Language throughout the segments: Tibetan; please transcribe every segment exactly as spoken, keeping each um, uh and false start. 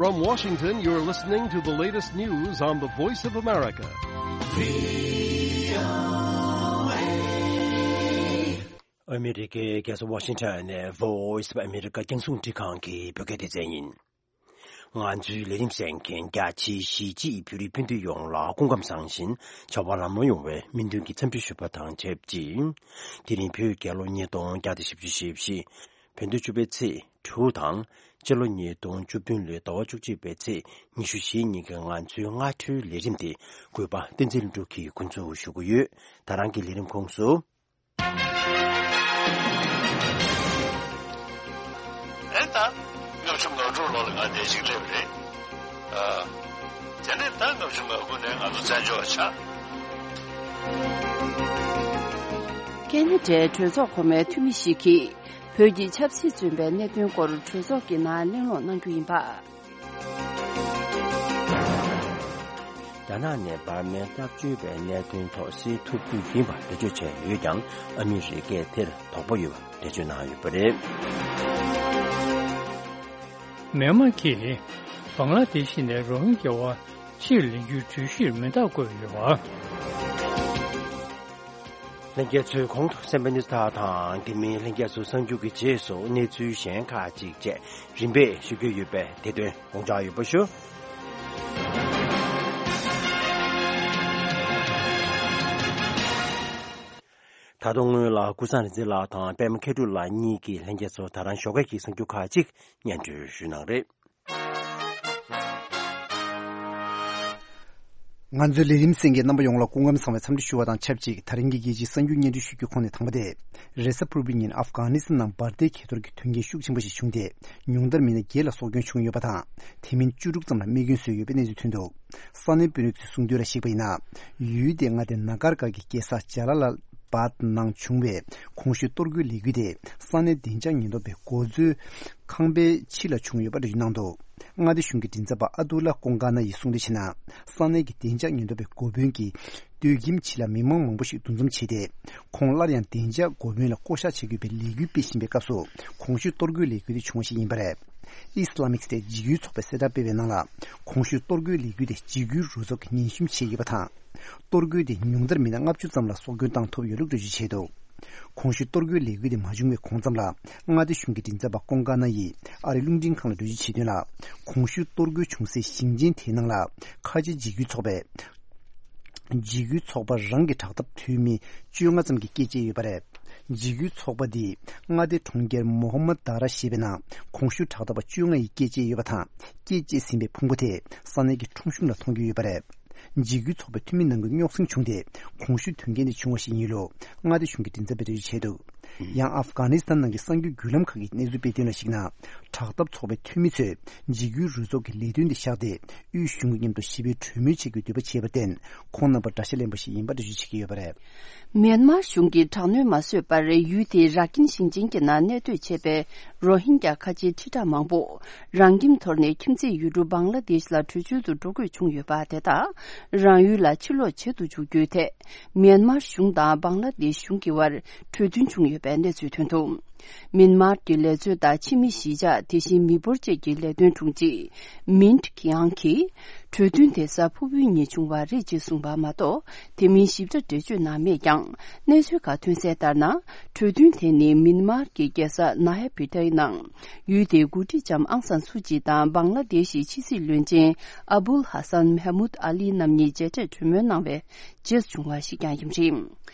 From Washington, you're listening to the latest news on the Voice of America. ཨ་མི་རི་ཀའི་རྒྱལ་ས་ཝ་ཤིང་ཊོན་ནས་Voice of America རྒྱང་སྲུང་ཁྲི་ཁང་གི་བོད་སྐད་སྡེ་ཚན་ཡིན། ང་ཚོའི་ལས་རིམ་གསན་མཁན་རྒྱ་ཆེའི་གཞིས་བྱེས་བོད་རིགས་སྤུན་ཟླ་ཡོངས་ལ་སྐུ་ཁམས་བཟང་ཞིང་བྱ་བ་ལམ་ལྷོང་ཡོང་བའི་སྨོན་འདུན་གྱི་འཚམས་འདྲི་ཞུ་བ་དང་ཆབས་ཅིག་དེ་རིང་བོད་རྒྱལ་ལོ་ཉིས་སྟོང་བརྒྱ་དང་བཞི་བཅུ་ཞེ་བཞི། བོད་ཟླ་བཅུ་པའི་ཚེས་དྲུག་དང་། སྤྱི་ལོ་ཉིས་སྟོང་བཅུ་བདུན་ལོའི་ཟླ་བ་བཅུ་གཅིག་པའི་ཚེས་ཉི་ཤུ་རྩ་བཞི་ཉིན་གྱི་ང་ཚོའི་སྔ་དྲོའི་ལས་རིམ་དེ་གུས་པ་བསྟན་འཛིན་ལྷུན་གྲུབ་ཀྱིས་འགོ་འཛུགས་ཞུ་གི་ཡོད། ད་རང་གི་ལས་རིམ་ཁོངས་སུ། ཨེ་ད། ལྔ་བཅུ་ང་དྲུག་ལོ་ལ་ང་འདིར་ཅིག་སླེབས་རེད། ཨ། དེ་ནས་ད་ལྔ་བཅུ་ང་དགུ་ནས་ང་ཚོ་བཙན་བྱོལ་བ་ཆགས། ཁེ་ན་ཌའི་གྲོས་ཚོགས་གོང་མའི་འཐུས་མི་ཞིག་གིས་བོད་ཀྱི་ཆབ་སྲིད་བཙོན་པའི་གནད་དོན་སྐོར་གྲོས་ཚོགས་ཀྱི་ནང་གླེང་སློང་གནང་རྒྱུ་ཡིན་པ། རྒྱ་ནག་ནས་འབར་མའི་སྐྱབས་བཅོལ་བའི་གནད་དོན་ཐོག་སེལ་ཐུབ་རྒྱུ་ཡིན་པ་འགྲེལ་བརྗོད་བྱས་ཡོད་ཀྱང་། ཨ་མི་རི་ཀས་དེར་དོགས་པ་ཡོད་པ་འགྲེལ་བརྗོད་གནང་ཡོད་པ་རེད། མེན་མར་གྱིས་བང་ལ་དེ་ཤི་ནས་རོ་ཧིན་རྒྱ་བ་ཕྱིར་ལེན་རྒྱུའི་གྲོས་གཞིར་མེ་མདའ་བཀོད་ཡོད་པ། ལྷན་རྒྱས་ཚོས་གོང་དུ་གསན་པ་ནི་ད་དང་དེ་མིན་ལྷན་རྒྱས་ཚོ་གསར་འགྱུར་གྱི་རྗེས་སུ་གནས་ཚུལ་གཞན་ཁག་ཅིག་བཅས་རིམ་པས་ཞུ་རྒྱུ་ཡོད་པས་དེ་དོན་དགོངས་འཇགས་ཡོད་པ་ཞུ། ད་དུང་སྔོན་ལ་ཀུན་བཟང་རིག་འཛིན་ལགས་དང་པདྨ་མཁས་གྲུབ་ལགས་གཉིས་ཀྱིས་ལྷན་རྒྱས་ཚོར་ད་རང་ཞོགས་ཀས་ཀྱི་གསར་འགྱུར་ཁག་ཅིག་སྙན་སྒྲོན་ཞུས་གནང་རེད། ང་ཚོའི་ལས་རིམ་གསན་མཁན་རྣམ་པ་ཡོངས་ལ་སྐུ་ཁམས་བཟང་བའི་འཚམས་འདྲི་ཞུ་བ་དང་ཆབས་ཅིག་དེ་རིང་གི་རྒྱལ་སྤྱིའི་གསར་འགྱུར་སྙན་སྒྲོན་ཞུ་རྒྱུའི་ཁོངས་ནས་དང་པོ་དེ། རེས་གཟའ་ཕུར་བུའི་ཉིན་ཨབ་གྷ་ནི་སི་ཐན་ནང་འབར་མདེལ་འཁྱེར་གཏོར་གྱི་དོན་རྐྱེན་ཤུགས་ཆེན་པོ་ཞིག་བྱུང་སྟེ། ཉུང་མཐར་མི་སྣ་བརྒྱད་ལ་སྲོག་སྐྱོན་བྱུང་ཡོད་པ་དང་། དེ་མིན་བཅུ་དྲུག་ཙམ་ལ་རྨས་སྐྱོན་བཟོས་ཡོད་པའི་གནས་ཚུལ་ཐོན་འདུག་ས་གནས་དཔོན་རིགས་ཚོས་གསུངས་དོན་ལ་གཞིགས་པ་ཡིན་ན། ཡུལ་དེའི་མངའ་སྡེ་ན་གར་གྷར་གྱི་རྒྱལ་ས་ཇ་ལ་ལ་བཱད་ནང་བྱུང་བའི་གོང་ཞུས་གཏོར་རྒོལ་ལས་འགུལ་དེ་ས་གནས་བདེ་འཇགས་ཉེན་རྟོག་པའི་འགོ་གཙོའི་ཁང་པའི་ཕྱི་ལ་བྱུང་ཡོད་པ་འགྲེལ་བརྗོད་གནང་འདུག་མངའ་སྡེ་གཞུང་གི་མགྲིན་ཚབ་པ་ཨ་ཏུ་ལ་ཀོང་ཀ་ན་ཡིས་གསུངས་དོན་བྱས་ན། ས་གནས་ཀྱི་བདེ་འཇགས་ཉེན་རྟོག་པའི་འགོ་དཔོན་གྱིས་སྡོད་ཁྱིམ་ཕྱི་ལ་མི་མང་མང་པོ་ཞིག་འདུ་འཛོམས་བྱས་ཏེ། ཁོང་སླར་ཡང་བདེ་འཇགས་འགོ་དཔོན་ལ་བསྐོ་བཞག་བྱེད་དགོས་པའི་ལས་འགུལ་སྤེལ་བཞིན་པའི་སྐབས་སུ། གོང་ཞུས་གཏོར་རྒོལ་ལས་འགུལ་དེ་བྱུང་བ་ཞིག་ཡིན་པ་རེད། ཨི་སི་ལ་མིག་སི་ཊེཊ་འཇིགས་སྐུལ་ཚོགས་པས་གསལ་བསྒྲགས་སྤེལ་བའི་ནང་ལ། གོང་ཞུས་གཏོར་རྒོལ་ལས་འགུལ་དེ་འཇིགས་སྐུལ་རུ་ཚོགས་ཀྱིས་ཉེན་ཞིབ་བྱས་ཡོད་པ་དང་། གཏོར་རྒོལ་དེ་ཉུང་མཐར་མི་སྣ་ལྔ་བཅུ་ཙམ་ལ་སྲོག་སྐྱོན་བཏང་ཐུབ་ཡོད་ལུགས་འགྲེལ་བརྗོད་བྱས་འདུག་གོང་ཞུས་གཏོར་རྒོལ་ལས་འགུལ་དེ་མ་བྱུང་བའི་གོང་ཙམ་ལ། མངའ་སྡེ་གཞུང་གི་མགྲིན་ཚབ་པ་ཀོང་ཀ་ན་ཡིས་ཨ་རིའི་རླུང་འཕྲིན་ཁང་ལ་འགྲེལ་བརྗོད་བྱས་དོན་ལ། གོང་ཞུས་གཏོར་རྒོལ་བྱུང་སའི་ཞིང་ཆེན་དེའི་ནང་ལ། ཁ་ཆེ་འཇིགས་སྐུལ་ཚོགས་པས། འཇིགས་སྐུལ་ཚོགས་པ་རང་གི་དྲག་འཐབ་འཐུས་མི་བཅོ་ལྔ་ཙམ་གྱིས་སྐད་སྤྱད་ཡོད་པ་རེད། འཇིགས་སྐུལ་ཚོགས་པ་འདིས་མངའ་སྡེ་གྲོང་ཁྱེར་མོ་ཧ་མ་དཱ་ར་ཞེས་པའི་ནང་གོང་ཞུས་དྲག་འཐབ་པ་བཅོ་ལྔ་ཡིས་སྐད་སྤྱད་ཡོད་པ་དང་། སྐད་སྤྱད་ཟིན་པའི་ཕུང་པོ་དེ་ས་གནས་ཀྱི་ཁྲོམ་གཞུང་ལ་མཐོང་རྒྱུ་ཡོད་པ་རེད། འཇིགས་སྐུལ་ཚོགས་པའི་འཐུས་མི་ནང་གི་རྙོག་ཟིང་བྱུང་སྟེ། གོང་ཞུས་དོན་རྐྱེན་དེ་བྱུང་བ་ཞིག་ཡིན་ལུགས་མངའ་སྡེ་གཞུང་གི་མགྲིན་ཚབ་པས་འགྲེལ་བརྗོད་བྱས་འདུག་ཡང་ཨབ་གྷ་ནི་སི་ཐན་ནང་གི་གསར་འགྱུར་བརྒྱུད་ལམ་ཁག་གིས་གནས་ཚུལ་སྤེལ་དོན་ལ་གཞིགས་ན། དྲག་འཐབ་ཚོགས་པའི་འཐུས་མི་ཚོས་འཇིགས་སྐུལ་རུ་ཚོགས་ཀྱི་ལས་དོན་དེ་བཞག་སྟེ། དབུས་གཞུང་གི་མཉམ་དུ་ཞི་བའི་གྲོས་མོལ་བྱེད་རྒྱུའི་འདོད་པ་བྱས་པར་བརྟེན། ཁོང་རྣམ་པར་དགྲ་ཤ་ལེན་པ་ཞིག་ཡིན་པ་འགྲེལ་བརྗོད་བྱེད་ཀྱི་ཡོད་པ་རེད། མིན་མར་གཞུང་གིས་དྲག་གནོན་མ་བཟོས་པར། ཡུལ་དེའི་ར་ཀིན་ཞིང་ཆེན་གྱི་ནང་གནས་སྡོད་བྱས་པའི་རོ་ཧིན་རྒྱ་ཁ་ཆེའི་ཁྲི་ཕྲག་མང་པོ། རང་ཁྱིམ་དོར་ནས་ཁྱིམ་མཚེས་ཡུལ་གྲུ་བང་ལ་དེཤ་ལ་བྲོས་བྱོལ་དུ་འགྲོ་དགོས་བྱུང་ཡོད་པ་དེ་དག་རང་ཡུལ་ལ་ཕྱིར་ལོག་བྱེད་དུ་འཇུག་རྒྱུའི་ཐད། མིན་མར་གཞུང་དང་བང་ལ་དེཤ་གཞུང་གི་བར་གྲོས་མཐུན་བྱུང་ཡོད་པའི་གནས་ཚུལ་ཐོན་འདུག་མིན་མར་གྱི་ལས་བཟོ་དང་ཕྱི་མི་གཞིས་ཆགས། དེ་བཞིན་མི་འབོར་བཅས་ཀྱི་ལས་དོན་དྲུང་ཆེ་མིན་ཀི་ཡང་གིས། གྲོས་མཐུན་དེ་གཟའ་ཕུར་བུའི་ཉིན་བྱུང་བ་རེད་ཅེས་གསུངས་པ་མ་གཏོགས། དེ་མིན་ཞིབ་ཕྲ་འགྲེལ་བརྗོད་གནང་མེད་ཀྱང་། གནས་ཚུལ་ཁག་ཐོན་གསལ་ལྟར་ན། གྲོས་མཐུན་དེ་ནི་མིན་མར་གྱི་རྒྱལ་ས་ན་ཧེ་པི་ཏའི་ནང་ཡུལ་དེའི་འགོ་ཁྲིད་ལྕམ་ཨང་སན་སུ་ཅི་དང་བང་ལ་དེ་ཤི་ཕྱི་སྲིད་བློན་ཆེན་ཨ་བུལ་ཧ་སན་མེ་མུད་ཨ་ལི་རྣམ་གཉིས་མཇལ་འཕྲད་གྲོས་མོལ་གནང་བའི་རྗེས་བྱུང་བ་ཞིག་ཀྱང་ཡིན་པ་རེད།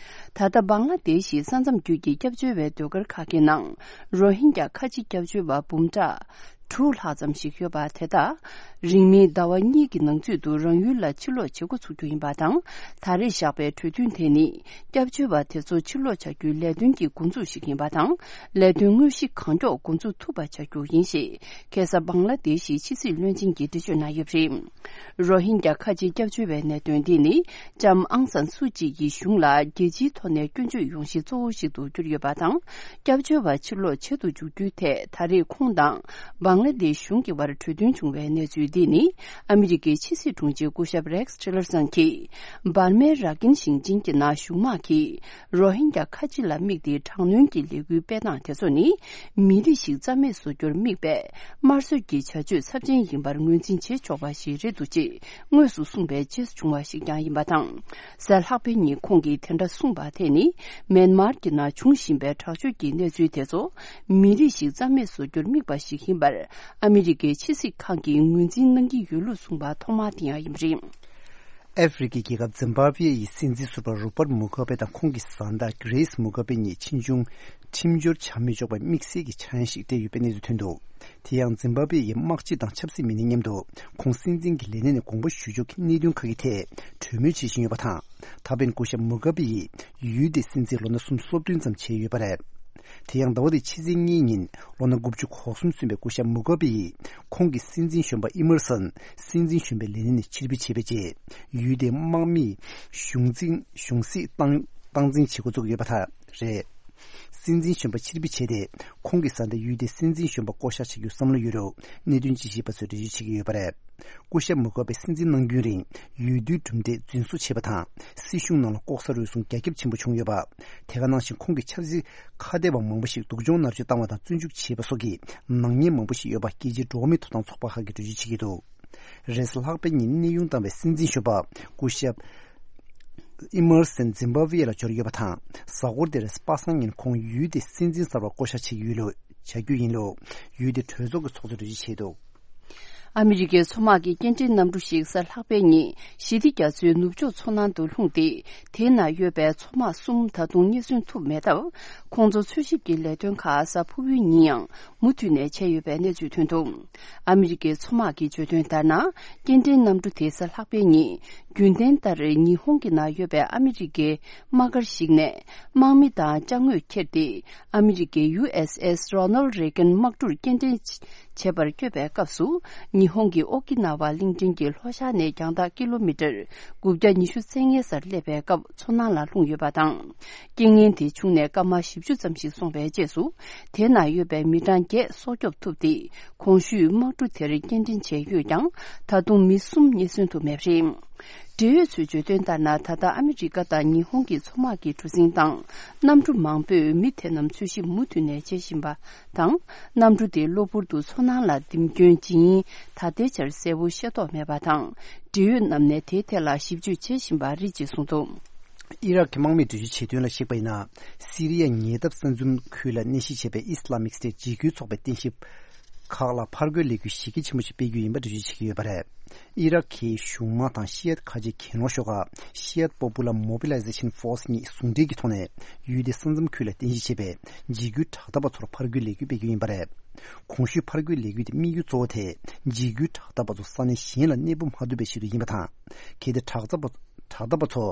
ད་ལྟ་བང་ལ་དེ་ཤི་ས་མཚམས་བརྒྱུད་ཀྱི་སྐྱབས་བཅོལ་བའི་ཟློས་གར་ཁག་གི་ནང་རོ་ཧིན་རྒྱ་ཁ་ཆེ་སྐྱབས་བཅོལ་བ་འབུམ་ཕྲག་དྲུག་ལྷག་ཙམ་ཞིག་ཡོད་པ་དེ་དག་རིང་མིན་ཟླ་བ་གཉིས་ཀྱི་ནང་ཚུད་དུ་རང་ཡུལ་ལ་ཕྱིར་ལོག་བྱེད་འགོ་ཚུགས་རྒྱུ་ཡིན་པ་དང་། ད་རེས་བཞག་པའི་གྲོས་མཐུན་དེ་ནི་སྐྱབས་བཅོལ་བ་དེ་ཚོ་ཕྱིར་ལོག་བྱ་རྒྱུའི་ལས་དོན་གྱི་འགོ་འཛུགས་ཤིག་ཡིན་པ་དང་། ལས་དོན་དངོས་གཞི་གང་མགྱོགས་འགོ་འཛུགས་ཐུབ་པ་བྱ་རྒྱུ་ཡིན་ཞེས་ཁ་སང་བང་ལ་དེ་ཤི་ཕྱི་སྲིད་བློན་ཆེན་གྱིས་འགྲེལ་བརྗོད་གནང་ཡོད་པ་རེད། རོ་ཧིན་རྒྱ་ཁ་ཆེ་སྐྱབས་བཅོལ་བའི་གནད་དོན་འདི་ནི་ལྕམ་ཨང་སན་སུ་ཅི་ཡི་གཞུང་ལ་རྒྱལ་སྤྱིའི་ཐོག་ནས་སྐྱོན་བརྗོད་ཡོང་གཞི་གཙོ་བོ་ཞིག་ཏུ་གྱུར་ཡོད་པ་དང་། སྐྱབས་བཅོལ་བ་ཕྱིར་ལོག་བྱེད་དུ་འཇུག་རྒྱུའི་ཐད་ད་རེས་ཁོང་དང་བང་ ལ་དེ་གཞུང་གི་བར་གྲོས་མཐུན་བྱུང་བའི་གནས་ཚུལ་འདི་ནི། ཨ་མི་རི་ཀའི་ཕྱི་སྲིད་དྲུང་ཆེ་སྐུ་ཞབས་Rex Tillerson གྱིས། འབར་མའི་ར་ཀིན་ཞིང་ཆེན་གྱི་ནང་གཞུང་དམག་གིས། རོ་ཧིན་རྒྱ་ཁ་ཆེ་ལ་དམིགས་ཏེ་དྲག་གནོན་གྱི་ལས་འགུལ་སྤེལ་སྟངས་དེ་ཚོ་ནི། མི་རིགས་ཤིག་རྩ་མེད་བཟོ་རྒྱུར་དམིགས་པའི། དམར་གསོད་ཀྱི་བྱ་སྤྱོད་ཚབས་ཆེན་ཡིན་པར་ངོས་འཛིན་བྱེད་ཆོག་པ་ཞིག་རེད་འདུག་ཅེས། དངོས་སུ་གསུངས་པའི་རྗེས་སུ་བྱུང་བ་ཞིག་ཀྱང་ཡིན་པ་དང་། གཟའ་ལྷག་པའི་ཉིན་ཁོང་གིས་དེ་འདྲ་གསུངས་པ་དེ་ནི། མེན་མར་གྱི་ནང་འབྱུང་བཞིན་པའི་དྲག་སྤྱོད་ཀྱི་གནས་ཚུལ་དེ་ཚོ། མི་རིགས་ཤིག་རྩ་མེད་བཟོ་རྒྱུར་དམིགས་པ་ཞིག་ཡིན་པར། ཨ་མི་རི་ཀའི་ཕྱི་སྲིད་ཁང་གིས་ངོས་འཛིན་གནང་གི་ཡོད་ལུགས་གསུངས་པ་ཐོག་མ་དེ་ཡང་ཡིན་པ་རེད། ཨ་ཧྥེ་རི་ཁའི་རྒྱལ་ཁབ་ཛིམ་བྷ་ཝེ་ཡི་སྲིད་འཛིན་ཟུར་པ་རོ་པར་མུ་གྷ་བེ་དང་ཁོང་གི་བཟའ་ཟླ་གྷི་རེས་མུ་གྷ་བེ་གཉིས་ཕྱིས་འབྱུང་ཁྲིམས་སྦྱོར་བྱ་མི་ཆོག་པའི་དམིགས་བསལ་གྱི་འཆར་ཡན་ཞིག་སྤྲད་ཡོད་པའི་གནས་ཚུལ་ཐོན་འདུག་དེ་ཡང་ཛིམ་བྷ་ཝེ་ཡི་དམག་སྤྱི་དང་ཆབ་སྲིད་མི་སྣའི་མཉམ་དུ་ཁོང་སྲིད་འཛིན་གྱི་ལས་གནས་ནས་དགོངས་པ་ཞུ་ཕྱོགས་ཀྱི་གནད་དོན་ཁག་གི་ཐད་གྲོས་མོལ་བྱེད་བཞིན་ཡོད་པ་དང་། ད་ཕན་སྐུ་ཞབས་མུ་གྷ་བེ་ཡིས་ཡུལ་དེའི་སྲིད་འཛིན་ལོ་ན་སུམ་ཅུ་སོ་བདུན་ཙམ་བྱས་ཡོད་པ་རེད། དེ་ཡང་ཟླ་བ་འདིའི་ཕྱི་ཚེས་གཉིས་ཉིན་ལོ་ན་དགུ་བཅུ་གོ་གསུམ་སོན་པའི་སྐུ་ཞབས་མུ་གྷ་བེ་ཡིས་ཁོང་གི་སྲིད་འཛིན་གཞོན་པ་ཨི་མར་སན་སྲིད་འཛིན་གཞོན་པའི་ལས་གནས་ནས་ཕྱིར་འབུད་བྱས་པའི་རྗེས། ཡུལ་དེའི་དམག་མིས་གཞུང་འཛིན་གཞུང་སྲིད་སྟངས་སྟངས་འཛིན་བྱེད་འགོ་བཙུགས་ཡོད་པ་དག་རེད། སྲིད་འཛིན་གཞོན་པ་ཕྱིར་འབུད་བྱས་ཏེ། ཁོང་གི་བཟའ་ཟླས་ཡུལ་དེའི་སྲིད་འཛིན་གཞོན་པ་བསྐོ་བཞག་བྱེད་རྒྱུའི་བསམ་བློ་ཡོད་ལུགས་གནད་དོན་དཔྱད་ཞིབ་པ་ཚོས་འགྲེལ་བརྗོད་བྱེད་ཀྱི་ཡོད་པ་རེད། སྐུ་ཞབས་མུ་གྷ་བེ་སྲིད་འཛིན་གནང་རྒྱུན་རིང་ཡུལ་དུས་གྲུབ་འབྲས་རྫུན་བཟོ་བྱས་པ་དང་། སྲིད་གཞུང་ནང་ལ་ལྐོག་ཟ་རུལ་སུངས་རྒྱ་ཁྱབ་ཆེན་པོ་བྱུང་ཡོད་པ། དེ་ག་ནང་བཞིན་ཁོང་གི་ཆབ་སྲིད་ཁ་གཏད་པ་མང་པོ་ཞིག་སྡུག་སྦྱོང་མནར་གཅོད་བཏང་བ་དང་བཙོན་འཇུག་བྱས་པ་སོགས་ཀྱི་ནག་ཉེས་མང་པོ་ཞིག་ཡོད་པ་རྒྱལ་སྤྱིའི་འགྲོ་བ་མིའི་ཐོབ་ཐང་ཚོགས་པ་ཁག་གིས་འགྲེལ་བརྗོད་བྱེད་ཀྱི་འདུག་རེས་གཟའ་ལྷག་པའི་ཉིན་གནས་དབྱུང་བཏང་བའི་སྲིད་འཛིན་གཞོན་པ་སྐུ་ཞབས་ཨི་མར་སན་ཛིམ་བྷ་ཝེ་ལ་འབྱོར་ཡོད་པ་དང་། གཟའ་འཁོར་དེ་རེས་པ་སངས་ཉིན་ཁོང་ཡུལ་དེའི་སྲིད་འཛིན་གསར་པ་བསྐོ་བཞག་བྱེད་ཀྱི་ཡོད་ལུགས་བྱ་རྒྱུ་ཡིན་ལུགས་ཡུལ་དེའི་གྲོས་ཚོགས་ཀྱི་ཚོགས་གཙོས་འགྲེལ་བརྗོད་བྱས་འདུག་ཨ་མི་རི་ཀའི་མཚོ་དམག་གི་སྐྱེལ་འདྲེན་གནམ་གྲུ་ཞིག་གཟའ་ལྷག་པའི་ཉིན་ཞི་བདེ་རྒྱ་མཚོའི་ནུབ་ཕྱོགས་མཚོ་ནང་དུ་ལྷུང་སྟེ། དེའི་ནང་ཡོད་པའི་མཚོ་དམག་གསུམ་ད་དུང་རྙེད་སོན་ཐུབ་མེད་སྟབས། ཁོང་ཚོ་འཚོལ་ཞིབ་ཀྱི་ལས་དོན་ཁག་གཟའ་ཕུར་བུའི་ཉིན་ཡང་མུ་མཐུད་ནས་བྱས་ཡོད་པའི་གནས་ཚུལ་ཐོན་འདུག་ཨ་མི་རི་ཀའི་མཚོ་དམག་གིས་བརྗོད་དོན་ལྟར་ན། སྐྱེལ་འདྲེན་གནམ་གྲུ་དེ་གཟའ་ལྷག་པའི་ཉིན། རྒྱུན་ལྡན་ལྟར་ཉི་ཧོང་གི་ནང་ཡོད་པའི་ཨ་མི་རི་ཀའི་དམག་སྒར་ཞིག་ནས། དམག་མི་དང་ཅ་དངོས་ཁྱེར་ཏེ། ཨ་མི་རི་ཀའི་ཡུ་ཨེས་ཨེས་རོ་ནལ་རེ་གན་དམག་གྲུར་སྐྱེལ་འདྲེན་བྱེད་པར་བསྐྱོད་པའི་སྐབས་སུ། ཉི་ཧོང་གི་ཨོ་ཀི་ན་ཝ་གླིང་ཕྲན་གྱི་ལྷོ་ཤར་ནས་རྒྱང་ཐག་ཀི་ལོ་མི་ཊར་དགུ་བརྒྱ་ཉི་ཤུ་རྩ་ལྔའི་སར་སླེབས་པའི་སྐབས། མཚོ་ནང་ལ་ལྷུང་ཡོད་པ་དང་། རྐྱེན་ངན་དེ་བྱུང་ནས་སྐར་མ་བཞི་བཅུ་ཙམ་ཞིག་སོང་བའི་རྗེས་སུ། དེ་ན་ཡོད་པའི་མི་གྲངས་བརྒྱད་སྲོག་སྐྱོབ་ཐུབ་སྟེ། གོང་ཞུས་དམག་གྲུ་དེར་སྐྱེལ་འདྲེན་བྱས་ཡོད་ཀྱང་། ད་དུང་མི་གསུམ་རྙེད་སོན་ཐུབ་མེད་པ་རེད། འབྲེལ་ཡོད་ཚོས་བརྗོད་དོན་ལྟར་ན། ད་ལྟ་ཨ་མི་རི་ཀ་དང་ཉི་ཧོང་གི་མཚོ་དམག་གི་གྲུ་གཟིངས་དང་གནམ་གྲུ་མང་པོས་མི་དེ་རྣམས་འཚོལ་ཞིབ་མུ་མཐུད་ནས་བྱེད་བཞིན་པ་དང་། གནམ་གྲུ་དེ་གློ་བུར་དུ་མཚོ་ནང་ལ་ལྡིང་སྐྱོན་ཇི་ཡིན་ད་ལྟའི་ཆར་གསལ་པོ་ཤེས་རྟོགས་མེད་པ་དང་། འབྲེལ་ཡོད་རྣམས་ནས་དེའི་ཐད་ལ་ཞིབ་དཔྱོད་བྱེད་བཞིན་པ་རེད་ཅེས་གསུངས་འདུག་ཨི་རག་གི་དམག་མིས་འགྲེལ་བརྗོད་བྱས་དོན་ལ་གཞིགས་པ་ཡིན་ན། སི་རི་ཡ་ཉེ་འདབས་ས་མཚམས་ཁུལ་ལ་གནས་གཞི་བྱས་པའི་ཨི་སི་ལ་མིག་སི་ཊེ་འཇིགས་སྐུལ་ཚོགས་པའི་རྟེན་གཞི་ཁག་ལ་ཕར་རྒོལ་ལས་འགུལ་གཞི་རྒྱ་ཆེན་པོ་ཞིག་སྤེལ་རྒྱུ་ཡིན་པ་འགྲེལ་བརྗོད་བྱེད་ཀྱི་ཡོད་པ་རེད། ཨི་རག་གི་གཞུང་དམག་དང་ཤི་ཡད་ཁ་ཆེའི་གྱེན་ལོག་ཤོག་ཁག་Shiite Popular Mobilization Force གཉིས་ཟུང་འབྲེལ་གྱི་ཐོག་ནས་ཡུལ་དེའི་ས་མཚམས་ཁུལ་ལ་རྟེན་གཞི་བྱས་པའི་འཇིགས་སྐུལ་དྲག་འཐབ་པ་ཚོར་ཕར་རྒོལ་ལས་འགུལ་སྤེལ་རྒྱུ་ཡིན་པ་རེད། གོང་ཞུས་ཕར་རྒོལ་ལས་འགུལ་དེ་དམིགས་ཡུལ་གཙོ་བོ་དེ་འཇིགས་སྐུལ་དྲག་འཐབ་པ་ཚོ་ས་གནས་གཞན་ལ་གནས་སྤོ་མ་ཐུབ་པའི་ཆེད་དུ་ཡིན་པ་དང་། གལ་ཏེ་དྲག་འཐབ་པ་དྲག་འཐབ་པ་ཚོ་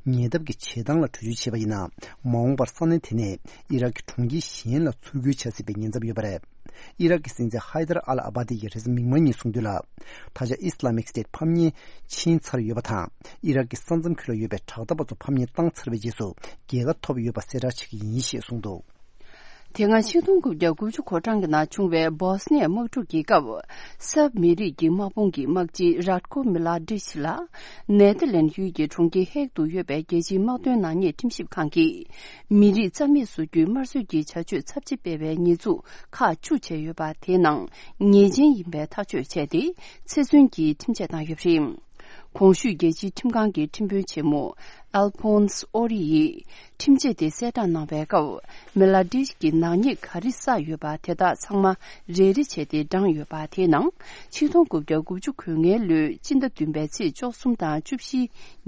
ཉེ་འདབས་ཀྱི་བྱེད་སྟངས་ལ་བྲོས་བྱོལ་བྱས་པ་ཡིན་ན། མ་འོངས་པར་ས་གནས་དེ་ནས་ཨི་རག་གི་གྲོང་ཁྱེར་གཞན་ལ་ཚུར་རྒོལ་བྱ་སྲིད་པའི་ཉེན་ཚབས་ཡོད་པ་རེད། ཨི་རག་གི་སྲིད་འཛིན་ཧའི་དར་ཨལ་ཨ་བ་དི་ཡིས་རེས་གཟའ་མིག་དམར་ཉིན་གསུངས་དོན་ལ། ད་ཆ་ཨི་སི་ལ་མིག་སི་ཊེ་ཕམ་ཉེས་ཕྱིན་ཚར་ཡོད་པ་དང་། ཨི་རག་གི་ས་མཚམས་ཁུལ་ལ་ཡོད་པའི་དྲག་འཐབ་པ་ཚོ་ཕམ་ཉེས་བཏང་ཚར་བའི་རྗེས་སུ་རྒྱལ་ཁ་ཐོབ་ཡོད་པ་གསལ་བསྒྲགས་བྱེད་ཀྱི་ཡིན་ཞེས་གསུངས་འདུག་དེ་སྔ་ཆིག་སྟོང་དགུ་བརྒྱ་དགུ་བཅུ་གོ་གྲངས་ཀྱི་ནང་བྱུང་བའི་བོ་སི་ནི་ཡ་དམག་འཁྲུག་གི་སྐབས། སརྦ་མི་རིགས་ཀྱི་དམག་དཔུང་གི་དམག་སྤྱི་རཱད་ཀོ་མི་ལ་ཌིཆ་ལ་ནེ་ཐར་ལེན་ཡུལ་གྱི་གྲོང་ཁྱེར་ཧེག་ཏུ་ཡོད་པའི་རྒྱལ་སྤྱིའི་དམག་དོན་ནག་ཉེས་ཁྲིམས་ཞིབ་ཁང་གིས། མི་རིགས་རྩ་མེད་བཟོ་རྒྱུའི་དམར་གསོད་ཀྱི་བྱ་སྤྱོད་ཚབས་ཆེ་སྤེལ་བའི་ཉེས་འཛུགས་ཁག་བཅུ་བྱས་ཡོད་པ། དེའི་ནང་ཉེས་ཅན་ཡིན་པའི་ཐག་གཅོད་བྱས་ཏེ། ཚེ་བཙོན་གྱི་ཁྲིམས་ཆད་བཏང་ཡོད་པ་རེད། གོང་ཞུས་རྒྱལ་སྤྱིའི་ཁྲིམས་ཁང་གི་ཁྲིམས་དཔོན་ཆེན་མོ་ཨལ་ཕོན་སི་ཨོ་རི་ཡིས་ཁྲིམས་ཆད་དེ་གསལ་བསྒྲགས་གནང་བའི་སྐབས། མི་ལ་ཌིཆ་གིས་ནག་ཉེས་ག་རེ་བསགས་ཡོད་པ་དེ་དག་ཚང་མ་རེ་རེ་བྱས་ཏེ་བགྲངས་ཡོད་པ། དེའི་ནང་ཆིག་སྟོང་དགུ་བརྒྱ་དགུ་བཅུ་གོ་ལྔའི་ལོའི་སྤྱི་ཟླ་བདུན་པའི་ཚེས་བཅུ་གསུམ་དང་བཅུ་བཞི་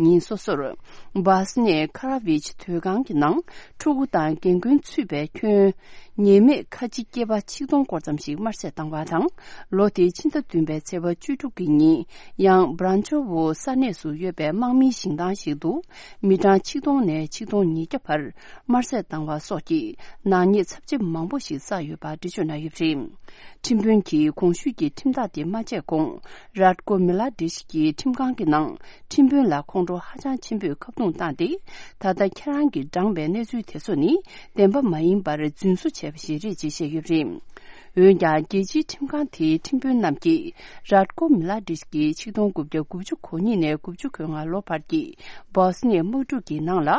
ཉིན་སོ་སོར། བྷ་སི་ནི་ཁ་ར་བྷིཆ་སྡོད་ཁང་གི་ནང་ཕྲུ་གུ་དང་རྒན་རྒོན་ཚུད་པའི་ཁྱོན། ཉེས་མེད་ཁ་ཆེ་སྐྱེས་པ་ཆིག་སྟོང་སྐོར་ཙམ་ཞིག་དམར་གསོད་བཏང་བ་དང་། ལོ་དེའི་ཕྱི་ཟླ་བདུན་པའི་ཚེས་པ་བཅུ་དྲུག་གི་ཉིན། ཡང་བྷ་རན་ཆོ་ཝོ་ས་གནས་སུ་ཡོད་པའི་དམག་མིའི་ཞིང་ཐང་ཞིག་ཏུ། མི་གྲངས་ཆིག་སྟོང་ནས་ཆིག་སྟོང་ཉིས་བརྒྱ་བར་དམར་གསོད་བཏང་བ་སོགས་ཀྱི་ནག་ཉེས་ཚབས་ཆེ་མང་པོ་ཞིག་བསགས་ཡོད་པ་འགྲེལ་བརྗོད་གནང་ཡོད་པ་རེད། ཁྲིམས་དཔོན་གྱིས་གོང་ཞུས་ཀྱི་ཁྲིམས་ཐག་དེ་མ་བཅད་གོང་། རཱད་ཀོ་མི་ལ་ཌིཆ་གྱིས་ཁྲིམས་ཁང་གི་ནང་ཁྲིམས་དཔོན་ལ་ཁོང་ཁྲོ་ཧ་ཅང་ཆེན་པོས་ཁ་རྡུང་བཏང་སྟེ། ད་ལྟ་ཁྱེད་རང་གིས་བགྲངས་པའི་གནས་ཚུལ་དེ་ཚོ་ནི་བདེན་པ་མ་ཡིན་པར་རྫུན་བཟོ་བྱས་པ་ཞིག་རེད་ཅེས་བཤད་ཡོད་པ་རེད། འོན་ཀྱང་རྒྱལ་སྤྱིའི་ཁྲིམས་ཁང་དེའི་ཁྲིམས་དཔོན་རྣམས་ཀྱིས་རཱད་ཀོ་མི་ལ་ཌིཆ་གིས་ཆིག་སྟོང་དགུ་བརྒྱ་དགུ་བཅུ་གོ་གཉིས་ནས་དགུ་བཅུ་གོ་ལྔ་ལོ་བར་གྱི་སྦོ་སི་ནི་ཡ་དམག་འཁྲུག་གི་ནང་ལ་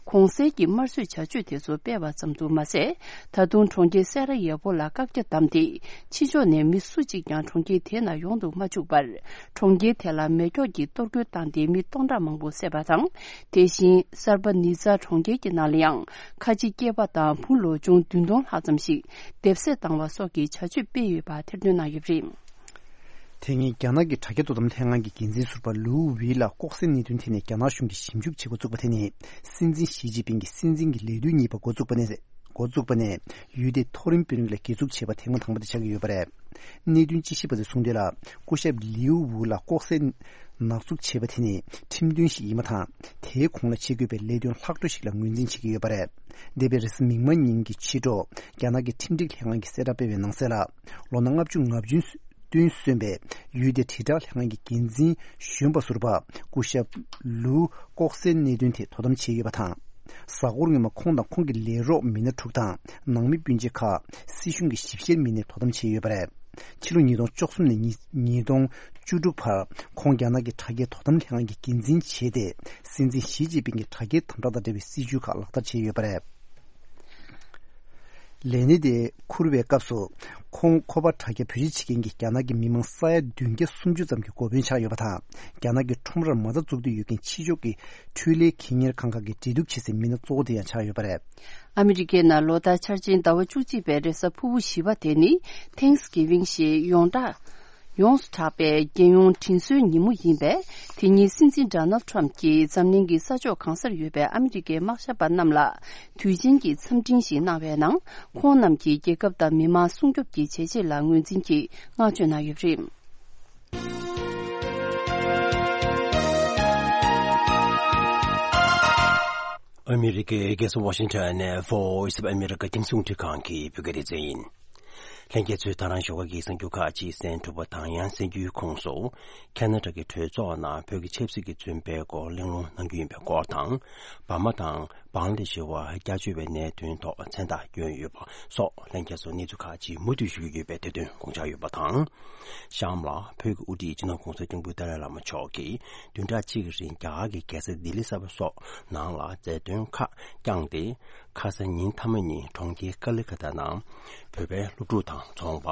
གོང་གསལ་གྱི་དམར་གསོད་བྱ་སྤྱོད་དེ་ཚོ་སྤེལ་བ་ཙམ་དུ་མ་ཟད། ད་དུང་གྲོང་ཁྱེར་སེ་ར་ཡེ་པོ་ལ་བཀག་རྒྱ་བསྡམས་ཏེ། ཕྱི་ཕྱོགས་ནས་མི་སུ་གཅིག་ཀྱང་གྲོང་ཁྱེར་དེ་ནང་ཡོང་དུ་མ་བཅུག་པར། གྲོང་ཁྱེར་དེ་ལ་མེ་སྒྱོགས་ཀྱིས་གཏོར་རྒོལ་བཏང་སྟེ་མི་སྟོང་ཕྲག་མང་པོ་བསད་པ་དང་། དེ་བཞིན་སར་པ་ནི་ཛ་གྲོང་ཁྱེར་གྱི་ནང་ལ་ཡང་ཁ་ཆེ་སྐྱེས་པ་དང་བུ་ལོ་ཆུང་བདུན་སྟོང་ལྷག་ཙམ་ཞིག་སྡེབ་བསད་བཏང་བ་སོགས་ཀྱི་བྱ་སྤྱོད་སྤེལ་ཡོད་པ་ཐེར་འདོན་གནང་ཡོད་པ་རེད། དེ་སྔོན་རྒྱ་ནག་གི་དྲ་རྒྱ་དོ་དམ་ལྷན་ཁང་གི་འགན་འཛིན་ཟུར་པ་ལུའུ་ཝེ་ལ་ལྐོག་ཟའི་གནད་དོན་ཐད་ནས་རྒྱ་ནག་གཞུང་གིས་ཞིབ་འཇུག་བྱེད་འགོ་བཙུགས་པ་དེ་ནི། སྲིད་འཛིན་ཞི་ཅིན་ཕིང་གིས་སྲིད་འཛིན་གྱི་ལས་དུས་གཉིས་པ་འགོ་བཙུགས་པ་ནས། འགོ་བཙུགས་པ་ནས་ཡུལ་དེའི་མཐོ་རིམ་དཔོན་རིགས་ལ་སྒེར་འཛུགས་བྱས་པ་ཐེངས་མ་དང་པོ་དེ་ཆགས་ཀྱི་ཡོད་པ་རེད། གནད་དོན་དཔྱད་ཞིབ་པ་ཚོས་གསུངས་དོན་ལ། སྐུ་ཞབས་ལིའུ་ཝུ་ལ་ལྐོག་ཟའི་ནག་འཛུགས་བྱས་པ་དེ་ནི་ཁྲིམས་མཐུན་ཞིག་ཡིན་པ་དང་། དེའི་གོང་ལ་བྱེད་དགོས་པའི་ལས་དོན་ལྷག་འཕྲོ་ཞིག་ལ་ངོས་འཛིན་བྱེད་ཀྱི་ཡོད་པ་རེད། འདས་པའི་རེས་གཟའ་མིག་དམར་ཉིན་གྱི་ཕྱི་དྲོ། རྒྱ་ནག་གི་ཁྲིམས་སྒྲིག་ལྷན་ཁང་གིས་གསལ་བསྒྲགས་སྤེལ་བའི་ནང་གསལ་ལ། ལོ་ན་ལྔ་བཅུ་ང་བདུན་སོན་པའི་ཡུལ་དེའི་དྲིལ་བསྒྲགས་ལྷན་ཁང་གི་འགན་འཛིན་གཞོན་པ་ཟུར་པ་སྐུ་ཞབས་ལུའུ་ལྐོག་ཟའི་གནད་དོན་ཐད་དོ་དམ་བྱས་ཡོད་པ་དང་། གཟའ་འཁོར་སྔོན་མ་ཁོང་དང་ཁོང་གི་ལས་རོགས་མི་སྣ་དྲུག་དང་ནང་མི་སྤུན་མཆེད་ཁག་སྲིད་གཞུང་གི་ཞིབ་བཤེར་མི་སྣས་དོ་དམ་བྱས་ཡོད་པ་རེད། ཕྱི་ལོ་ཉིས་སྟོང་བཅུ་གསུམ་ནས་ཉིས་ཉིས་སྟོང་བཅུ་དྲུག་བར་ཁོང་རྒྱ་ནག་གི་དྲ་རྒྱའི་དོ་དམ་ལྷན་ཁང་གི་འགན་འཛིན་བྱས་ཏེ། སྲིད་འཛིན་ཞི་ཅིན་ཕིང་གི་དྲ་རྒྱའི་དམ་དྲག་དང་འབྲེལ་བའི་སྲིད་བྱུས་ཁག་ལག་བསྟར་བྱས་ཡོད་པ་རེད། ལས་གནས་དེ་འཁུར་བའི་སྐབས་སུ། ཁོང་ཁོ་པ་དྲ་རྒྱ་བེད་སྤྱོད་བྱེད་མཁན་གྱི་རྒྱ་ནག་གི་མི་མང་ས་ཡ་བདུན་བརྒྱ་སུམ་ཅུ་ཙམ་གྱི་འགོ་དཔོན་ཆགས་ཡོད་པ་དང་། རྒྱ་ནག་གི་ཁྲོམ་རར་མ་རྩ་འཛུགས་འདོད་ཡོད་མཁན་ཕྱི་ཕྱོགས་ཀྱི་འཕྲུལ་ལས་ཁེ་གཉེར་ཁང་ཁག་གི་འབྲེལ་གཏུག་བྱེད་སའི་མི་སྣ་གཙོ་བོ་དེ་ཡང་ཆགས་ཡོད་པ་རེད། ཨ་མི་རི་ཀའི་ནང་ལོ་ལྟར་འཆར་ཅན་ཟླ་བ་བཅུ་གཅིག་པའི་རེས་གཟའ་ཕུར་བུ་བཞི་པ་དེ་ནི་Thanksgiving ཞེས་ཡོངས་གྲགས། ཡོངས་སུ་གྲགས་པའི་རྒྱལ་ཡོངས་དྲིན་གཟོའི་ཉིན་མོ་ཡིན་པས། དེ་ཉིན་སྲིད་འཛིན་Donald Trump གྱིས་འཛམ་གླིང་གི་ས་ཕྱོགས་གང་སར་ཡོད་པའི་ཨ་མི་རི་ཀའི་དམག་ཞབས་པ་རྣམས་ལ་དུས་ཆེན་གྱི་འཚམས་འཕྲིན་ཞིག་གནང་བའི་ནང་། ཁོང་རྣམས་ཀྱིས་རྒྱལ་ཁབ་དང་མི་མང་སྲུང་སྐྱོབ་ཀྱི་བྱས་རྗེས་ལ་ངོས་འཛིན་གྱིས་བསྔགས་བརྗོད་གནང་ཡོད་པ་རེད། ཨ་མི་རི་ཀའི་རྒྱལ་ས་ཝ་ཤིང་ཊོན་ནས་Voice of America རྒྱང་སྲིང་རླུང་འཕྲིན་ཁང་གི་བོད་སྐད་སྡེ་ཚན་ཡིན། ལྷན་རྒྱས་ཚོས་ད་རང་ཞོགས་ཀ་གི་གསར་འགྱུར་ཁག་ཅིག་གསན་གྲུབ་པ་དང་། ཡང་གསར་འགྱུར་ཁོངས་སུ། ཁ་ན་ཌ་གི་གྲོས་ཚོགས་ནང་བོད་ཀྱི་ཆབ་སྲིད་ཀྱི་བཙོན་པའི་སྐོར་གླེང་སློང་གནང་རྒྱུ་ཡིན་པའི་སྐོར་དང་། འབར་མ་དང་བང་ལ་དེ་ཤི་བ་སྐྱབས་བཅོལ་བའི་གནད་དོན་ཐོག་མཚན་རྟགས་བསྐྱོན་ཡོད་པ་སོགས། ལྷན་རྒྱས་ཚོ་གནས་ཚུལ་ཁག་ཅིག་མུ་མཐུད་ཞུ་རྒྱུ་ཡོད་པའི་དེ་དོན་དགོངས་འཇགས་ཡོད་པ་དང་། གཤམ་ལ་བོད་ཀྱི་དབུ་ཁྲིད་སྤྱི་ནོར་༸གོང་ས་༸སྐྱབས་མགོན་ཏཱ་ལའི་བླ་མ་མཆོག་གིས་བདུན་ཕྲག་གཅིག་གི་རིང་རྒྱ་གར་གྱི་རྒྱལ་ས་ལྡི་ལི་གསར་པ་སོགས་ནང་ལ་མཛད་དོན་ཁག་བསྐྱངས་ཏེ། ཁ་སང་ཉིན་མཐའ་མ་ཉིན་གྲོང་ཁྱེར་ཀ་ལི་ཀ་ཏ་ནང་བོད་པའི་སློབ་ཕྲུག་དང་ཚོང་པ།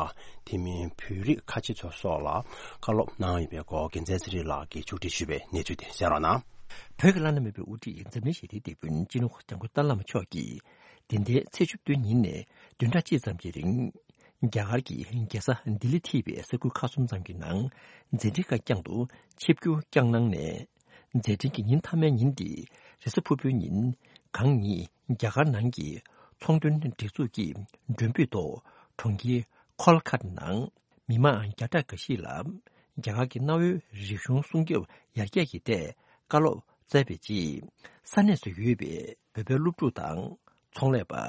དེ་མིན་བོད་རིགས་ཁ་ཆེ་ཚོ་སོགས་ལ་བཀའ་སློབ་གནང་ཡོད་པའི་སྐོར་རྒྱལ་མཚན་ཚེ་རིང་ལགས་ཀྱིས་མཇུག་སྒྲིལ་ཞུས་པའི་གནས་ཚུལ་དེ་གསན་རོགས་གནང་། བོད་ཀྱི་བླ་ན་མེད་པའི་དབུ་ཁྲིད་འཛམ་གླིང་ཞི་བདེའི་དེད་དཔོན་སྤྱི་ནོར་༸གོང་ས་༸སྐྱབས་མགོན་ཏཱ་ལའི་བླ་མ་མཆོག་གིས་འདི་ཟླའི་ཚེས་བཅུ་བདུན་ཉིན་ནས་བདུན་ཕྲག་གཅིག་ཙམ་གྱི་རིང་རྒྱ་གར་གྱི་རྒྱལ་ས་ལྡི་ལི་ཐིའི་ས་ཁུལ་ཁག་གསུམ་ཙམ་གྱི་ནང་མཛད་འཕྲིན་ཁ་རྐྱང་དུ་ཆིབས་བསྒྱུར་བསྐྱངས་གནང་ནས། མཛད་འཕྲིན་གྱི་ཉིན་མཐའ་མའི་ཉིན་ཏེ་རེས་གཟའ་ཕུར་བུའི་ཉིན་གང་ཉིད་རྒྱ་གར་ནང་གི་ཚོང་དོན་སྒྲིག་འཛུགས་ཀྱི་མགྲོན་འབོད་ཐོག་གྲོང་ཁྱེར་ཁོལ་ཁ་ནང་མི་མང་བརྒྱ་ཕྲག་འགའ་ཞིག་ལ་རྒྱ་གར་གྱི་གནའ་བོའི་རིག་གཞུང་སྲུང་སྐྱོབ་ཡར་རྒྱས་ཀྱི་ཐད་བཀའ་སློབ་སྩལ་བའི་རྗེས། ས་གནས་སུ་ཡོད་པའི་བོད་པའི་སློབ་ཕྲུག་དང་ཚོང་ལས་པ།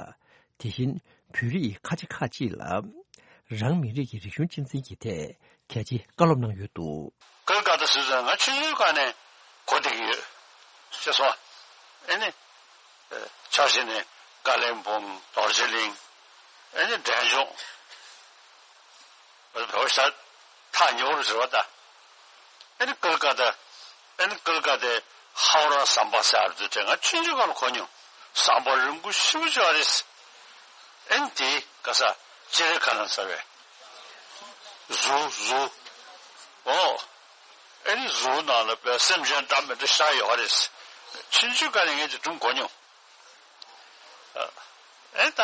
དེ་བཞིན་བོད་རིགས་ཁ་ཆེ་ཁག་ཅིག་ལ་རང་མི་རིགས་ཀྱི་རིག་གཞུང་གཅེས་འཛིན་གྱི་ཐད་གལ་ཆེའི་བཀའ་སློབ་གནང་ཡོད་འདུག། ཀལ་ཀ་ཏ་ཟེར་ཙང་ང་ཆུང་ཆུང་སྒང་ནས་གོ་བདེ་གི་ཡོད། ཤེས་སོང་། ཨེ་ནི། ཕྱོགས་བཞི་ནས་ཀ་ལིམ་པོང་། རྡོ་རྗེ་གླིང་། ཨེ་ནི་འབྲས་ལྗོངས། བོད་པ་ཤ་ཐག་ཉེ་བོར་ཟེར་བ་ད། ཨེ་ནི་ཀལ་ཀ་ཏ། ཨེ་ནི་ཀལ་ཀ་ཏའི་ཧའོ་ར་ཟམ་པ་ཟེར་བ་དེ་ང་ཆུང་ཆུང་སྒང་ལ་གོ་མྱོང་། ཟམ་པ་རིང་པོ་ཞེ་པོ་ཅིག་ཡོད་རེད། ཨེ་ནི་དེའི་ག་ས་ཅི་རེ་ཁ་ན་ཟེར་བའི་ཟུར་ཟུར། ཨོ། ཨེ་ནི་ཟུར་ནང་ལ་བོད་སེམས་ཅན་འདྲ་མི་འདྲ་ཤ་ཡོད་རེད། ཆུང་ཆུང་སྒང་ནས་ངས་དེ་སྒྲུང་གོ་མྱོང་། ཨེ་ད་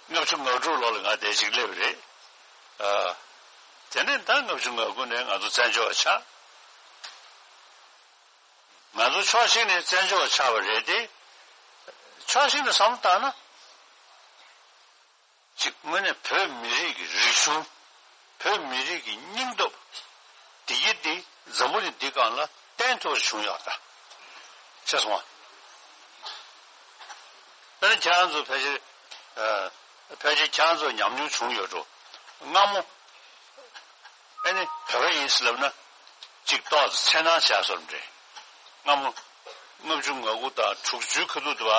ལྔ་བཅུ་ང་དྲུག་ལོ་ལ་ང་དེ་ཅིག་སླེབས་རེད། དེ་ནས་ད་ལྔ་བཅུ་ང་དགུ་ནས་ང་ཚོ་བཙན་བྱོལ་བ་ཆགས། ང་ཚོ་ཕྱོགས་གཅིག་ནས་བཙན་བྱོལ་བ་ཆགས་པ་རེད་དེ། ཕྱོགས་གཅིག་ནས་བསམ་བློ་བཏང་ན། གཅིག་དངོས་གནས་བོད་མི་རིགས་ཀྱི་རིག་གཞུང་། བོད་མི་རིགས་ཀྱི་སྙིང་སྟོབས། བདེ་སྐྱིད་འདི་འཛམ་བུ་གླིང་འདི་སྒང་ལ་བརྟན་ཐོག་བྱུང་ཡོད་ད། ཤེས་སོང་ང་། དཔེར་ན་ཁྱེད་རང་ཚོ་ཕལ་ཆེར། ཨ། ཕལ་ཆེར་ཁྱེད་རང་ཚོ་ཉམས་མྱོང་བྱུང་ཡོད་འགྲོ། སྔ་མོ། ཨེ་ནི་བོད་པ་ཡིན་ཟེར་ལབ་ན། གཅིག་ཏོག་ཙམ་འཚེར་སྣང་བྱས་སོང་རེད། སྔ་མོ། ལྔ་བཅུ་ང་དགུ་དང་དྲུག་ཅུའི་ཁ་ཐུག་དུ་བ།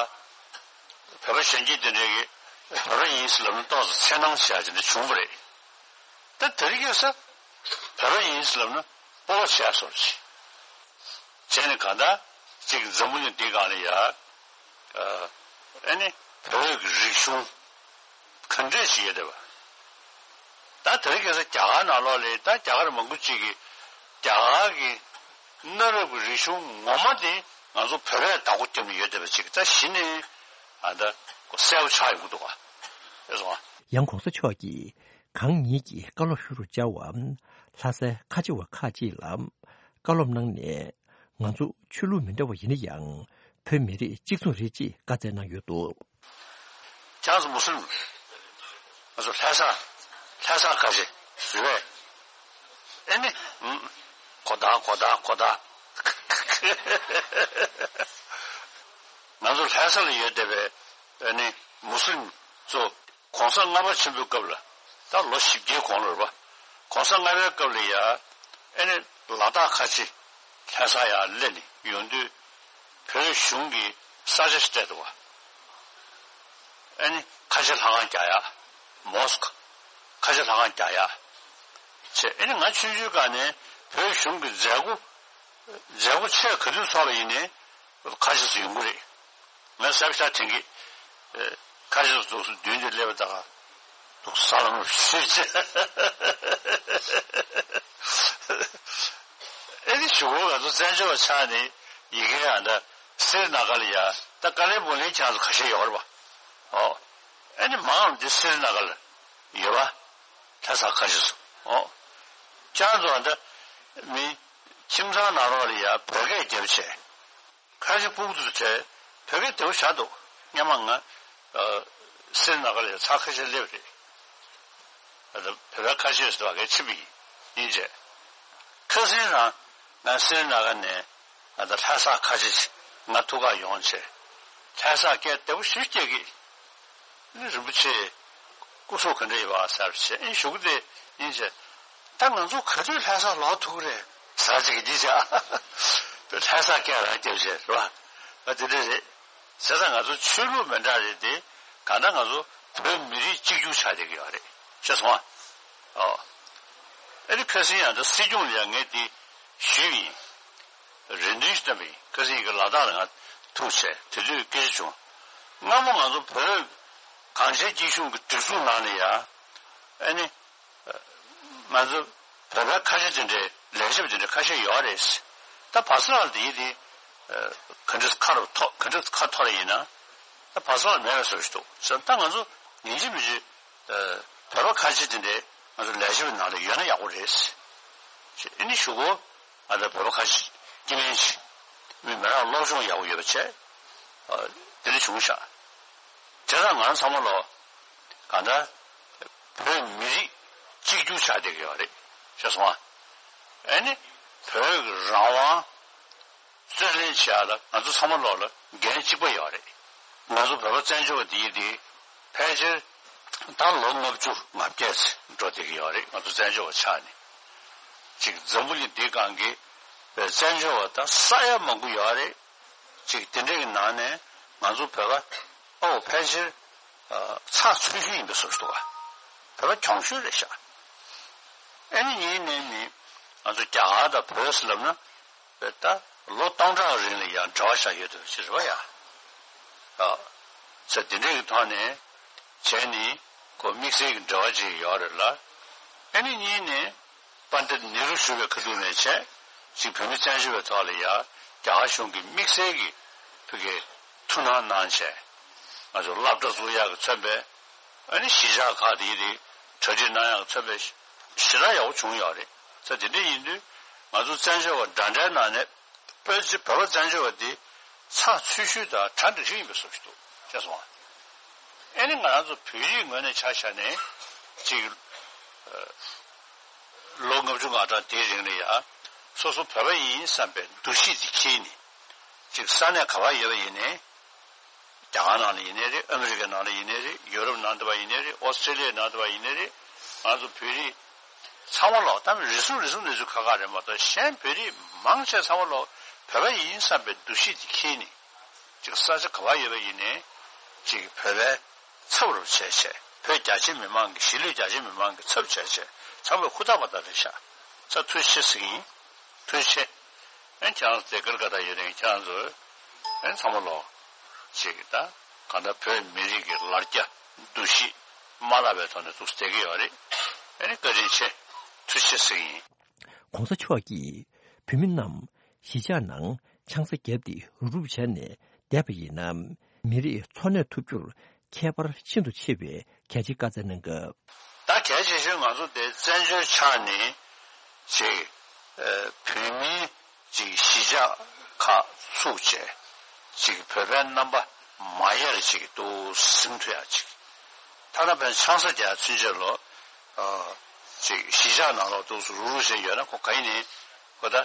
བོད་པ་གཞོན་སྐྱེས་དེ་འདྲས་ཀྱིས་བོད་པ་ཡིན་ཟེར་ལབ་ན་ཏོག་ཙམ་འཚེར་སྣང་བྱས་བྱས་ནས་བྱུང་བ་རེད། ད་དེ་རིང་ཁ་སང་བོད་པ་ཡིན་ཟེར་ལབ་ན་སྤོབས་པ་བྱས་སོང་ཅི། བྱས་ནས་གང་ལྟར་ཅིག་འཛམ་བུ་གླིང་འདི་སྒང་ལ་ཡ། ཨ་ནི་བོད་ཀྱི་རིག་གཞུང་ག་འདྲས་ཞིག་ཡོད་བསྡད་པ། ད་དེ་རིང་ཁ་སང་རྒྱ་གར་ནང་ལོགས་ལ་ད་རྒྱ་གར་མང་པོ་ཅིག་གིས་རྒྱ་གར་གྱི་གནའ་རབས་ཀྱི་རིག་གཞུང་ངོ་མ་དེ་ང་ཚོ་བོད་པས་བདག་པོ་བརྒྱབ་ནས་ཡོད་བསྡད་པ་ཅིག་ད་གཞི་ནས་ཨ་ད་གསལ་པོ་ཆགས་ཡོང་གི་འདུག་ག། ཨེ་སོང་ཨ། ཡང་གོང་ས་མཆོག་གིས་གང་ཉིད་ཀྱི་བཀའ་སློབ་ཞུ་རུ་བཅར་བ་ལྷ་སའི་ཁ་ཆེ་བ་ཁག་ཅིག་ལ་བཀའ་སློབ་གནང་ནས། ང་ཚོ་ཆོས་ལུགས་མི་འདྲ་བ་ཡིན་ན་ཡང་བོད་མི་རིགས་གཅིག་མཚུངས་རེད་ཅེས་བཀའ་སྩལ་གནང་ཡོད་འདུག། ཁྱེད་ཚོ་མུ་སུ་ལིམ། ང་ཚོ་ལྷ་ས་ལྷ་ས་ཁ་ཆེ་རེད་པས། ཨེ་ནི། ཨུམ། གོ་བརྡ་གོ་བརྡ་གོ་བརྡ། ང་ཚོ་ལྷ་ས་ལ་ཡོད་བསྡད་པའི་ཨེ་ནི་མུ་སུ་ལིམ་ཚོ། གོང་ས་ལྔ་པ་ཆེན་པོའི་སྐབས་ལ་ད་ལོ་བཞི་བརྒྱའི་གོང་ལ་རེད་པ། གོང་ས་ལྔ་པའི་སྐབས་ལ་ཡ་ཨེ་ནི་ལ་དྭགས་ཁ་ཆེ་ལྷ་ས་ཡར་སླེབས་ནས་ཡོང་དུས་བོད་གཞུང་གི་ས་ཆ་ཞིག་སྤྲད་འདུག་པ། ཨེ་ནི་ཁ་ཆེ་ལྷ་ཁང་རྒྱག་ཡ། མོ་སི་ཁ་ཁ་ཆེ་ལྷ་ཁང་རྒྱག་ཡ། བྱས་ཨེ་ནི་ང་ཆུང་ཆུང་སྒང་ནས་བོད་གཞུང་གི་མཛད་སྒོ་མཛད་སྒོ་ཆེ་ག་དུས་ཚོགས་པ་ཡིན་ནའི་ཁ་ཆེ་སུ་ཡོང་གི་རེད། ང་གཟབ་ཤ་དྲན་གི། ཁ་ཤས་འདུག་སེ་མདུན་དུ་སླེབས་པ་དང་འདུག་ས་ལམ་ཞུས་བྱས། ཨེ་ནི་གཞུག་གུ་ང་ཚོ་བཙན་བྱོལ་བ་ཆགས་ནས་ཡི་གེ་ཡང་ད་སི་རི་ན་ག་ལ་ཡ་ད་ཀ་ལེ་བོ་ལིན་ཁྱེད་ཚོ་ཁ་ཤས་ཡོད་རེད་པ། ཨོ། ཨེ་ནི་མང་ལ་འདི་སི་རི་ན་ག་ལ་ཡོད་པ། ལྷ་ས་ཁ་ཤས་སུ་ཨོ། ཁྱེད་ཚོ་ད་མི་ཁྱིམ་ཚང་ནང་ལོགས་ལ་ཡ་བོད་སྐད་རྒྱབ་བྱས། ཁ་ཆེ་སྤུ་གུ་ཚོ་བྱས་བོད་སྐད་བདེ་པོ་བཞག་འདུག། སྔོན་མ་ང་ཨ་སི་རི་ན་ག་ལ་ཡ་ཚ་ཁ་ཤས་སླེབས་རེད། ཨ་ད་བོད་པའི་ཁ་ཆེ་ཟེར་བ་གའི་ཕྱིན་པ་ཡིན་ཡིན་བྱས། ཁ་སང་རང་ང་སི་རི་ན་ག་ནས་ཨ་ད་ལྷ་ས་ཁ་ཆེ་ང་ཐུག་ག་ཡོང་བྱས། ལྷ་ས་སྐད་བདེ་པོ་ཞིག་སྐྱེ་གི། ཨ་ནི་རིན་པོ་ཆེ་སྐུ་གཟུགས་ག་འདྲ་ཡོད་པ་ཟེར་བྱས་ཨེ་ཞུ་གི་དེ་ཡིན་བྱས། ད་ང་ཚོ་ག་དུས་ལྷ་ས་ལོག་ཐུབ་ཀྱི་རེད་ཟེར་ཅིག་འདི་བྱས། ལྷ་ས་སྐད་རང་རྒྱབ་བྱས་རེད་པ། ཨ་དེ་འདྲ་རེད། བྱས་ཙང་ང་ཚོ་ཆོས་ལུགས་མི་འདྲ་རེད་དེ་གང་ལྟར་ང་ཚོ་བོད་མི་རིགས་གཅིག་གྱུར་ཆགས་བསྡད་ཀྱི་ཡོད་རེད་ཤེས་སོང་ཨ། ཨོ། ཨ་ནི་ཁ་སང་ཡང་ད་སྲིད་སྐྱོང་ལ་ཡང་ངས་དེ་ཞུས་ཡིན། རེ་འདུན་ཞིག་བཏོན་པ་ཡིན། ཁ་སང་ཡིན་གྱི་ལ་དྭགས་ལ་ང་ཐུག་བྱས་དེ་དུས་སྐད་ཆ་བྱུང་། སྔ་མོ་ང་ཚོ་བོད་གངས་ཅན་སྐྱིད་གཤོངས་ཀྱི་སྒྲིག་འཛུགས་ནང་ལ་ཡ། ཨ་ནི། ང་ཚོ་བོད་པའི་ཁ་ཤས་དེ་འདྲའི་ལས་བྱེད་པ་དེ་འདྲའི་ཁ་ཤས་ཡོད་རེད། ད་བར་སྐབས་ལ་དེ་ཡིན་དེ། ག་འདྲ་ཁ་རུ་ཐོག་ག་འདྲ་ཁ་ཐོར་ཡིན་ན། ད་བར་སྐབས་ལ་མེད་པའི་བཟོ་ཞིག་འདུག་ཟེར་ད་ང་ཚོ་ཡིན་གཅིག་མིན་གཅིག་བོད་པ་ཁ་ཤས་དེ་འདྲའི་ང་ཚོ་ལས་བྱེད་པའི་ནང་ལ་ཡོད་ན་ཡག་པོ་རེད། ཨ་ནི་གཞུག་གུ་ང་ཚོ་བོད་པ་ཁ་ཤས་སྐྱེ་དམན་ཞིག་མི་མི་རང་སློབ་སྦྱོང་ཡག་པོ་ཡོད་པ་བྱས། དེ་འདྲ་བྱུང་ཤག། དེ་དང་ང་ཚང་མ་ལོ། གང་ལྟར། བོད་མི་རིགས་གཅིག་གྱུར་ཆགས་བསྡད་ཀྱི་ཡོད་རེད། ཤེས་སོང་ཨ། ཨ་ནི། བོད་ཀྱི་རང་དབང་རྩོད་ལེན་བྱེད་ཡག་ལ་ང་ཚོ་ཚང་མ་ལོག་ལ་འགན་གཅིག་པ་ཡོད་རེད། ང་ཚོ་བོད་པ་བཙན་བྱོལ་བ་འདི་ཡིན་དེ། ཕལ་ཆེར། ད་ལོ་ལྔ་བཅུ་ང་བརྒྱད་ཙམ་འགྲོ་བསྡད་ཀྱི་ཡོད་རེད་ང་ཚོ་བཙན་བྱོལ་བ་ཆགས་ནས། ཅིག་འཛམ་བུ་གླིང་འདིའི་སྒང་གི། བཙན་བྱོལ་བ་ད་ས་ཡ་མང་པོ་ཡོད་རེད། ཅིག་དེ་འདྲ་གི་ནང་ནས་ང་ཚོ་བོད་པ་ཨོ་ཕལ་ཆེར་ཚགས་ཚུད་ཤོས་ཡིན་པའི་བཟོ་ཞིག་འདུག་ག། བོད་པ་གྱོང་ཤོས་རེད་ཤག། ཨ་ནི་ཡིན་ནའི་ནི་ང་ཚོ་རྒྱ་གར་དང་བོད་ཟེར་ལབ་ན་བོད་ད་ལོ་སྟོང་ཕྲག་རིང་ལ་ཡང་འབྲེལ་བ་བཞག་ཡོད་དུ་ཅི་རེད་བ་ཡ། ཨ་ཚེ་དེ་འདྲ་གི་ཐོག་ནས་བྱས་ནི་ཁོ་དམིགས་བསལ་གྱི་འབྲེལ་བ་ཅིག་ཡོད་རེད་ལ། ཨ་ནི་གཉིས་ནས། པཎྜི་ཏ་ནེ་རུ་བཞུགས་པའི་ཁ་ཐུག་ནས་བྱས། ཅིག་བོད་མི་བཙན་བྱོལ་བའི་ཐོག་ལ་ཡ། རྒྱ་གར་གཞུང་གིས་དམིགས་བསལ་གྱི་ཕ་གིའི་ཐུགས་སྣང་གནང་བྱས། ང་ཚོ་སློབ་གྲྭ་བཙུགས་ཡག་གི་མཚོན་པའི། ཨ་ནི་གཞིས་ཆགས་ཁག་དེ་ཡི་རིགས་གྲ་སྒྲིག་གནང་ཡག་གི་མཚོན་པའི་ཞེ་དྲག་ཡག་པོ་བྱུང་ཡོད་རེད། ས་དེ་འདྲ་ཡིན་དུས་ང་ཚོ་བཙན་བྱོལ་བ་འདྲ་འདྲའི་ནང་ནས་བོད་ཀྱི་བོད་པ་བཙན་བྱོལ་བ་འདི་ཚགས་ཚུད་ཤོས་དང་གྲ་འགྲིག་ཤོས་ཡིན་པའི་བཟོ་ཞིག་འདུག་ཤེས་སོང་ཨ། ཨ་ནི་ང་རང་ཚོ་བོད་རིགས་ངོས་ནས་ཆ་བཞག་ནས་ཅིག་ལོ་ལྔ་བཅུ་ང་གྲངས་དེའི་རིང་ལ་ཡ་སོ་སོ་བོད་པ་ཡིན་བསམ་པའི་འདུ་ཤེས་དེ་འཁྱེར་ནས་ཅིག་ས་གནས་ག་པར་ཡོད་པ་ཡིན་ནའི་རྒྱ་གར་ནང་ལ་ཡིན་ནའི་རེད། ཨ་མི་རི་ཀའི་ནང་ལ་ཡིན་ནའི་རེད། ཡུ་རོབ་ནང་དུ་བ་ཡིན་ནའི་རེད། ཨོ་སི་ཀྲེ་ལི་ཡའི་ནང་དུ་བ་ཡིན་ནའི་རེད། ང་ཚོ་བོད་རིགས་ཚང་མ་ལོག་ད་རེ་ཟུང་རེ་ཟུང་གནས་ཚུལ་ཁག་ཁག་རེད་མ་གཏོགས་གཞན་བོད་རིགས་མང་ཆེ་ཚང་མ་ལོག་བོད་པ་ཡིན་བསམ་པའི་འདུ་ཤེས་དེ་འཁྱེར་ནས་ཅིག་ས་ཆ་ག་པར་ཡོད་པ་ཡིན་ནའི་ཅིག་བོད་པའི་ཚབ་རུ་བྱས་བྱས་བོད་རྒྱ་ཆེ་མི་མང་གི་གཞིས་ལུས་རྒྱ་ཆེ་མི་མང་གི་ཚབ་བྱས་བྱས་ ཚང་མས་ཧུར་ཐག་པ་དང་རེད་ཤག་ཚ་ཐུགས་རྗེ་ཆེ་ཟེར་གྱི་ཡིན། ཐུགས་རྗེ་ཆེ། ཨེ་ཁྱེད་རང་ཚོ་དེ་གར་ག་ད་ཡོད་རེད། ཁྱེད་རང་ཚོ་ཨེ་ཚང་མ་ལོ་ཅིག་ད་གང་ལྟར་བོད་མི་རིགས་ཀྱི་ལར་རྒྱ་འདུ་ཤེས་མ་བརླག་པའི་ཐོག་ནས་འདུག་བསྡད་ཀྱི་ཡོད་རེད། ཨེ་ནི་བཀའ་དྲིན་ཆེ། ཐུགས་རྗེ་ཆེ་ཟེར་གྱི་ཡིན། ྋགོང་ས་མཆོག་གིས་བོད་མི་རྣམས་གཞིས་ཆགས་ནང་ཆང་ས་བརྒྱབ་སྟེ་རུབ་རུབ་བྱས་ནས་བསྡད་པ་ཡིན་ན། མི་རིགས་འཚོ་གནས་ཐུབ་རྒྱུར་ཁྱད་པར་ཤིན་ཏུ་ཆེ་བའི་གལ་ཆེ་བཀའ་སྩལ་གནང་སྐབས། ད་གལ་ཆེ་ཤོས་ང་ཚོ་དེ་བཙན་བྱོལ་ཆགས་ནས་ཅིག་ཨ་བོད་མིའི་ཅིག་གཞིས་ཆགས་ཁག་ཚུགས་བྱས་ཅིག་བོད་པའི་རྣམ་པ་མ་ཡལ་ཅིག་འདུག་ཟིན་ཐུབ་ཡག་ཅིག་ཐ་ན་བན་ཆང་ས་རྒྱག་ཚུན་ཆད་ལོ་ཨ་ཅིག་གཞིས་ཆགས་ནང་ལོགས་འདུག་སུ་རུ་རུ་བྱས་ཡོད་ན་ཁོ་ག་ཡིན་ནའི་ཁོ་ད་ཨ་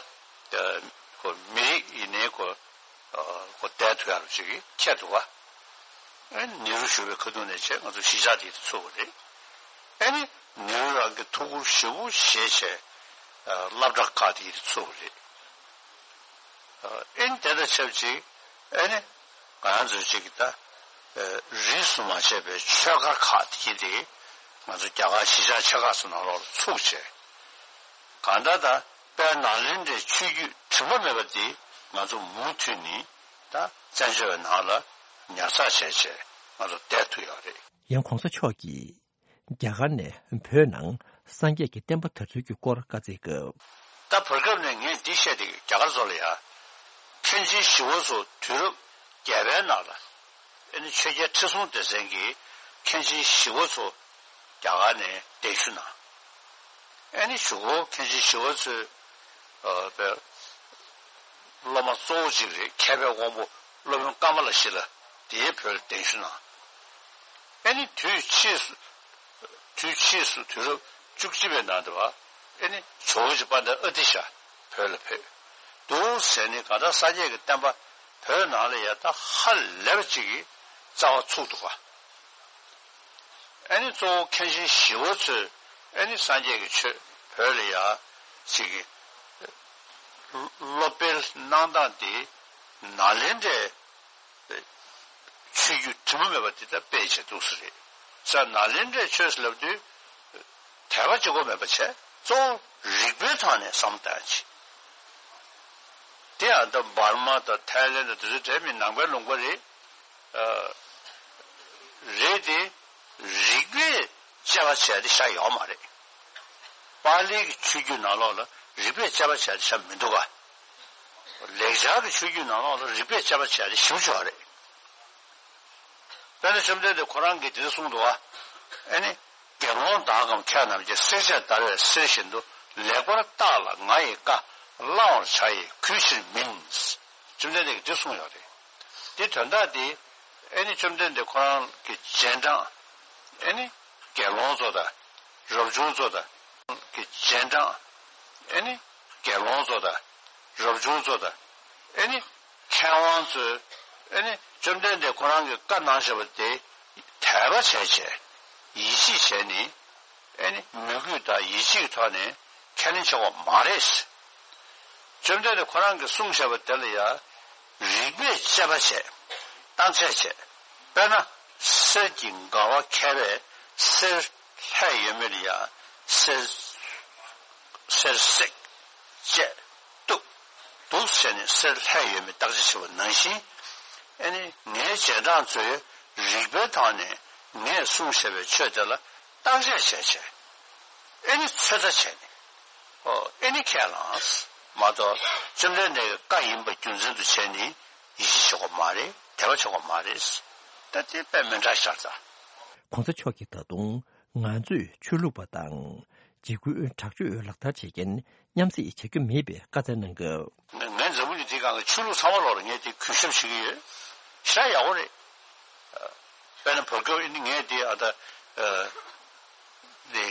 ཁོ་མི་རིགས་ཡིན་ནའི་ཁོ་ཨ་ཁོ་བསྡད་ཐུབ་ཡག་ཅིག་ཁྱད་འདུག་ག་ཨེ་ནི་ནེ་རུ་བཞུགས་པའི་ཁ་ཐུག་ནས་བྱས་ང་ཚོ་གཞིས་ཆགས་དེ་ཚུགས་པ་རེད། ཨེ་ནི་ནེ་རུ་རང་གི་ཐུགས་ཁུར་ཞེ་པོ་བཞེས་བྱས་ཨ་སློབ་གྲྭ་ཁག་དེ་ཚུགས་པ་རེད། ཨེ་ནི་དེ་དང་ཆབས་ཅིག་ཨེ་ནི་ང་རང་ཚོའི་ཅིག་ད་རིས་སུ་མ་ཆད་པའི་ཆོས་སྒར་ཁག་དེ་དེ་ང་ཚོ་རྒྱ་གར་གཞིས་ཆགས་ཆེ་ཁག་སོགས་ནང་ལོགས་ལ་ཚུགས་བྱས། གང་ལྟར་ད་དཔལ་ནཱ་ལེནྡྲའི་ཆོས་བརྒྱུད་དྲི་མ་མེད་པ་དེ་ང་ཚོ་མུ་མཐུད་ནས་ད་བཙན་བྱོལ་བའི་ནང་ལ་ཉར་ཚགས་བྱས་བྱས་ང་ཚོ་བསྡད་ཐུབ་ཡོད་རེད། ཡང་ྋགོང་ས་མཆོག་གིས་རྒྱ་གར་ནས་བོད་ནང་སངས་རྒྱས་ཀྱི་བསྟན་པ་དར་ཚུལ་གྱི་སྐོར་བཀའ་སྩལ་སྐབས། ད་བར་སྐབས་ནས་ངས་འདི་བཤད་དེ་རྒྱ་གར་ཚོ་ལ་ཡ། མཁན་ཆེན་ཞི་བ་འཚོ་དུས་རབས་བརྒྱད་པའི་ནང་ལ། ཨེ་ནི་ཆོས་རྒྱལ་ཁྲི་སྲོང་ལྡེ་བཙན་གྱིས་མཁན་ཆེན་ཞི་བ་འཚོ་རྒྱ་གར་ནས་གདན་ཞུ་གནང་། ཨེ་ནི་གཞུག་གུ་མཁན་ཆེན་ཞི་བ་འཚོས་ཨ་པའི་སློབ་མ་གཙོ་བོ་གཅིག་རེད། མཁས་པའི་དབང་པོ་སློབ་དཔོན་ཀ་མ་ལ་ཤཱི་ལ་དེའི་བོད་ལ་གདན་ཞུ་གནང་། ཨེ་ནི་དུས་ཕྱིས་སུ་དུས་ཕྱིས་སུ་དུས་རབས་བཅུ་གཅིག་པའི་ནང་དུ་བ་ཨེ་ནི་ཇོ་བོ་རྗེ་དཔལ་ལྡན་ཨ་ཏི་ཤ་བོད་ལ་ཕེབས་འདུག་ཟེར་ནས་གང་ལྟར་སངས་རྒྱས་ཀྱི་བསྟན་པ་བོད་ནང་ལ་ཡ་ད་ཧ་ལས་པ་ཅིག་གི་རྩ་བ་ཚུགས་འདུག་ག་ཨེ་ནི་གཙོ་བོ་མཁན་ཆེན་ཞི་བ་འཚོས་ཨེ་ནི་སངས་རྒྱས་ཀྱི་ཆོས་བོད་ལ་ཡ་ཅིག་གི་སློབ་སྤེལ་གནང་སྟངས་དེ་ནཱ་ལེནྡྲའི་ཆོས་བརྒྱུད་དྲི་མ་མེད་པ་དེ་ལྟར་སྤེལ་བྱས་འདུག་ས་རེད། ས་ནཱ་ལེནྡྲའི་ཆོས་ཟེར་ལབ་དུས་དད་པ་གཅིག་པོ་མེད་པ་བྱས་གཙོ་བོ་རིག་པའི་ཐོག་ནས་བསམ་བློ་བཏང་ཡག་ཅིག་དེ་ཡང་ད་འབར་མ་དང་ཐའི་ལེན་དང་དེ་ཚོའི་གྲས་མི་ནང་པའི་ལུང་པ་རེད། ཨ་རེད་དེ། རིག་པས་དཔྱད་པ་བྱས་ཏེ་བཞག་ཡོད་མ་རེད། པཱ་ལིའི་ཆོས་བརྒྱུད་ནང་ལོགས་ལ་རིག་པས་དཔྱད་པ་བྱས་ཏེ་བཞག་མི་འདུག་ག་ལེགས་སྦྱར་གྱི་ཆོས་བརྒྱུད་ནང་ལོགས་ལ་རིག་པས་དཔྱད་པ་བྱས་ཏེ་ཞིབ་ཆོག་རེད། དཔེར་ན་བཅོམ་ལྡན་འདས་ཁོ་རང་གིས་འདི་འདྲ་གསུངས་འདུག་ག་ཨེ་ནི། དགེ་སློང་དག་གམ་མཁས་རྣམས་ཀྱིས། བསྲེག་བཅད་བརྡར་བའི་གསེར་བཞིན་དུ། ལེགས་པར་བརྟགས་ལ་ང་ཡི་བཀའ། བླང་བར་བྱ་ཡི་གུས་ཕྱིར་མིན། བཅོམ་ལྡན་འདས་ཀྱིས་འདི་གསུངས་ཡོད་རེད། འདི་དོན་དག་འདི་ཨེ་ནི་བཅོམ་ལྡན་འདས་ཁོ་རང་གི་རྗེས་འབྲང་ཨེ་ནི་དགེ་སློང་ཚོ་དང་རབ་བྱུང་ཚོ་དང་གི་རྗེས་འབྲང་ཨེ་ནི་དགེ་སློང་ཚོ་དང་རབ་བྱུང་ཚོ་དང་ཨེ་ནི་མཁས་དབང་ཚོས་ཨེ་ནི་བཅོམ་ལྡན་འདས་ཁོ་རང་གི་བཀའ་གནང་བཞག་པ་དེ་དད་པ་བྱས་བྱས་ཡིད་ཆེས་བྱས་ནས། ཨེ་ནི་མོས་གུས་དང་ཡིད་ཆེས་ཐོག་ནས་ཁས་ལེན་བྱེད་དགོས་མ་རེད། བཅོམ་ལྡན་འདས་ཁོ་རང་གིས་གསུངས་བཞག་པ་དེ་ལ་ཡང་རིགས་པས་དཔྱད་པ་བྱས། བརྟག་དཔྱད་བྱས། དཔེར་ན་གསེར་གྱི་མགར་བ་མཁས་པས་གསེར་ལྷས་ཡོད་མེད་ལ་ཡང་གསེར་གསེར་བསྲེགས་བཅད་གཏུབ་འདུག་ཟེར་ནས་གསེར་ལྷས་ཡོད་མེད་བརྟག་དཔྱད་བྱེད་པ་ནང་བཞིན། ཨེ་ནི་ངའི་རྗེས་འབྲང་ཚོས་རིགས་པའི་ཐོག་ནས་ངས་གསུངས་བཞག་པའི་ཆོས་དེ་ལ་བརྟག་དཔྱད་བྱས་བྱས། ཨེ་ནི་ཚོད་ལྟ་བྱས་ནས། ཨོ་ཨེ་ནི་ཁས་བླངས། མ་གཏོགས་བཅོམ་ལྡན་འདས་ཀྱི་བཀའ་ཡིན་པ་རྒྱུ་མཚན་དུ་བྱས་ནས་ཡིད་ཆེས་བྱེད་དགོས་མ་རེད། དད་པ་བྱེད་དགོས་མ་རེད། ད་དེ་དཔེ་མི་འདྲ་ཤར་ཙང་། ྋགོང་ས་མཆོག་གིས་ད་དུང་ང་ཚོས་ཆོས་ལུགས་པ་དང་འཇིགས་སྐུལ་དྲག་སྤྱོད་ལག་བསྟར་བྱེད་མཁན་མཉམ་བསྲེས་བྱ་རྒྱུ་མེད་པའི་བཀའ་སྩལ་གནང་སྐབས། ང་ང་འཛམ་བུ་གླིང་འདིའི་སྒང་གི་ཆོས་ལུགས་ཚང་མ་ལོག་ལ་ངས་དེ་གུས་ཞབས་ཞུ་གི་ཡོད། ཤ་ཡག་པོ་རེད། དཔེར་ན་བོད་སྐྱོར་ཨེ་ནི་ངས་དེ་ཨ་ད་ཨ་དེ་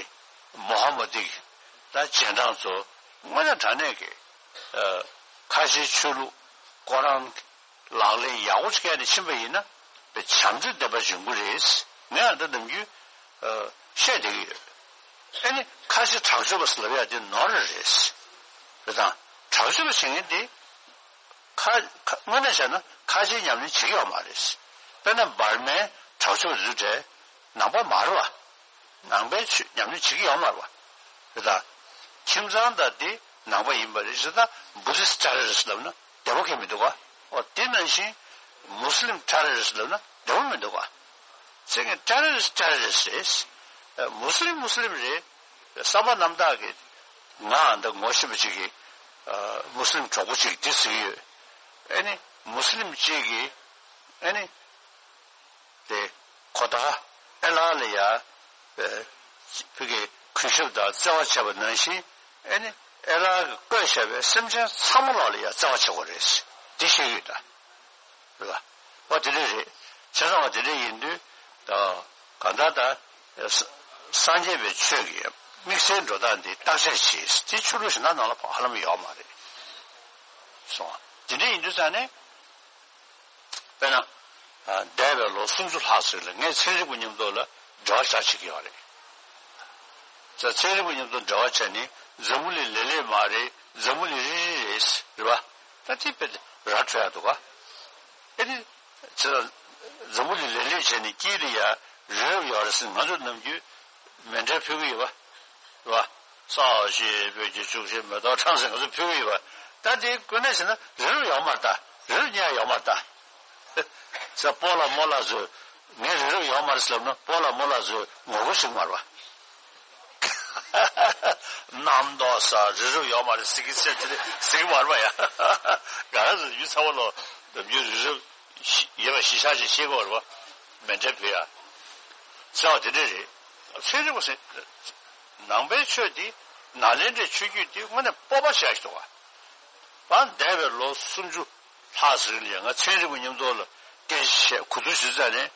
མོ་ཧ་མ་དི་གི་ད་རྗེས་འབྲང་ཚོ་དངོས་གནས་དྲང་གནས་ཀྱི་ཨ་ཁ་ཆེའི་ཆོས་ལུགས་ཁོ་རང་ལག་ལེན་ཡག་པོ་བྱས་ནས་ཕྱིན་པ་ཡིན་ན་བྱམས་བརྩེ་ལྡན་པ་ཡོང་གི་རེད། ངས་ཨ་ད་ནམ་རྒྱུན་ཨ་བཤད་བསྡད་ཀྱི་ཡོད། ཨེ་ནི་ཁ་ཆེ་དྲག་སྤྱོད་པ་ཟེར་ལབ་ཡ་དེ་ནོར་རེད། རེད་དང་དྲག་སྤྱོད་པ་བྱེད་མཁན་དེ་ཁ་ཁ་དངོས་གནས་བྱས་ན་ཁ་ཆེའི་ཉམས་ལེན་བྱེད་ཀྱི་ཡོད་མ་རེད། དཔེར་ན་འབར་མའི་དྲག་སྤྱོད་པ་དེ་ཚོ་གྲས་ནང་པ་མ་རེད་བ། ནང་པའི་ཆོས་ཉམས་ལེན་བྱེད་ཀྱི་ཡོད་མ་རེད་བ། རེད་ད། ཁྱིམ་ཚང་དང་དེ་ནང་པ་ཡིན་པ་རེད་ཟེར་ད། བུ་དིསྟ་ཊེ་རོ་རི་སི་ཊི་ལབ་ན་བདེ་པོ་གང་ཡང་མི་འདུག་ག། འོ་དེ་ནང་བཞིན་མུ་སི་ལིམ་ཊེ་རོ་རི་སི་ཊི་ལབ་ན་བདེ་པོ་མི་འདུག་ག། ཚིག་གི་ཊེ་རོ་རི་སི་ཊི་ཊེ་རོ་རི་སི་ཊི་རེད། མུ་སི་ལིམ་མུ་སི་ལིམ་རེད། བསམ་པ་རྣམ་དག་གིས་ང་འདི་ངོ་ཤེས་པ་ཅིག་གིས་མུ་སི་ལིམ་གྲོགས་པོ་ཅིག་འདི་ཟེར་གྱི་ཡོད། ཨེ་ནི་མུ་སི་ལིམ་ཅིག་གིས་ཨེ་ནི། དེ་ཁོ་ད་ཨེ་ལ་ལ་ཡ། ཨེ། ཕ་གིའི་གུས་ཞབས་དང་བརྩེ་བ་བྱས་པ་ནང་བཞིན། ཨེ་ནི་ཨེ་ལ་གིས་བཀོད་བཞག་པའི་སེམས་ཅན་ཚང་མ་ལ་ལ་ཡ་བརྩེ་བ་བྱེད་དགོས་རེད། འདི་ཤེས་ཀྱི་ཡོད་ད། རེད་པ། འོ་དེ་འདྲ་རེད། བྱས་ཙང་འོ་དེ་འདྲ་ཡིན་དུས་ད་གང་ལྟར་ད་ས་སངས་རྒྱས་པའི་ཆོས་ཀྱི་དམིགས་བསལ་འགྲོ་སྟངས་འདི་བརྟག་དཔྱད་བྱེད། དེ་ཆོས་ལུགས་གཞན་དག་ནང་ལ་ཧ་ལམ་ཡོད་མ་རེད། སོང་། དེ་འདྲ་ཡིན་དུས་ཙང་ནས། དཔེར་ན། ཨ། འདས་པའི་ལོ་སུམ་ཅུ་ལྷག་ཙམ་ལ་ངས་ཚན་རིག་པ་མཉམ་དུ་ལ་དྲི་བ་བཞག་བྱེད་ཀྱི་ཡོད་རེད། ཚ། ཚན་རིག་པ་མཉམ་དུ་འབྲེལ་བ་བྱས་ནས་འཛམ་བུ་གླིང་ལེབ་ལེབ་མ་རེད། འཛམ་བུ་གླིང་རིལ་རིལ་རེད། རེད་པ། ད་དེ་དཔེ་ར་འཕྲོད་ཡག་འདུག་ག། ཨེ་ནི། ཚ། འཛམ་བུ་གླིང་ལེབ་ལེབ་བྱས་ནས་དཀྱིལ་ལ་ཡ་རི་རབ་ཡོད་རེད་ཟེར་ང་ཚོ་ནམ་རྒྱུན་མཎྜལ་ཕུལ་གྱི་ཡོད་པ། རེད་པ། ས་གཞི་སྤོས་ཀྱི་ལྕུག་ཤིང་མེ་ཏོག་ཁྲང་ཟེར་ང་ཚོ་ཕུལ་གྱི་ཡོད་པ། ད་དེ་དངོས་གནས་བྱས་ན་རི་རབ་ཡོད་མ་རེད་ད། རི་རབ་རྙེད་ཡོད་མ་རེད་ད། ཚ། སྤོ་ལགས་རྨོ་ལགས་ཚོས་ངས་རི་རབ་ཡོད་མ་རེད་ཟེར་ལབ་ན་སྤོ་ལགས་རྨོ་ལགས་ཚོས་ངོ་རྒོལ་བྱེད་ཀྱི་མ་རེད་པ། གནམ་མདོག་ས་རི་རབ་ཡོད་མ་རེད་ཟེར་གྱི་ཟེར་གྱི་ཟེར་གྱི་མ་རེད་པ་ཡ། ག་རེ་ཟེར་ཡུལ་ཚ་བ་ལོ་ནམ་རྒྱུན་རི་རབ་ཡོད་པ་གཞི་བཞག་ཅིག་ཤེས་དགོས་རེད་པ། མཎྜལ་ཕུལ་ཡ། ཟེར་བ་དེ་འདྲ་རེད། ཚན་རིག་པ་ཟེར། ནང་པའི་ཆོས་འདི་ནཱ་ལེནྡྲའི་ཆོས་བརྒྱུད་འདི་དངོས་གནས་སྤོབས་པ་ཞེ་དྲག་འདུག་ག། ད་འདས་པའི་ལོ་སུམ་ཅུ་ལྷག་ཙམ་རིང་ལ་ཡང་ང་ཚན་རིག་པ་མཉམ་དུ་ལ་སྐད་ཆ་བཤད་གོ་ཐོས་ཞུས་ཙང་ནས་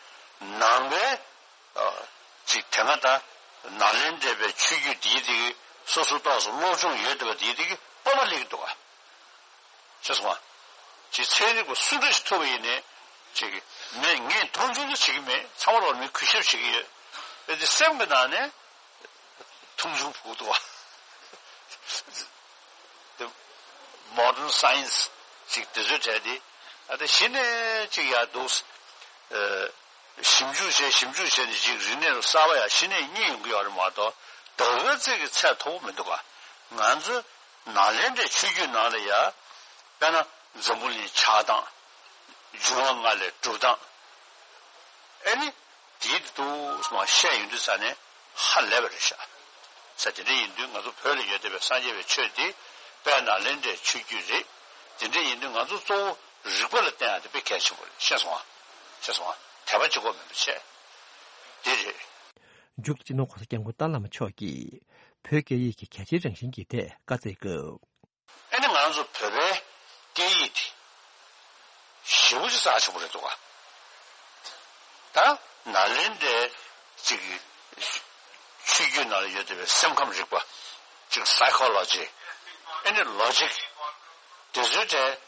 ནང་པའི། ཨ། ཅིག་དེ་སྔ་ད་ནཱ་ལེནྡྲའི་ཆོས་བརྒྱུད་འདིའི་དེ་གི་སོ་སོ་ཏོག་ཙམ་སློབ་སྦྱོང་ཡོད་བསྡད་པ་འདིའི་དེ་གི་སྤོབས་པ་སླེབས་ཀྱི་འདུག་ག། ཤེས་སོང་ང་། ཅིག་ཚན་རིག་པ་སུ་འདྲ་ཞིག་ཐུག་པ་ཡིན་ནའི་ཅིག་མེད། ངས་མཐོང་ཆུང་དུ་བྱེད་ཀྱི་མེད། ཚང་མ་ལོག་མི་གུས་ཞབས་བྱེད་ཀྱི་ཡོད། ཨེ་དེ་སེམས་ཀྱི་ནང་ནས་མཐོང་ཆུང་བྱེད་ཀྱི་འདུག་ག། དེ་མོ་ཌན་སའེན་སི་ཅིག་དེ་ཚོའི་གྲས་དེ། ཨ། དེ་གཞི་ནས་ཅིག་ཡར་འདུག། ཨེ། ཞིབ་འཇུག་བྱས་ཞིབ་འཇུག་བྱས་ནས་ཅིག་རིག་གནས་གསར་པ་ཡར་གཞི་ནས་རྙེད་ཡོང་གི་ཡོད་རེད་མ་གཏོགས། ད་ག་ཚོད་ཀྱི་ཚད་མཐོ་པོ་མི་འདུག་ག། ང་ཚོ་ནཱ་ལེནྡྲའི་ཆོས་བརྒྱུད་ནང་ལ་ཡ། དཔེར་ན་འཛམ་བུ་གླིང་ཆགས་སྟངས། འབྱུང་བ་ལྔ་ལས་གྲུབ་སྟངས། ཨེ་ནི། དེའི་དུས་མ་བཤད་ཡོང་དུས་ཙ་ནས་ཧ་ལས་པ་རེད་ཤག། ས། དེ་འདྲ་ཡིན་དུས་ང་ཚོ་བོད་ལ་ཡོད་བསྡད་པའི་སངས་རྒྱས་པའི་ཆོས་དེ་དཔལ་ནཱ་ལེནྡྲའི་ཆོས་བརྒྱུད་རེད། དེ་འདྲ་ཡིན་དུས་ང་ཚོ་གཙོ་བོ་རིག་པ་ལ་བརྟེན་ཡག་དེ་དཔེ་གལ་ཆེན་པོ་རེད། ཤེས་སོང་ང་། ཤེས་སོང་ང་། དད་པ་གཅིག་པོ་མིན་པ་བྱས། དེ་རེད། མཇུག་ཏུ་སྤྱི་ནོར་༸གོང་ས་༸སྐྱབས་མགོན་ཏཱ་བླ་མ་མཆོག་གིས་བོད་སྐད་ཡིག་གི་གལ་ཆེའི་རང་བཞིན་གྱི་ཐད་བཀའ་སྩལ་སྐབས། ཨེ་ནི་ང་ཚོ་བོད་པའི་སྐད་ཡིག་དེ་ཞེ་པོ་ཅིག་རྩ་ཆེན་པོ་རེད་འདུག་ག། ད་ནཱ་ལེནྡྲའི་ཅིག་ཆོས་བརྒྱུད་ནང་ལ་ཡོད་བསྡད་པའི་སེམས་ཁམས་རིག་པ། ཅིག་སའི་ཁོ་ལོ་ཇི། ཨེ་ནི་ལོ་ཇིག། དེ་ཚོའི་གྲས་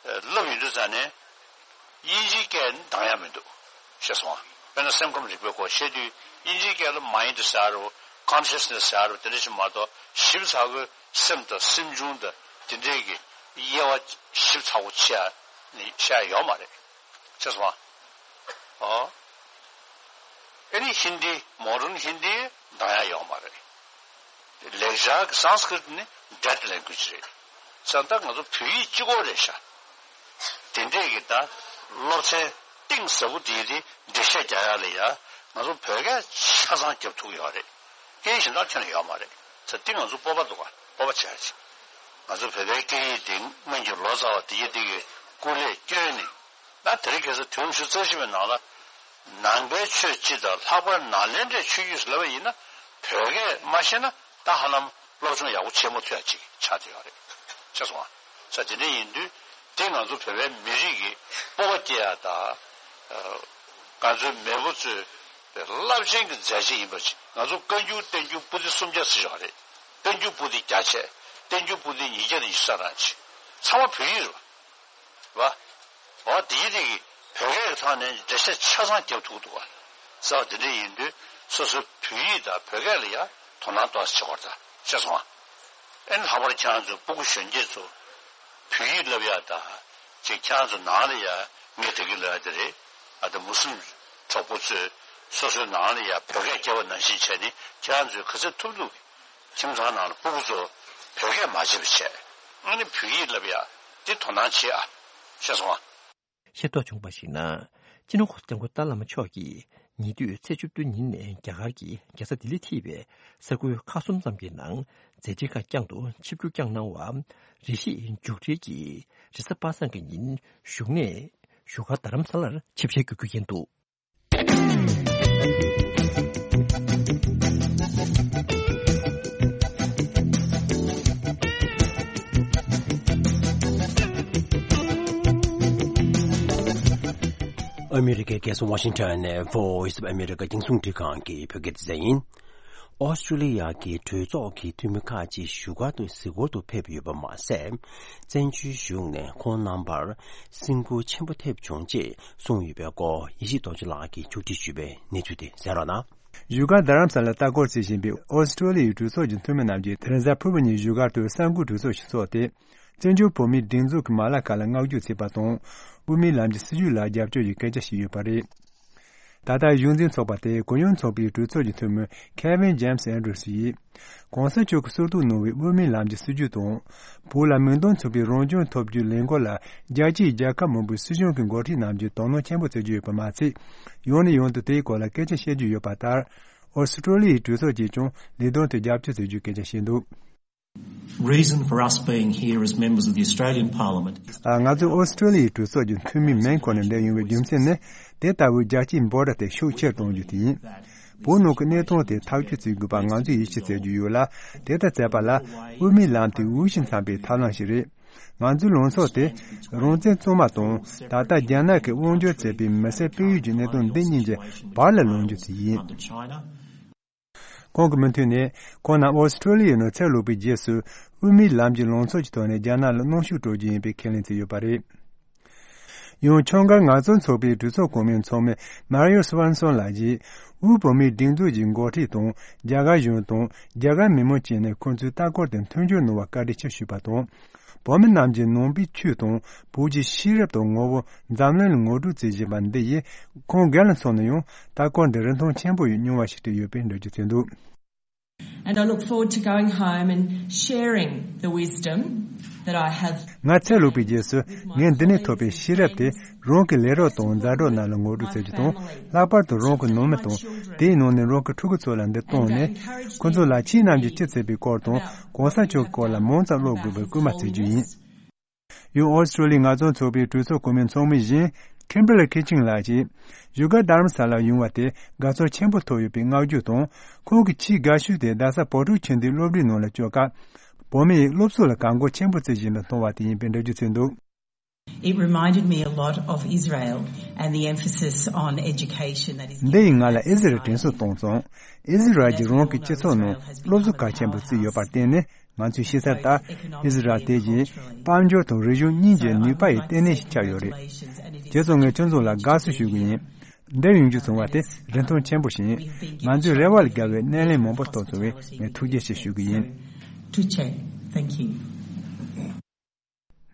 བསླབ་ཡོང་དུས་ཙ་ནས། དབྱིན་ཇིའི་སྐད་ནི་འདང་ཡག་མི་འདུག། ཤེས་སོང་ང་། དཔེར་ན་སེམས་ཁམས་རིག་པའི་སྐོར་བཤད་དུས་དབྱིན་ཇིའི་སྐད་ལ་མའིན་ཌི་ཟེར་རོ། ཀོན་ཤི་ཡས་ནེ་སི་ཟེར་རོ། དེ་འདྲ་ཞིག་མ་གཏོགས་ཞིབ་ཚགས་པོའི་སེམས་དང་སེམས་བྱུང་དང་དེ་འདྲའི་གི་དབྱེ་བ་ཞིབ་ཚགས་པོ་ཕྱེ་ཡག་ནི་བཤད་ཡག་ཡོད་མ་རེད། ཤེས་སོང་ང་། ཨོ། ཨེ་ནི་ཧིན་དི། མོ་ཌན་ཧིན་དི་འདང་ཡག་ཡོད་མ་རེད། ལེགས་སྦྱར་གྱི་སཾ་སྐྲྀཏ་ནི་ཌེཌ་ལེང་གུ་ཨེཇ་རེད། ས། ད་ང་ཚོ་བོད་ཡིག་གཅིག་པོ་རེད་ཤག། དེ་འདྲས་ཀྱི་ད་སློབ་ཚན་གཏིང་ཟབ་པོ་དེའི་དེ་འགྲེལ་བཤད་རྒྱག་ཡག་ལ་ཡ་ང་ཚོ་བོད་སྐད་ཆ་ཚང་རྒྱབ་ཐུབ་ཀྱི་ཡོད་རེད། སྐད་ཡིག་གཞན་དག་ཁྱོན་ནས་ཡོད་མ་རེད། ས། དེ་ང་ཚོ་སྤོབས་པ་འདུག་ག། སྤོབས་པ་བྱེད་ཡག་ཅིག། ང་ཚོ་བོད་པའི་སྐད་ཡིག་དེ་སྔོན་གྱི་ལོ་ཙཱ་བ་དེ་ཡི་དེ་གི་སྐུ་ལས་བསྐྱོན་ནས། ད་དེ་རིང་ཁ་སང་དུས་རབས་ཉི་ཤུ་རྩ་བཞི་པའི་ནང་ལ་ནང་པའི་ཆོས་སྤྱི་དང་ལྷག་པར་ནཱ་ལེནྡྲའི་ཆོས་བརྒྱུད་ཟེར་ལབ་པ་ཡིན་ན། བོད་སྐད་མ་ཤེས་ན་ད་ཧ་ལམ་སློབ་སྦྱོང་ཡག་པོ་བྱེད་མ་ཐུབ་ཡག་ཅིག་ཆགས་བསྡད་ཡོད་རེད། ཤེས་སོང་ང་། ས། དེ་འདྲ་ཡིན་དུས་དེ་ང་ཚོ་བོད་པའི་མི་རིགས་ཀྱི་སྤོབས་པ་སྐྱེ་ཡག་དང་། ང་ཚོའི་མེས་པོ་ཚོའི་རླབས་ཆེན་གྱི་མཛད་རྗེས་ཡིན་པ་ཅིག། ང་ཚོ་བཀའ་འགྱུར་བསྟན་འགྱུར་པོ་ཏི་སུམ་བརྒྱ་ཟེར་ཡོད་རེད། བསྟན་འགྱུར་པོ་ཏི་བརྒྱ་བྱས། བསྟན་འགྱུར་པོ་ཏི་ཉིས་བརྒྱ་དང་ཉི་ཤུ་རྩ་གྲངས་ཅིག། ཚང་མ་བོད་ཡིག་རེད་པ། བ། འོ་དེའི་རིགས་ཀྱི་བོད་སྐད་ཀྱི་ཐོག་ནས་འགྲེལ་བཤད་ཆ་ཚང་རྒྱབ་ཐུབ་འདུག་ག། ཟེར་བ་དེ་འདྲ་ཡིན་དུས་སོ་སོའི་བོད་ཡིག་དང་བོད་སྐད་ལ་ཡང་དོ་སྣང་ཏོག་ཙམ་བྱེད་དགོས་རེད་ད། ཤེས་སོང་ང་། ཨེ་ནི་ལྷག་པར་ཁྱེད་རང་ཚོ་སྤུ་གུ་གཞོན་སྐྱེས་ཚོ་བོད་ཡིག་བསླབ་ཡག་དང་། ཅིག་ཁྱེད་རང་ཚོ་ནང་ལ་ཡང་ངས་དེ་གི་ལབ་ཡག་དེ་རེད། ཨ། ད་མུ་སི་ལིམ་གྲོགས་པོ་ཚོས་སོ་སོའི་ནང་ལ་ཡང་བོད་སྐད་རྒྱབ་པ་ནང་བཞིན་བྱས་ནས་ཁྱེད་རང་ཚོས་ག་ཚོད་ཐུབ་ཐུབ་ཀྱིས། ཁྱིམ་ཚང་ནང་ལ་སྤུ་གུ་ཚོ་བོད་སྐད་མ་བརྗེད་པ་བྱས། ཨ་ནི་བོད་ཡིག་བསླབ་ཡ་འདི་དོ་སྣང་བྱེད་ཨ། ཤེས་སོང་ཨ། ཤེས་རྟོགས་བྱུང་བར་གཞིགས་ན། སྤྱི་ནོར་༧གོང་ས་༧སྐྱབས་མགོན་ཏཱ་ལའི་བླ་མ་མཆོག་གིས་ཉེ་དུས་ཚེས་བཅུ་བདུན་ཉིན་ནས་རྒྱ་གར་གྱི་རྒྱལ་ས་ལྡི་ལི་ཐེ་བའི་ས་ཁུལ་ཁག་གསུམ་ཙམ་གྱི་ནང་མཛད་འཕྲིན་ཁག་བསྐྱངས་འདུག་ཆིབས་བསྒྱུར་བསྐྱངས་གནང་བ། རེ་ཞིག་མཇུག་སྒྲིལ་གྱིས་རེས་གཟའ་པ་སངས་ཀྱི་ཉིན་བཞུགས་གནས་བཞུགས་སྒར་རྡ་རམ་ས་ལར་ཆིབས་ཞལ་བསྒྱུར་རྒྱུ་ཡིན་འདུག་ཨ་མི་རི་ཀའི་རྒྱལ་ས་ཝ་ཤིང་ཊོན་ནས་Voice of America་རྒྱང་སྲིང་འཕྲིན་ཁང་གི་བོད་སྐད་སྡེ་ཚན་ཡིན། ཨོ་སི་ཀྲོ་ལི་ཡ་གི་གྲོས་ཚོགས་ཀྱི་འཐུས་མི་ཁག་ཅིག་བཞུགས་སྒར་དུ་གཟིགས་སྐོར་དུ་ཕེབས་ཡོད་པ་མ་ཟད། བཙན་བྱོལ་གཞུང་ནས་ཁོང་རྣམ་པར་སེམས་འགུལ་ཆེན་པོ་ཐེབས་བྱུང་ཅེས་གསུངས་ཡོད་པའི་སྐོར་ཡེ་ཤེས་རྡོ་རྗེ་ལགས་ཀྱིས་ཕྱོགས་སྒྲིག་ཞུས་པའི་གནས་ཚུལ་དེ་གསན་རོགས་གནང་། བཞུགས་སྒར་རྡ་རམ་ས་ལར་ལྟ་སྐོར་བྱེད་བཞིན་པའི་ཨོ་སི་ཀྲོ་ལི་ཡའི་གྲོས་ཚོགས་ཀྱི་འཐུས་མི་རྣམས་ཀྱིས་དེ་རིང་གཟའ་ཕུར་བུ་ཉིན་བཞུགས་སྒར་དུ་གསར་འགོད་གྲོས་ཚོགས་ཤིག་འཚོགས་ཏེ། བཙན་བྱོལ་བོད་མིའི་སྒྲིག་འཛུགས་ཀྱི་མ་ལག་ཁག་ལ་བསྔགས་བརྗོད་བྱས་པ་དང་། དབུ་མའི་ལམ་གྱི་སྲིད་བྱུས་ལ་རྒྱབ་སྐྱོར་གྱི་སྐད་ཆ་བཤད་ཡོད་པ་རེད། ད་ལྟ་གཞུང་འཛིན་ཚོགས་པ་དེ་གུ་ཡངས་ཚོགས་པའི་གྲོས་ཚོགས་ཀྱི་འཐུས་མི་Kevin James Andrews་ཡིས། གོང་ས་མཆོག་གིས་གསོལ་ཐོག་གནང་བའི་དབུ་མའི་ལམ་གྱི་སྲིད་བྱུས་དང་། བོད་ལ་མིང་དོན་མཚུངས་པའི་རང་སྐྱོང་ཐོབ་རྒྱུའི་ལས་འགུལ་ལ་རྒྱལ་སྤྱིའི་རྒྱལ་ཁབ་མང་པོའི་སྲིད་གཞུང་གི་འགོ་ཁྲིད་རྣམས་ཀྱིས་དོ་སྣང་ཆེན་པོ་བྱེད་ཀྱི་ཡོད་པ་མ་ཚད། ཡང་ནས་ཡང་དུ་དེའི་སྐོར་ལ་སྐད་ཆ་བཤད་ཀྱི་ཡོད་པ་ལྟར། ཨོ་སི་ཀྲོ་ལི་ཡའི་གྲོས་ཚོགས་ཀྱིས་ཀྱང་ལས་དོན་དེ་རྒྱབ་སྐྱོར་བྱེད་རྒྱུའི་སྐད་ཆ་བཤད་འདུག Reason for us being here as members of the Australian Parliament is ང་ཚོས་ཨོ་སི་ཀྲོ་ལི་ཡའི་གྲོས་ཚོགས་ཀྱི་འཐུས་མིའི་མིང་ཁོ་ནས་འདིར་ཡོང་བའི་རྒྱུ་མཚན་ནི། དེ་ལྟ་བུའི་རྒྱལ་སྤྱིའི་འབོད་སྒྲ་དེ་ཤུགས་ཆེར་གཏོང་རྒྱུ་དེ་ཡིན། བོད་ནང་གི་གནས་སྟངས་དེ་ཐག་གཅོད་བྱེད་དགོས་པ་ང་ཚོས་ཡིད་ཆེས་བྱེད་རྒྱུ་ཡོད་ལ། དེ་ལྟར་བྱས་པ་ལ་དབུ་མའི་ལམ་དེ་དབུལ་ཞིང་འཚམ་པའི་ཐབས་ལམ་ཞིག་རེད། ང་ཚོའི་ལངས་ཕྱོགས་དེ་རང་བཙན་གཙང་མ་དང་ད་ལྟ་རྒྱ་ནག་གིས་དབང་སྒྱུར་བྱས་པའི་མི་སེར་སྤེལ་ཡུལ་གྱི་གནད་དོན་འདི་གཉིས་ཀྱི་བར་ལ་ལངས་རྒྱུ་དེ་ཡིན། ཁོང་གི་མུ་མཐུད་ནས་ཁོང་རྣམས་ཨོ་སི་ཀྲོ་ལི་ཡའི་ནང་ཚུར་ལོག་པའི་རྗེས་སུ་དབུ་མའི་ལམ་གྱི་ལངས་ཕྱོགས་ཀྱི་ཐོག་ནས་རྒྱ་ནག་ལ་གནོན་ཤུགས་སྤྲོད་རྒྱུ་ཡིན་པའི་ཁས་ལེན་བྱས་ཡོད་པ་རེད། ཡང་ཁྱོད་འགའ་ངག་རྩོད་ཚོགས་པའི་གྲོས་ཚོགས་གོང་མའི་ཚོགས་མི་Mario Svensson་ལགས་ཀྱིས་དབུས་བོད་མིའི་སྒྲིག་འཛུགས་ཀྱི་འགོ་ཁྲིད་དང་རྒྱ་གར་གཞུང་དང་རྒྱ་གར་མི་མང་བཅས་ནས་ཁོང་ཚོའི་ལྟ་སྐོར་དེར་མཐུན་འགྱུར་གནང་བར་བཀའ་དྲིན་ཆེ་ཞུས་པ་དང་། བོད་མི་རྣམས་ཀྱིས་ནང་པའི་ཆོས་དང་བོད་ཀྱི་ཤེས་རབ་དང་ངོ་བོ་འཛམ་གླིང་ལ་ངོ་སྤྲོད་བྱེད་བཞིན་པ་འདི་ཡིས་ཁོང་སྒེར་ལ་མཚོན་ན་ཡང་ལྟ་སྐོར་འདི་རིན་ཐང་ཆེན་པོ་ཡི་མྱོང་བ་ཞིག་སྤྲད་ཡོད་པའི་འགྲེལ་བརྗོད་བྱས་འདུག And I look forward to going home and sharing the wisdom that I have. ང་ཚུར་ལོག་པའི་རྗེས་སུ་ངས་འདི་ནས་ཐོབ་པའི་ཤེས་རབ་དེ་རང་གི་ལས་རོགས་དང་མཛའ་གྲོགས་རྣམས་ལ་ངོ་སྤྲོད་བྱ་རྒྱུ་དང་། ལྷག་པར་དུ་རང་གི་ནང་མི་དང་དེའི་ནང་ནས་རང་གི་ཕྲུ་གུ་ཚོ་ལ་འདི་གཏོང་ནས་ཁོ་ཚོ་ལ་ཁྱེད་རྣམས་ཀྱིས་ཅི་བྱས་པའི་སྐོར་དང་གོང་ས་མཆོག་གི་སྐོར་ལ་མང་ཙམ་ཀློག་དགོས་པའི་སྐུལ་མ་བྱེད་རྒྱུ་ཡིན། ཡང་ཨོ་སི་ཀྲོ་ལི་ཡའི་ངག་རྩོད་ཚོགས་པའི་གྲོས་ཚོགས་གོང་མའི་ཚོགས་མི་གཞན་Kimberly Keating་ལགས་ཀྱིས་བཞུགས་སྒར་རྡ་རམ་ས་ལར་ཡོང་བ་དེ་དགའ་ཚོར་ཆེན་པོ་ཐོབ་ཡོད་པའི་བསྔགས་བརྗོད་དང་། ཁོང་གི་ཆེས་དགའ་ཤོས་དེ་རྡ་ས་བོད་ཕྲུག་ཆོས་ལྡན་སློབ་གྲྭའི་ནང་ལ་བསྐྱོད་སྐབས་བོད་མི་ཡིས་སློབ་གསོ་ལ་དགའ་མགུ་ཆེན་པོ་བྱེད་བཞིན་པ་མཐོང་བ་དེ་ཡིན་པའི་འགྲེལ་བརྗོད་བྱས་འདུག It reminded me a lot of Israel and the emphasis on education that is འདི་ཡིས་ང་ལ་ཨི་ཟི་རལ་དྲན་གསོ་བཏང་སོང་། ཨི་ཟི་རལ་གྱིས་རང་གི་སྤྱི་ཚོགས་ནང་སློབ་གསོ་གལ་ཆེན་པོ་བརྩིས་ཡོད་པར་བརྟེན་ནས། ང་ཚོས་ཤེས་གསལ་ལྟར་ཨི་ཟི་རལ་དེ་བཞིན་དཔལ་འབྱོར་དང་རིག་གཞུང་གཉིས་ཀྱི་ནུས་པ་ཡི་ལྟེ་གནས་ཤིག་ཆགས་ཡོད་རེད། རྗེས་སུ་ངས་ཁྱོད་ཚོ་ལ་དགའ་བསུ་ཞུ་གི་ཡིན། འདིར་ཡོང་རྒྱུ་བྱུང་བ་དེ་རིན་ཐང་ཆེན་པོ་ཞིག་ཡིན། ང་ཚོའི་རེ་བ་ལས་བརྒལ་བའི་སྣེ་ལེན་མང་པོ་ཐོབ་སོང་བས་ངས་ཐུགས་རྗེ་ཆེ་ཞུ་གི་ཡིན། To check. Thank you.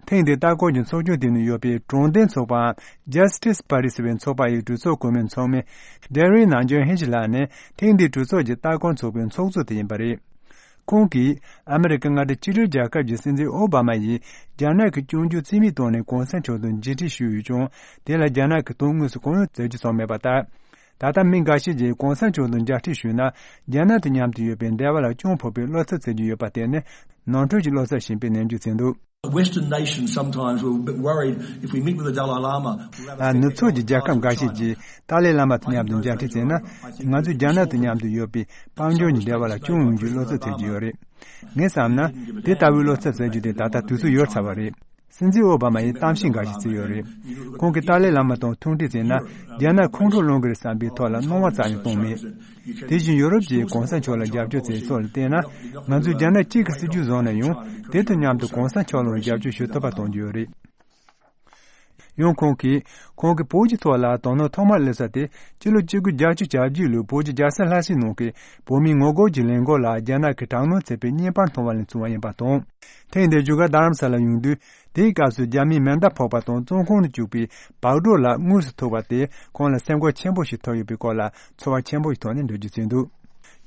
ཐེངས་འདིའི་ལྟ་སྐོར་གྱི་ཚོགས་ཆུང་དེ་ནང་ཡོད་པའི་དྲང་བདེན་ཚོགས་པའམ་Justice Party ཟེར་བའི་ཚོགས་པ་ཡི་གྲོས་ཚོགས་གོང་མའི་ཚོགས་མི་Darren Nanjing Hinge་ལགས་ནི་ཐེངས་འདིའི་གྲོས་ཚོགས་ཀྱི་ལྟ་སྐོར་ཚོགས་པའི་ཚོགས་གཙོ་དེ་ཡིན་པ་རེད། ཁོང་གིས་ཨ་མི་རི་ཀ་མངའ་སྡེ་གཅིག་སྒྲིལ་རྒྱལ་ཁབ་ཀྱི་སྲིད་འཛིན་ཨོ་བྷ་མ་ཡིས་རྒྱ་ནག་གི་སྐྱོན་བརྗོད་རྩིས་མེད་བཏང་ནས་གོང་ས་མཆོག་དང་མཇལ་འཕྲད་ཞུས་ཡོད་ཀྱང་། དེ་ལ་རྒྱ་ནག་གིས་དོན་དངོས་སུ་གང་ཡང་བྱེད་རྒྱུ་བྱུང་མེད་པ་ལྟར། ད་ལྟ་མི་འགའ་ཤས་ཀྱིས་གོང་ས་མཆོག་དང་མཇལ་འཕྲད་ཞུས་ན། རྒྱ་ནག་དང་མཉམ་དུ་ཡོད་པའི་འབྲེལ་བ་ལ་སྐྱོན་ཕོག་པའི་བློ་འཚབ་བྱེད་ཀྱི་ཡོད་པར་བརྟེན་ནས། ནོར་འཁྲུལ་གྱི་བློ་འཚབ་བཞིན་པའི་ནན་བརྗོད་བྱས་འདུག Western nations sometimes were a bit worried if we meet with the Dalai Lama. ཨ། ནུབ་ཕྱོགས་ཀྱི་རྒྱལ་ཁབ་འགའ་ཤས་ཀྱིས་ཏཱ་ལའི་བླ་མ་དང་མཉམ་དུ་མཇལ་འཕྲད་བྱས་ན། ང་ཚོས་རྒྱ་ནག་དང་མཉམ་དུ་ཡོད་པའི་དཔལ་འབྱོར་གྱི་འབྲེལ་བ་ལ་སྐྱོན་ཡོང་རྒྱུའི་བློ་འཚབ་བྱེད་ཀྱི་ཡོད་རེད། ངས་བསམ་ན། དེ་ལྟ་བུའི་བློ་འཚབ་བྱེད་རྒྱུ་དེ་ད་ལྟ་དུས་ཚོད་ཡོལ་ཚར་བ་རེད། སྲིད་འཛིན་ཨོ་བྷ་མ་ཡིས་གཏམ་བཤད་འགའ་ཞིག་བྱས་ཡོད་རེད། ཁོང་གིས་ཏཱ་ལའི་བླ་མ་དང་ཐུག་འཕྲད་བྱས་ན། རྒྱ་ནག་ཁོང་ཁྲོ་ལངས་ཀྱི་རེད་བསམ་པའི་ཐོག་ལ་སྣང་བ་རྩ་ནས་བཏང་མེད། དེ་བཞིན་ཡུ་རོབ་ཀྱིས་གོང་ས་མཆོག་ལ་རྒྱབ་སྐྱོར་བྱས་ཕྱོགས་ལ་བལྟས་ན། ང་ཚོས་རྒྱ་ནག་གཅིག་གི་སྲིད་ཇུས་བཟུང་ན་ཡང་། དེ་དང་མཉམ་དུ་གོང་ས་མཆོག་ལ་རྒྱབ་སྐྱོར་ཞུ་ཐུབ་པ་གཏོང་རྒྱུ་ཡོད་རེད། ཡང་ཁོང་གིས། ཁོང་གིས་བོད་ཀྱི་ཐོག་ལ་དོ་སྣང་ཐོག་མར་སླེབས་ས་དེ། སྤྱི་ལོ་གཅིག་དགུ་བརྒྱད་ཅུ་གྱ་བརྒྱད་ལོའི་བོད་ཀྱི་རྒྱལ་ས་ལྷ་སའི་ནང་གི་བོད་མིའི་ངོ་རྒོལ་གྱི་ལས་འགུལ་ལ་རྒྱ་ནག་གིས་དྲག་གནོན་བྱས་པའི་བརྙན་པར་མཐོང་བ་ནས་བྱུང་བ་ཡིན་པ་དང་། ཐེངས་འདིར་བཞུགས་སྒར་རྡ་རམ་ས་ལར་ཡོང་དུས། དེའི་སྐབས་སུ་རྒྱ་མིའི་མེ་མདའ་ཕོག་པ་དང་བཙོན་ཁང་དུ་བཅུག་པའི་བག་གྲོ་ལ་དངོས་སུ་ཐུག་པ་དེས་ཁོང་ལ་སེམས་ཁུར་ཆེན་པོ་ཞིག་ཐོབ་ཡོད་པའི་སྐོར་ལ་ཚོར་བ་ཆེན་པོ་ཞིག་ཐོག་ནས་འགྲེལ་བརྗོད་བྱས་འདུག་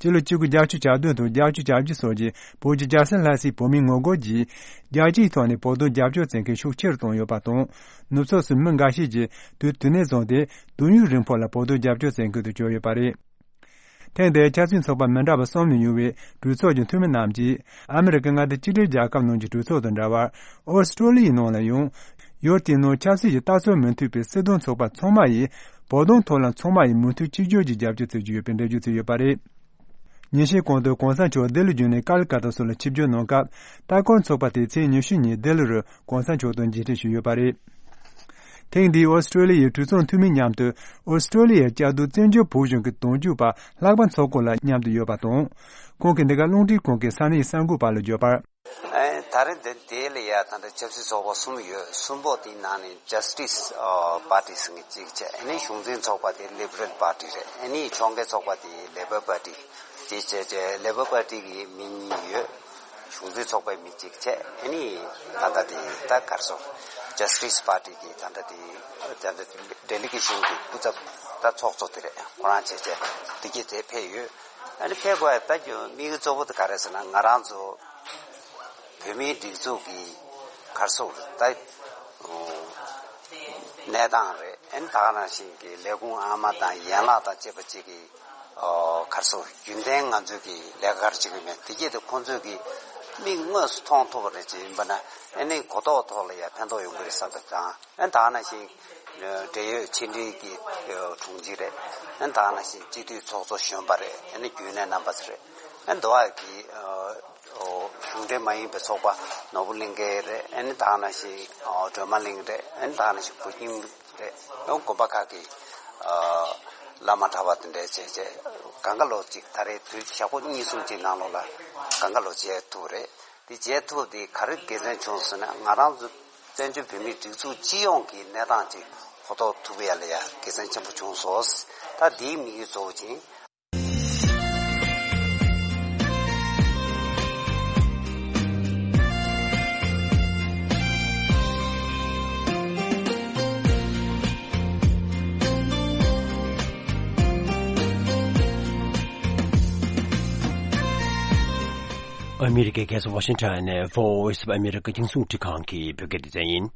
སྤྱི་ལོ་གཅིག་དགུ་བརྒྱད་ཅུ་གྱ་བདུན་དང་བརྒྱད་ཅུ་གྱ་བརྒྱད་སོགས་ཀྱི་བོད་ཀྱི་རྒྱལ་ས་ལྷ་སའི་བོད་མིའི་ངོ་རྒོལ་གྱིས་རྒྱལ་སྤྱིའི་ཐོག་ནས་བོད་དོན་རྒྱབ་སྐྱོར་བྱེད་མཁན་ཤུགས་ཆེ་རུ་བཏང་ཡོད་པ་དང་། ནུབ་ཕྱོགས་སུ་མི་འགའ་ཤས་ཀྱིས་དུས་དེ་ནས་བཟུང་སྟེ་དུས་ཡུན་རིང་པོ་ལ་བོད་དོན་རྒྱབ་སྐྱོར་བྱེད་མཁན་དུ་གྱུར་ཡོད་པ་རེད། ཐེངས་འདིའི་ཆབ་སྲིད་ཚོགས་པ་མི་འདྲ་བ་གསུམ་ནས་ཡོང་བའི་གྲོས་ཚོགས་ཀྱི་འཐུས་མི་རྣམས་ཀྱིས་ཨ་མི་རི་ཀའི་མངའ་སྡེ་གཅིག་སྒྲིལ་རྒྱལ་ཁབ་ནང་གྱི་གྲོས་ཚོགས་དང་འདྲ་བར་ཨོ་སི་ཀྲོ་ལི་ཡའི་ནང་ལ་ཡང་ཡུལ་དེའི་ནང་ཆབ་སྲིད་ཀྱི་ལྟ་ཚུལ་མི་མཐུན་པའི་སྲིད་དོན་ཚོགས་པ་ཚང་མ་ཡིས་བོད་དོན་ཐོག་ལ་ཚང་མ་ཡིས་མུ་མཐུད་གཅིག་གྱུར་གྱིས་རྒྱབ་སྐྱོར་བྱེད་ཀྱི་ཡོད་པའི་འགྲེལ་བརྗོད་བྱས་ཡོད་པ་རེད། ཉིན་ཤས་གོང་དུ་གོང་ས་མཆོག་ལྡི་ལི་བརྒྱུད་ནས་ཀལ་ཀ་ཏ་སོགས་ལ་ཆིབས་བསྒྱུར་གནང་སྐབས་ལྟ་སྐོར་ཚོགས་པ་དེས་ཚེས་ཉི་ཤུ་ཉིན་ལྡི་ལི་རུ་གོང་ས་མཆོག་དང་མཇལ་འཕྲད་ཞུས་ཡོད་པ་རེད། ཐེངས་འདིའི་ཨོ་སི་ཀྲོ་ལི་ཡའི་གྲོས་ཚོགས་འཐུས་མི་མཉམ་དུ་ཨོ་སི་ཀྲོ་ལི་ཡའི་བཅའ་སྡོད་བཙན་བྱོལ་བོད་གཞུང་གི་དོན་གཅོད་པ་ལྷག་པ་མཚོ་སྐོར་ལགས་མཉམ་དུ་ཡོད་པ་དང་། ཁོང་གིས་འདི་ག་རླུང་འཕྲིན་ཁང་གི་ས་གནས་གསར་འགོད་པ་ལ་བརྗོད་པར། ཨེ། ད་རེས་འདི་དེ་ལ་ཡ་ད་ལྟ་ཆབ་སྲིད་ཚོགས་པ་གསུམ་ཡོད། གསུམ་པོ་དེའི་ནང་ནས་Justice ཨ་Party ཟེར་མཁན་གཅིག་བྱས། ཨ་ནི་གཞུང་འཛིན་ཚོགས་པ་དེ་Liberal Party རེད། ཨ་ནི་ཕྱོགས་འགལ་ཚོགས་པ་དེ་Labor Party དེ་བྱས་བྱས། Labor Party གི་མི་གཉིས་ཡོད། གཞུང་འཛིན་ཚོགས་པའི་མི་གཅིག་བྱས། ཨ་ནི་ད་ལྟ་དེ་ད་ག་རེ་ཟེར། Justice Party གི་ད་ལྟ་དེ་ད་ལྟ་delegation གི་སྐུ་ཚབ་ད་ཚོགས་གཙོ་དེ་རེད། ཁོ་རང་བྱས་བྱས་དེ་གྱིས་དེ་ཕེབས་ཡོད། ཨ་ནི་ཕེབས་དགོས་ཡ་ད་དམིགས་ཡུལ་གཙོ་བོ་དེ་ག་རེ་ཟེར་ན། ང་རང་ཚོ་བོད་མིའི་སྒྲིག་འཛུགས་ཀྱི་ག་རེ་ཟེར་ད་གནས་སྟངས་རེད། ཨ་ནི་ད་ག་ནང་བཞིན་གྱི་ལས་ཁུངས་ཨ་མ་དང་ཡན་ལག་དང་བཅས་པ་གཅིག་གི་ག་རེ་ཟེར་རྒྱུན་ལྡན་ང་ཚོའི་གི་ལས་ཀ་ག་རེ་བྱེད་ཀྱི་མེད། དེ་གྱིས་དེ་ཁོང་ཚོས་གི་མིག་དངོས་སུ་མཐོང་ཐུབ་པ་རེ་བྱེད་ཡིན་པ་ན། ཨ་ནི་གོ་རྟོགས་ཐོག་ལ་ཡ་ཕན་ཐོགས་ཡོང་གི་རེད་བསམ་པ་དང་། ཨ་ནི་ད་ག་ནང་བཞིན་འབྲེལ་ཡོད་ཕྱི་འབྲེལ་གྱི་དྲུང་ཆེ་རེད། ཨ་ནི་ད་ག་ནང་བཞིན་སྤྱི་འཐུས་ཚོགས་གཙོ་གཞོན་པ་རེད། ཨ་ནི་རྒྱུན་ལས་རྣམ་པ་ཚོ་རེད། ཨ་ནི་འདི་བ་གི་གཞུང་འབྲེལ་མ་ཡིན་པའི་ཚོགས་པ་ནོར་བུ་གླིང་གའི་རེད། ཨ་ནི་ད་ག་ནང་བཞིན་སྒྲོལ་མ་གླིང་རེད། ཨ་ནི་ད་ག་ནང་བཞིན་བུ་ཁྱིམ་རེད། ཨ་ནི་དགོན་པ་ཁག་གི་བླ་མ་གྲྭ་པ་དེ་འདྲས་བྱས་བྱས། གང་ག་ལོ་གཅིག་ད་རེས་དུས་ཞག་པོ་གཉིས་གསུམ་གཅིག་ནང་ལོགས་ལ་གང་ག་ལོ་བྱས་ཐུབ་རེད། དེ་བྱས་ཐུབ་དེ་ག་རེ་དགེ་མཚན་བྱུང་ཟེར་ན། ང་རང་ཚོ་བཙན་བྱོལ་བོད་མིའི་སྒྲིག་འཛུགས་སྤྱི་ཡོངས་ཀྱི་གནས་སྟངས་ཅིག་གོ་རྟོགས་ཐུབ་ཡ་ལ་ཡ་དགེ་མཚན་ཆེན་པོ་བྱུང་སོང་། ད་དེའི་དམིགས་ཡུལ་གཙོ་བོ་ཅིག་ཨ་མི་རི་ཀའི་རྒྱལ་ས་ཝ་ཤིང་ཊོན་ནས་Voice of America རྒྱང་སྲིང་རླུང་འཕྲིན་ཁང་གི་བོད་སྐད་སྡེ་ཚན་ཡིན།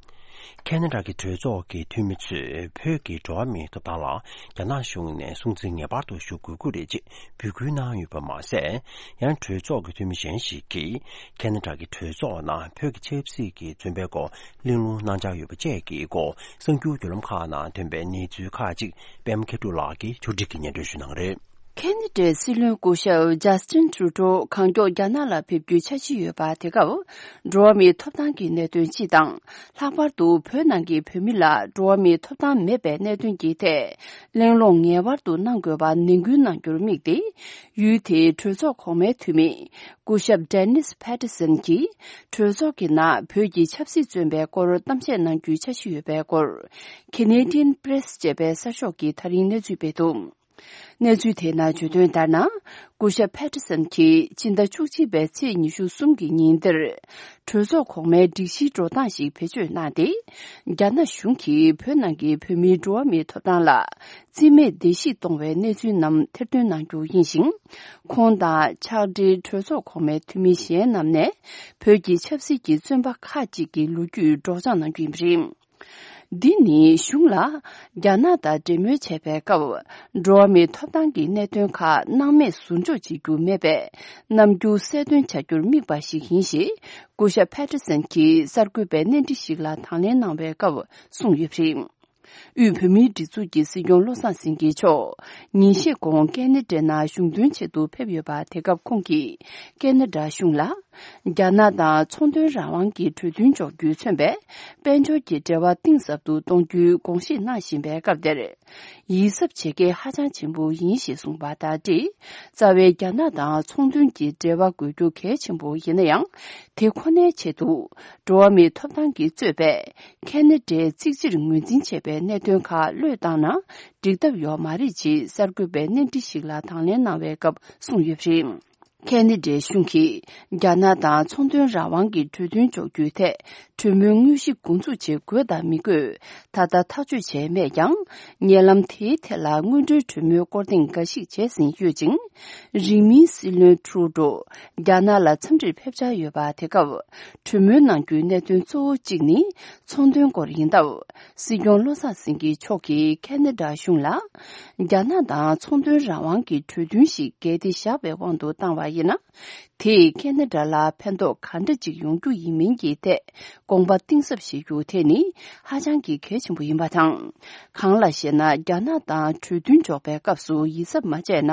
ཁེ་ན་ཌ་གི་གྲོས་ཚོགས་ཀྱི་འཐུས་མི་ཚོས་བོད་ཀྱི་འགྲོ་བ་མིའི་ཐོབ་ཐང་ལ་རྒྱ་ནག་གཞུང་ནས་སྲུང་བརྩི་ངེས་པར་དུ་ཞུ་དགོས་ཀྱི་རེད་ཅེས་འབོད་སྐུལ་གནང་ཡོད་པ་མ་ཟད། ཡང་གྲོས་ཚོགས་ཀྱི་འཐུས་མི་གཞན་ཞིག་གིས་ཁེ་ན་ཌ་གི་གྲོས་ཚོགས་ནང་བོད་ཀྱི་ཆབ་སྲིད་ཀྱི་བཙོན་པའི་སྐོར་གླེང་སློང་གནང་འཆར་ཡོད་པ་བཅས་ཀྱི་སྐོར་གསར་འགྱུར་བརྒྱུད་ལམ་ཁག་ནང་ཐོན་པའི་གནས་ཚུལ་ཁག་ཅིག་པད་མ་མཁས་གྲུབ་ལགས་ཀྱིས་ཕྱོགས་སྒྲིག་གིས་སྙན་སྒྲོན་ཞུ་གནང་གི་རེད། ཁེ་ན་ཌའི་སྲིད་བློན་སྐུ་ཞབས་ཇཱ་སི་ཊིན་ཊུ་རུ་ཌོ་གང་མགྱོགས་རྒྱ་ནག་ལ་ཕེབས་རྒྱུའི་འཆར་གཞི་ཡོད་པ། དེ་སྐབས་འགྲོ་བ་མིའི་ཐོབ་ཐང་གི་གནད་དོན་སྤྱི་དང་། ལྷག་པར་དུ་བོད་ནང་གི་བོད་མི་ལ་འགྲོ་བ་མིའི་ཐོབ་ཐང་མེད་པའི་གནད་དོན་གྱི་ཐད་གླེང་སློང་ངེས་པར་དུ་གནང་དགོས་པ་ནན་སྐུལ་གནང་རྒྱུར་དམིགས་ཏེ། ཡུལ་དེའི་གྲོས་ཚོགས་གོང་མའི་འཐུས་མི་སྐུ་ཞབས་ཌེ་ནིས་ཕེ་ཏི་སན་གྱིས་གྲོས་ཚོགས་ཀྱི་ནང་བོད་ཀྱི་ཆབ་སྲིད་བཙོན་པའི་སྐོར་གཏམ་བཤད་གནང་རྒྱུའི་འཆར་གཞི་ཡོད་པའི་སྐོར། Canadian Press ཅེས་པའི་གསར་ཤོག་གིས་ད་རིང་གནས་ཚུལ་སྤེལ་འདུག། གནས་ཚུལ་དེའི་ནང་བརྗོད་དོན་ལྟར་ན། སྐུ་ཞབས་ཕེ་ཏི་སན་གྱིས་སྤྱི་ཟླ་བཅུ་གཅིག་པའི་ཚེས་ཉི་ཤུ་གསུམ་གྱི་ཉིན་དེར། གྲོས་ཚོགས་གོང་མའི་སྒྲིག་གཞིའི་འགྲོ་སྟངས་ཤིག་བེད་སྤྱོད་གནང་སྟེ། རྒྱ་ནག་གཞུང་གིས་བོད་ནང་གི་བོད་མིའི་འགྲོ་བ་མིའི་ཐོབ་ཐང་ལ་རྩིས་མེད་བརྡལ་བཤིག་གཏོང་བའི་གནས་ཚུལ་རྣམས་ཐེར་འདོན་གནང་རྒྱུ་ཡིན་ཞིང་། ཁོང་དང་ཕྱག་སྦྲེལ་གྲོས་ཚོགས་གོང་མའི་འཐུས་མི་གཞན་རྣམས་ནས་བོད་ཀྱི་ཆབ་སྲིད་ཀྱི་བཙོན་པ་ཁག་ཅིག་གི་ལོ་རྒྱུས་སྒྲོག་སྦྱང་གནང་རྒྱུ་ཡིན་པ་རེད། འདི་ནི་གཞུང་ལ་རྒྱ་ནག་དང་འབྲེལ་མོལ་བྱས་པའི་སྐབས། འགྲོ་བ་མིའི་ཐོབ་ཐང་གི་གནད་དོན་ཁག་སྣང་མེད་ཟུར་འཇོག་བྱེད་རྒྱུ་མེད་པའི་རྣམ་འགྱུར་གསལ་སྟོན་བྱ་རྒྱུར་དམིགས་པ་ཞིག་ཡིན་ཞེས། སྐུ་ཞབས་ཕེ་ཏི་སན་གྱིས་གསར་འགོད་པའི་གནས་འདྲི་ཞིག་ལ་དང་ལེན་གནང་བའི་སྐབས་གསུངས་ཡོད་པ་རེད། དབུས་བོད་མིའི་སྒྲིག་འཛུགས་ཀྱི་སྲིད་སྐྱོང་བློ་བཟང་སེང་གེ་མཆོག་ཉིན་ཤས་གོང་ཁེ་ན་ཌའི་ནང་གཞུང་དོན་ཆེད་དུ་ཕེབས་ཡོད་པ། དེ་སྐབས་ཁོང་གིས་ཁེ་ན་ཌ་གཞུང་ལ། རྒྱ་ནག་དང་ཚོང་དོན་རང་དབང་གི་གྲོས་མཐུན་འཇོག་རྒྱུས་མཚོན་པའི་དཔལ་འབྱོར་གྱི་འབྲེལ་བ་གཏིང་ཟབ་ཏུ་གཏོང་རྒྱུའི་དགོངས་བཞེས་གནང་བཞིན་པའི་སྐབས་དེར། ཡིད་གཟབ་བྱེད་གལ་ཧ་ཅང་ཆེན་པོ་ཡིན་ཞེས་གསུངས་པ་དང་འབྲེལ། རྩ་བའི་རྒྱ་ནག་དང་ཚོང་དོན་གྱི་འབྲེལ་བ་དགོས་རྒྱུ་གལ་ཆེན་པོ་ཡིན་ན་ཡང་། དེ་ཁོ་ནའི་ཆེད་དུ་འགྲོ་བ་མིའི་ཐོབ་ཐང་གིས་གཙོས་པའི་ཁེ་ན་ཌའི་གཅིག་སྤྱིར་ངོས་འཛིན་བྱས་པའི་གནད་དོན་ཁག་བློས་བཏང་ན་འགྲིག་ཐབས་ཡོད་མ་རེད་ཅེས་གསར་འགོད་པའི་གནས་འདྲི་ཞིག་ལ་དང་ལེན་གནང་བའི་སྐབས་གསུངས་ཡོད་པ་རེད། ཁེ་ན་ཌའི་གཞུང་གིས་རྒྱ་ནག་དང་ཚོང་དོན་རང་དབང་གི་གྲོས་མཐུན་འཇོག་རྒྱུའི་ཐད་གྲོས་མོལ་དངོས་གཞི་འགོ་འཛུགས་བྱེད་དགོས་དང་མི་དགོས་ད་ལྟ་ཐག་གཅོད་བྱས་མེད་ཀྱང་། ཉེ་ལམ་དེའི་ཐད་ལ་སྔོན་འགྲོའི་གྲོས་མོལ་སྐོར་ཐེངས་འགའ་ཞིག་བྱས་ཟིན་ཡོད་ཅིང་། རིང་མིན་སྲིད་བློན་ཁྲུ་ཌོ་རྒྱ་ནག་ལ་འཚམས་འདྲིར་ཕེབས་འཆར་ཡོད་པ་དེ་སྐབས་གྲོས་མོལ་གནང་རྒྱུའི་གནད་དོན་གཙོ་བོ་གཅིག་ནི་ཚོང་དོན་སྐོར་ཡིན་སྟབས། སྲིད་སྐྱོང་བློ་བཟང་སེང་གེ་མཆོག་གིས་ཁེ་ན་ཌ་གཞུང་ལ། རྒྱ་ནག་དང་ཚོང་དོན་རང་དབང་གི་གྲོས་མཐུན་ཞིག་གལ་ཏེ་བཞག་པའི་དབང་དུ་བཏང་བ་ཡིན་ན། དེས་ཁེ་ན་ཌ་ལ་ཕན་ཐོགས་ག་འདྲ་ཅིག་ཡོང་རྒྱུ་ཡིན་མིན་གྱི་ཐད་དགོངས་པ་གཏིང་ཟབ་བཞེས་རྒྱུ་དེ་ནི་ཧ་ཅང་གི་གལ་ཆེན་པོ་ཡིན་པ་དང་། གང་ལགས་ཤེ་ན། རྒྱ་ནག་དང་གྲོས་མཐུན་འཇོག་པའི་སྐབས་སུ་ཡིད་གཟབ་མ་བྱས་ན།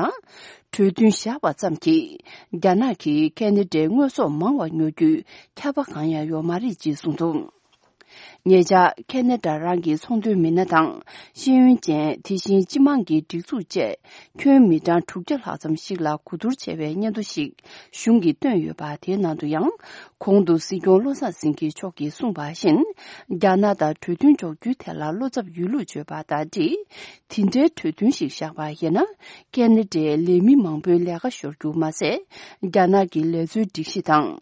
གྲོས་མཐུན་བཞག་པ་ཙམ་གྱིས་རྒྱ་ནག་གིས་ཁེ་ན་ཌའི་དངོས་ཟོག་མང་བ་ཉོ་རྒྱུའི་ཁྱབ་པ་གང་ཡང་ཡོད་མ་རེད་ཅེས་གསུངས་འདུག་ཉེ་ཆར་ཁེ་ན་ཌ་རང་གི་ཚོང་དོན་མི་སྣ་དང་ཤེས་ཡོན་ཅན། དེ་བཞིན་སྤྱི་དམངས་ཀྱི་སྒྲིག་འཛུགས་བཅས་ཁྱོན་མི་གྲངས་དྲུག་བརྒྱ་ལྷག་ཙམ་ཞིག་ལ་གོ་བསྡུར་བྱས་པའི་སྙན་ཐོ་ཞིག་གཞུང་གིས་བཏོན་ཡོད་པ། དེའི་ནང་དུ་ཡང་། གོང་དུ་སྲིད་སྐྱོང་བློ་བཟང་སེང་གེ་མཆོག་གིས་གསུངས་པ་བཞིན། རྒྱ་ནག་དང་གྲོས་མཐུན་འཇོག་རྒྱུའི་ཐད་ལ་བློ་འཚབ་ཡོད་ལུགས་བརྗོད་པ་དང་འབྲེལ། དེ་འདྲའི་གྲོས་མཐུན་ཞིག་བཞག་པ་ཡིན་ན། ཁེ་ན་ཌའི་ལས་མི་མང་པོའི་ལས་ཀ་ཤོར་རྒྱུ་མ་ཟད། རྒྱ་ནག་གི་ལས་བཟོའི་སྒྲིག་གཞི་དང་།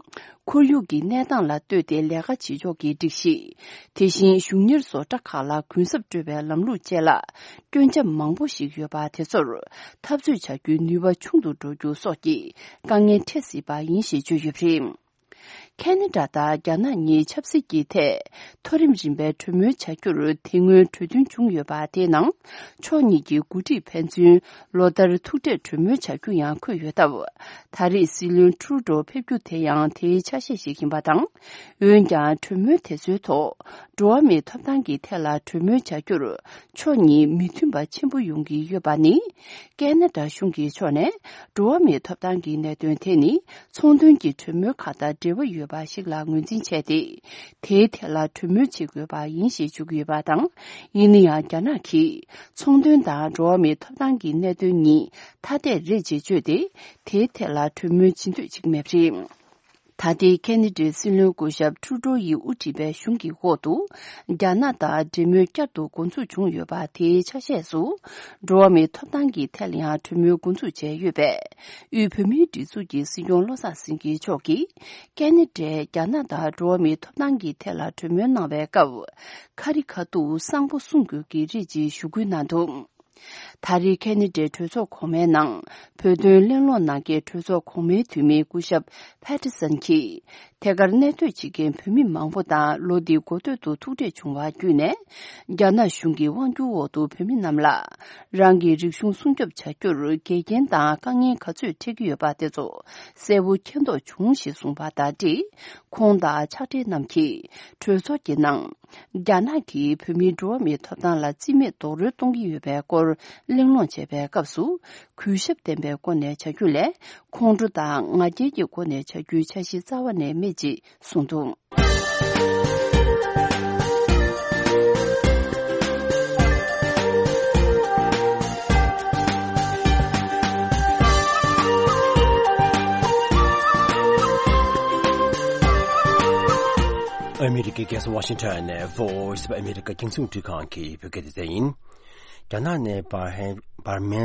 ཁོར་ཡུག་གི་གནས་སྟངས་ལ་ལྟོས་ཏེ་ལས་ཀ་བྱེད་ཕྱོགས་ཀྱི་སྒྲིག་གཞི། དེ་བཞིན་གཞུང་གཉེར་བཟོ་གྲྭ་ཁག་ལ་གུན་གསབ་སྤྲོད་པའི་ལམ་ལུགས་བཅས་ལ་སྐྱོན་ཆ་མང་པོ་ཞིག་ཡོད་པ་དེ་ཚོར་འཐབ་རྩོད་བྱ་རྒྱུའི་ནུས་པ་ཆུང་དུ་འགྲོ་རྒྱུ་སོགས་ཀྱི་དཀའ་ངལ་འཕྲད་སྲིད་པ་ཡིན་ཞེས་བརྗོད་ཡོད་པ་རེད། ཁེ་ན་ཌ་དང་རྒྱ་ནག་གཉིས་ཆབ་སྲིད་ཀྱི་ཐད་མཐོ་རིམ་རིམ་པའི་གྲོས་མོལ་བྱ་རྒྱུར་དེ་སྔོན་གྲོས་མཐུན་བྱུང་ཡོད་པ། དེའི་ནང་ཕྱོགས་གཉིས་ཀྱི་འགོ་ཁྲིད་ཕན་ཚུན་ལོ་ལྟར་ཐུག་འཕྲད་གྲོས་མོལ་བྱ་རྒྱུ་ཡང་འཁོད་ཡོད་སྟབས། ད་རེས་སྲིད་བློན་ཁྲུ་ཌོ་ཕེབས་རྒྱུ་དེ་ཡང་དེའི་ཆ་ཤས་ཤིག་ཡིན་པ་དང་། འོན་ཀྱང་གྲོས་མོལ་དེ་ཚོའི་ཐོག་འགྲོ་བ་མིའི་ཐོབ་ཐང་གི་ཐད་ལ་གྲོས་མོལ་བྱ་རྒྱུར་ཕྱོགས་གཉིས་མི་མཐུན་པ་ཆེན་པོ་ཡོང་གི་ཡོད་པ་ནི། ཁེ་ན་ཌ་གཞུང་གི་ཕྱོགས་ནས་འགྲོ་བ་མིའི་ཐོབ་ཐང་གི་གནད་དོན་དེ་ནི་ཚོང་དོན་གྱི་གྲོས་མོལ་ཁག་དང་འབྲེལ་བ་ཡོད་པ་ཞིག་ལ་ངོས་འཛིན་བྱས་ཏེ། དེའི་ཐད་ལ་གྲོས་མོལ་བྱེད་དགོས་པ་ཡིན་ཞེས་བརྗོད་ཀྱི་ཡོད་པ་དང་། ཡིན་ན་ཡང་རྒྱ་ནག་གིས་ཚོང་དོན་དང་འགྲོ་བ་མིའི་ཐོབ་ཐང་གི་གནད་དོན་གཉིས་ཐ་དད་རེད་ཅེས་བརྗོད་དེ། དེའི་ཐད་ལ་གྲོས་མོལ་བྱེད་འདོད་བྱེད་ཀྱི་མེད་པ་རེད། ད་ལྟའི་ཁེ་ན་ཌའི་སྲིད་བློན་སྐུ་ཞབས་ཁྲུ་ཌོ་ཡིས་དབུ་ཁྲིད་པའི་གཞུང་གི་འོག་ཏུ། རྒྱ་ནག་དང་འབྲེལ་མོལ་བསྐྱར་དུ་འགོ་འཛུགས་བྱུང་ཡོད་པ། དེའི་ཆ་ཤས་སུ། འགྲོ་བ་མིའི་ཐོབ་ཐང་གི་ཐད་ལ་ཡང་གྲོས་མོལ་འགོ་འཛུགས་བྱས་ཡོད་པས། དབུས་བོད་མིའི་སྒྲིག་འཛུགས་ཀྱི་སྲིད་སྐྱོང་བློ་བཟང་སེང་གེ་མཆོག་གིས། ཁེ་ན་ཌས་རྒྱ་ནག་དང་འགྲོ་བ་མིའི་ཐོབ་ཐང་གི་ཐད་ལ་གྲོས་མོལ་གནང་བའི་སྐབས། ཁ་རི་ཁ་ཐུག་གསང་པོ་གསུང་དགོས་ཀྱི་རེད་ཅེས་ཞུ་སྐུལ་གནང་འདུག་ད་རེས་ཁེ་ན་ཌའི་གྲོས་ཚོགས་གོང་མའི་ནང་། བོད་དོན་གླེང་སློང་གནང་མཁན་གྲོས་ཚོགས་གོང་མའི་འཐུས་མི་སྐུ་ཞབས་ཕེ་ཏི་སན་གྱིས། ཐད་ཀར་གནས་སྡོད་བྱེད་མཁན་བོད་མི་མང་པོ་དང་ལོ་འདིའི་འགོ་སྟོད་དུ་ཐུག་འཕྲད་བྱུང་བ་བརྒྱུད་ནས། རྒྱ་ནག་གཞུང་གི་དབང་སྒྱུར་འོག་ཏུ་བོད་མི་རྣམས་ལ། རང་གི་རིག་གཞུང་སྲུང་སྐྱོབ་བྱ་རྒྱུར་འགལ་རྐྱེན་དང་དཀའ་ངལ་ག་ཚོད་འཕྲད་ཀྱི་ཡོད་པ་དེ་ཚོ་གསལ་པོ་མཁྱེན་རྟོགས་བྱུང་ཞེས་གསུངས་པ་དང་འབྲེལ། ཁོང་དང་ཕྱག་སྦྲེལ་རྣམས་ཀྱིས་གྲོས་ཚོགས་ཀྱི་ནང་། རྒྱ་ནག་གིས་བོད་མིའི་འགྲོ་བ་མིའི་ཐོབ་ཐང་ལ་རྩིས་མེད་རྡོག་རོལ་གཏོང་གི་ཡོད་པའི་སྐོར་གླེང་སློང་བྱས་པའི་སྐབས་སུ། གུས་ཞབས་ལྡན་པའི་སྒོ་ནས་བྱ་རྒྱུ་ལས། ཁོང་ཁྲོ་དང་ང་རྒྱལ་གྱི་སྒོ་ནས་བྱ་རྒྱུའི་འཆར་གཞི་རྩ་བ་ནས་མེད་ཅེས་གསུངས་འདུག་ཨ་མི་རི་ཀའི་རྒྱལ་ས་ཝ་ཤིང་ཊོན་ནས་Voice of America རྒྱང་སྲིང་རླུང་འཕྲིན་ཁང་གི་བོད་སྐད་སྡེ་ཚན་ཡིན། རྒྱ་ནག་ནས་འབར་ཧན་འབར་མའི་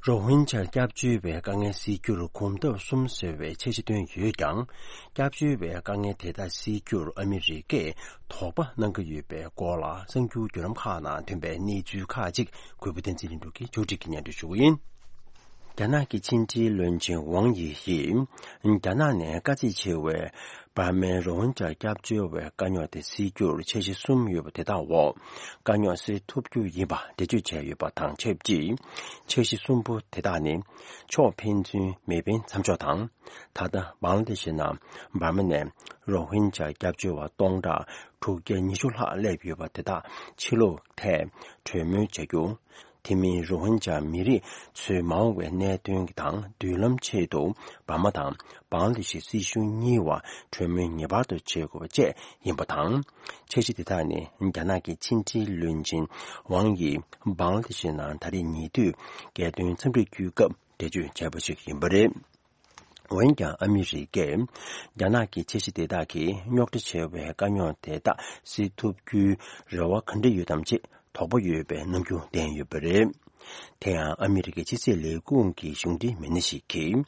རོ་ཧིན་ཇར་སྐྱབས་བཅོལ་བའི་དཀའ་ངལ་སེལ་རྒྱུར་གོམ་སྟབས་གསུམ་ཟེར་བའི་འཆར་གཞི་བཏོན་ཡོད་ཀྱང་། སྐྱབས་བཅོལ་བའི་དཀའ་ངལ་དེ་དག་སེལ་རྒྱུར་ཨ་མི་རི་ཀས་དོགས་པ་གནང་གི་ཡོད་པའི་སྐོར་ལ། གསར་འགྱུར་བརྒྱུད་ལམ་ཁག་ནང་ཐོན་པའི་གནས་ཚུལ་ཁག་ཅིག་གུས་པ་བསྟན་འཛིན་ལྷུན་གྲུབ་ཀྱིས་ཕྱོགས་སྒྲིག་གིས་སྙན་སྒྲོན་ཞུ་གི་ཡིན། རྒྱ་ནག་གི་ཕྱི་འབྲེལ་བློན་ཆེན་ཝང་ཡི་ཡིས། རྒྱ་ནག་ནས་དཀའ་ཚེགས་ཆེ་བའི་འབར་མའི་རོ་ཧིན་ཇར་སྐྱབས་བཅོལ་བའི་དཀའ་རྙོག་དེ་སེལ་རྒྱུར་འཆར་གཞི་གསུམ་ཡོད་པ་དེ་དག་འོག་དཀའ་རྙོག་སེལ་ཐུབ་རྒྱུ་ཡིན་པ་འགྲེལ་བརྗོད་བྱས་ཡོད་པ་དང་ཆབས་ཅིག་འཆར་གཞི་གསུམ་པོ་དེ་དག་ནི། ཕྱོགས་ཕན་ཚུན་མེ་འཕེན་མཚམས་འཇོག་དང་། ད་ལྟ་བང་ལ་དེ་ཤི་ནང་འབར་མ་ནས་རོ་ཧིན་ཇར་སྐྱབས་བཅོལ་བ་སྟོང་ཕྲག་དྲུག་བརྒྱ་ཉི་ཤུ་ལྷག་སླེབས་ཡོད་པ་དེ་དག་ཕྱིར་ལོག་ཐད་གྲོས་མོལ་བྱ་རྒྱུ། དེ་མིན་རོ་ཧིན་ཇར་མི་རིགས་ཚོའི་མ་འོངས་པའི་གནད་དོན་དང་མདུན་ལམ་ཆེད་དུ་འབར་མ་དང་བང་ལ་དེ་ཤི་སྲིད་གཞུང་གཉིས་བར་གྲོས་མོལ་ངེས་པར་དུ་བྱེད་དགོས་པ་བཅས་ཡིན་པ་དང་། འཆར་གཞི་དེ་དག་ནི་རྒྱ་ནག་གི་ཕྱི་འབྲེལ་བློན་ཆེན་ཝང་ཡིས་བང་ལ་དེ་ཤི་ནང་ད་རེས་ཉེ་དུས་རྒྱལ་དོན་འཚམས་འདྲིར་བསྐྱོད་སྐབས་འགྲེལ་བརྗོད་བྱས་པ་ཞིག་ཡིན་པ་རེད། འོན་ཀྱང་ཨ་མི་རི་ཀས་རྒྱ་ནག་གི་འཆར་གཞི་དེ་དག་གིས་རྙོག་དྲ་ཆེ་བའི་དཀའ་རྙོག་དེ་དག་སེལ་ཐུབ་རྒྱུའི་རེ་བ་ག་འདྲ་ཡོད་དམ་ཅེས་དོགས་པ་ཡོད་པའི་རྣམ་འགྱུར་བསྟན་ཡོད་པ་རེད། དེ་ཡང་ཨ་མི་རི་ཀའི་ཕྱི་སྲིད་ལས་ཁུངས་ཀྱི་གཞུང་འབྲེལ་མི་སྣ་ཞིག་གིས།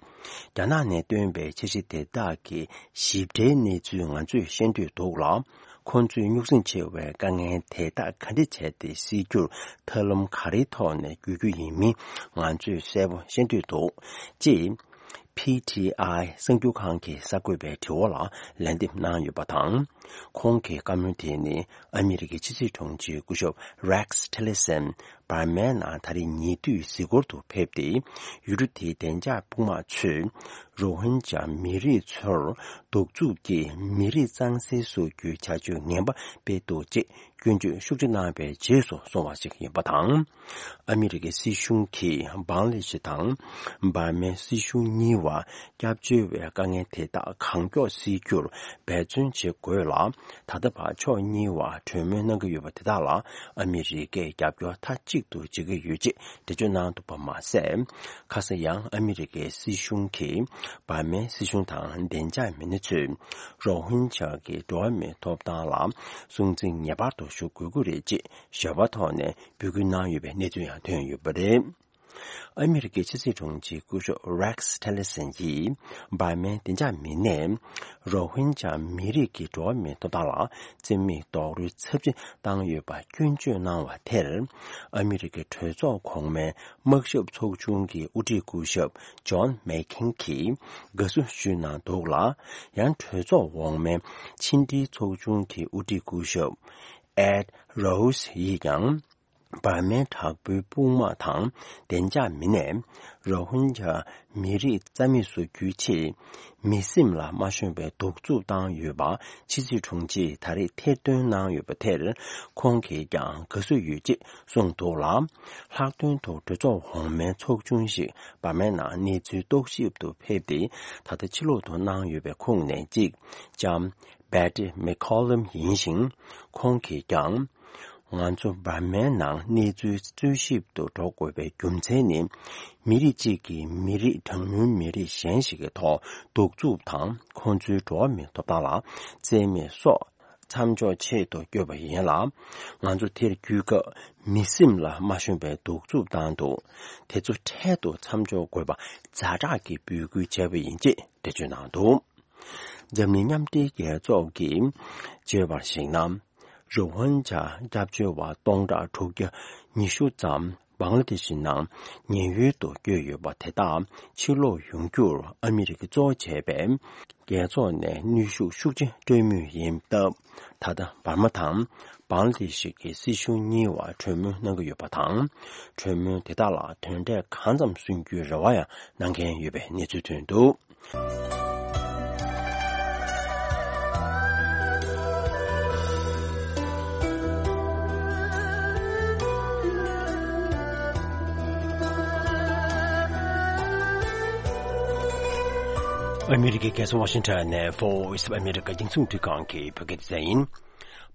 རྒྱ་ནག་ནས་བཏོན་པའི་འཆར་གཞི་དེ་དག་གི་ཞིབ་ཕྲའི་གནས་ཚུལ་ང་ཚོས་ཤེས་འདོད་འདུག་ལ། ཁོང་ཚོས་རྙོག་ཟིང་ཆེ་བའི་དཀའ་ངལ་དེ་དག་ག་འདྲ་བྱས་ཏེ་སེལ་རྒྱུར་ཐབས་ལམ་ག་རེའི་ཐོག་ནས་བརྒྱུད་རྒྱུ་ཡིན་མིན་ང་ཚོས་གསལ་པོ་ཤེས་འདོད་འདུག་ཅེས། ཕི་ཊི་ཨའི་གསར་འགྱུར་ཁང་གི་གསར་འགོད་པའི་དྲི་བ་ལ་ལན་འདེབས་གནང་ཡོད་པ་དང་། ཁོང་གི་བཀའ་མོལ་དེ་ནི་ཨ་མི་རི་ཀའི་ཕྱི་སྲིད་དྲུང་ཆེ་སྐུ་ཞབས་Rex Tillerson བར་མའི་ནང་ད་རེས་ཉེ་དུས་གཟིགས་སྐོར་དུ་ཕེབས་ཏེ། ཡུལ་གྲུ་དེའི་བདེ་འཇགས་དཔུང་དམག་ཚོས་རོ་ཧིན་ཇཱ་མི་རིགས་ཚོར་གདུག་རྩུབ་ཀྱིས་མི་རིགས་གཙང་སེལ་བཟོ་རྒྱུའི་བྱ་སྤྱོད་ངན་པ་སྤེལ་འདུག་ཅེས་སྐྱོན་བརྗོད་ཤུགས་ཆེ་གནང་བའི་རྗེས་སུ་སོང་བ་ཞིག་ཡིན་པ་དང་། ཨ་མི་རི་ཀའི་སྲིད་གཞུང་གིས་བང་ལ་དེ་ཤི་དང་འབར་མའི་སྲིད་གཞུང་གཉིས་བར་སྐྱབས་བཅོལ་བའི་དཀའ་ངལ་དེ་དག་གང་མགྱོགས་སེལ་རྒྱུར་འབད་བརྩོན་བྱེད་དགོས་ལ། ད་ལྟ་བར་ཕྱོགས་གཉིས་བར་གྲོས་མོལ་གནང་གི་ཡོད་པ་དེ་དག་ལ་ཨ་མི་རི་ཀས་རྒྱབ་སྐྱོར་མཐའ་གཅིག་ཏུ་བྱེད་ཀྱི་ཡོད་ཅེས་འགྲེལ་བརྗོད་གནང་འདུག་པ་མ་ཟད། ཁ་སང་ཡང་ཨ་མི་རི་ཀའི་སྲིད་གཞུང་གིས་འབར་མའི་སྲིད་གཞུང་དང་བདེ་འཇགས་མི་སྣ་ཚོས་རོ་ཧིན་ཇཱ་གི་འགྲོ་བ་མིའི་ཐོབ་ཐང་ལ་སྲུང་བརྩི་ངེས་པར་དུ་ཞུ་དགོས་ཀྱི་རེད་ཅེས་ཞལ་པར་ཐོག་ནས་འབོད་སྐུལ་གནང་ཡོད་པའི་གནས་ཚུལ་ཡང་ཐོན་ཡོད་པ་རེད། ཨ་མི་རི་ཀའི་ཕྱི་སྲིད་དྲུང་ཆེ་སྐུ་ཞབས་Rex Tillerson ཡིས་འབར་མའི་བདེ་འཇགས་མི་སྣས་རོ་ཧིན་ཇཱ་མི་རིགས་ཀྱི་འགྲོ་བ་མིའི་ཐོབ་ཐང་ལ་བརྩི་མེད་རྡོག་རོལ་ཚབས་ཆེན་བཏང་ཡོད་པ་སྐྱོན་བརྗོད་གནང་བ་དེར། ཨ་མི་རི་ཀའི་གྲོས་ཚོགས་གོང་མའི་དམག་ཞབས་ཚོགས་ཆུང་གི་དབུ་ཁྲིད་སྐུ་ཞབས་John McCain གྱིས་དགའ་བསུ་ཞུས་གནང་འདུག་ལ། ཡང་གྲོས་ཚོགས་འོག་མའི་ཕྱི་འབྲེལ་ཚོགས་ཆུང་གི་དབུ་ཁྲིད་སྐུ་ཞབས་Ed Royce ཡིས་ཀྱང་། འབར་མའི་དྲག་པོའི་དཔུང་དམག་དང་བདེ་འཇགས་མི་སྣས་རོ་ཧིན་ཇཱ་མི་རིགས་རྩ་མེད་བཟོ་རྒྱུའི་ཆེད། མི་སེམས་ལ་མ་ཤོང་བའི་གདུག་རྩུབ་བཏང་ཡོད་པ་ཕྱི་སྲིད་དྲུང་ཆེས་ད་རེས་ཐེར་འདོན་གནང་ཡོད་པ་དེར་ཁོང་གིས་ཀྱང་དགའ་བསུ་ཡོད་ཅེས་གསུངས་འདུག་ལ། ལྷག་དོན་དུ་གྲོས་ཚོགས་འོག་མའི་ཚོགས་ཆུང་ཞིག་འབར་མའི་ནང་གནས་ཚུལ་རྟོག་ཞིབ་ཏུ་ཕེབས་ཏེ་ད་ལྟ་ཕྱི་ལོགས་ཏུ་གནང་ཡོད་པའི་ཁོངས་ནས་གཅིག་ལྕམ་Betty McCollum ཡིན་ཞིང་། ཁོང་གིས་ཀྱང་། ང་ཚོ་འབར་མའི་ནང་གནས་ཚུལ་འཚོལ་ཞིབ་ཏུ་འགྲོ་དགོས་པའི་རྒྱུ་མཚན་ནི། མི་རིགས་གཅིག་གིས་མི་རིགས་གྲངས་ཉུང་མི་རིགས་གཞན་ཞིག་གི་ཐོག་གདུག་རྩུབ་དང་ཁོང་ཚོའི་འགྲོ་བ་མིའི་ཐོབ་ཐང་ལ་བརྩི་མེད་སོགས་མཚམས་འཇོག་ཆེད་དུ་བསྐྱོད་པ་ཡིན་ལ། ང་ཚོ་དེར་བསྐྱོད་སྐབས་མི་སེམས་ལ་མ་ཤོང་བའི་གདུག་རྩུབ་བཏང་འདུག་དེ་ཚོ་འཕྲལ་དུ་མཚམས་འཇོག་དགོས་པ་ཛ་དྲག་གི་འབོད་སྐུལ་བྱས་པ་ཡིན་ཅེས་འགྲེལ་བརྗོད་གནང་འདུག་འཛམ་གླིང་མཉམ་འབྲེལ་རྒྱལ་ཚོགས་ཀྱིས་བརྗོད་པར་གཞིགས་ན། རུ་ཝན་ཇཱ་སྐྱབས་བཅོལ་བ་སྟོང་ཕྲག་དྲུག་བརྒྱ་ཉི་ཤུ་ཙམ་བང་ལ་དེ་ཤི་ནང་ཉེན་གཡོལ་དུ་བསྐྱོད་ཡོད་པ་དེ་དག་ཕྱིར་ལོག་ཡོང་རྒྱུར་ཨ་མི་རི་ཀས་གཙོ་བྱས་པའི་རྒྱལ་ཚོགས་ནས་གནོན་ཤུགས་ཤུགས་ཆེ་སྤྲོད་མུས་ཡིན་སྟབས། ད་ལྟ་འབར་མ་དང་བང་ལ་དེ་ཤི་གི་སྲིད་གཞུང་གཉིས་བར་གྲོས་མོལ་གནང་གི་ཡོད་པ་དང་། གྲོས་མོལ་དེ་དག་ལ་དོན་འབྲས་གང་ཙམ་སོན་རྒྱུའི་རེ་བ་ཡང་གནང་མཁན་ཡོད་པའི་གནས་ཚུལ་ཐོན་འདུག་ཨ་མི་རི་ཀའི་རྒྱལ་ས་ཝ་ཤིང་ཊོན་ནས་Voice of America རྒྱང་སྲིང་རླུང་འཕྲིན་ཁང་གི་བོད་སྐད་སྡེ་ཚན་ཡིན།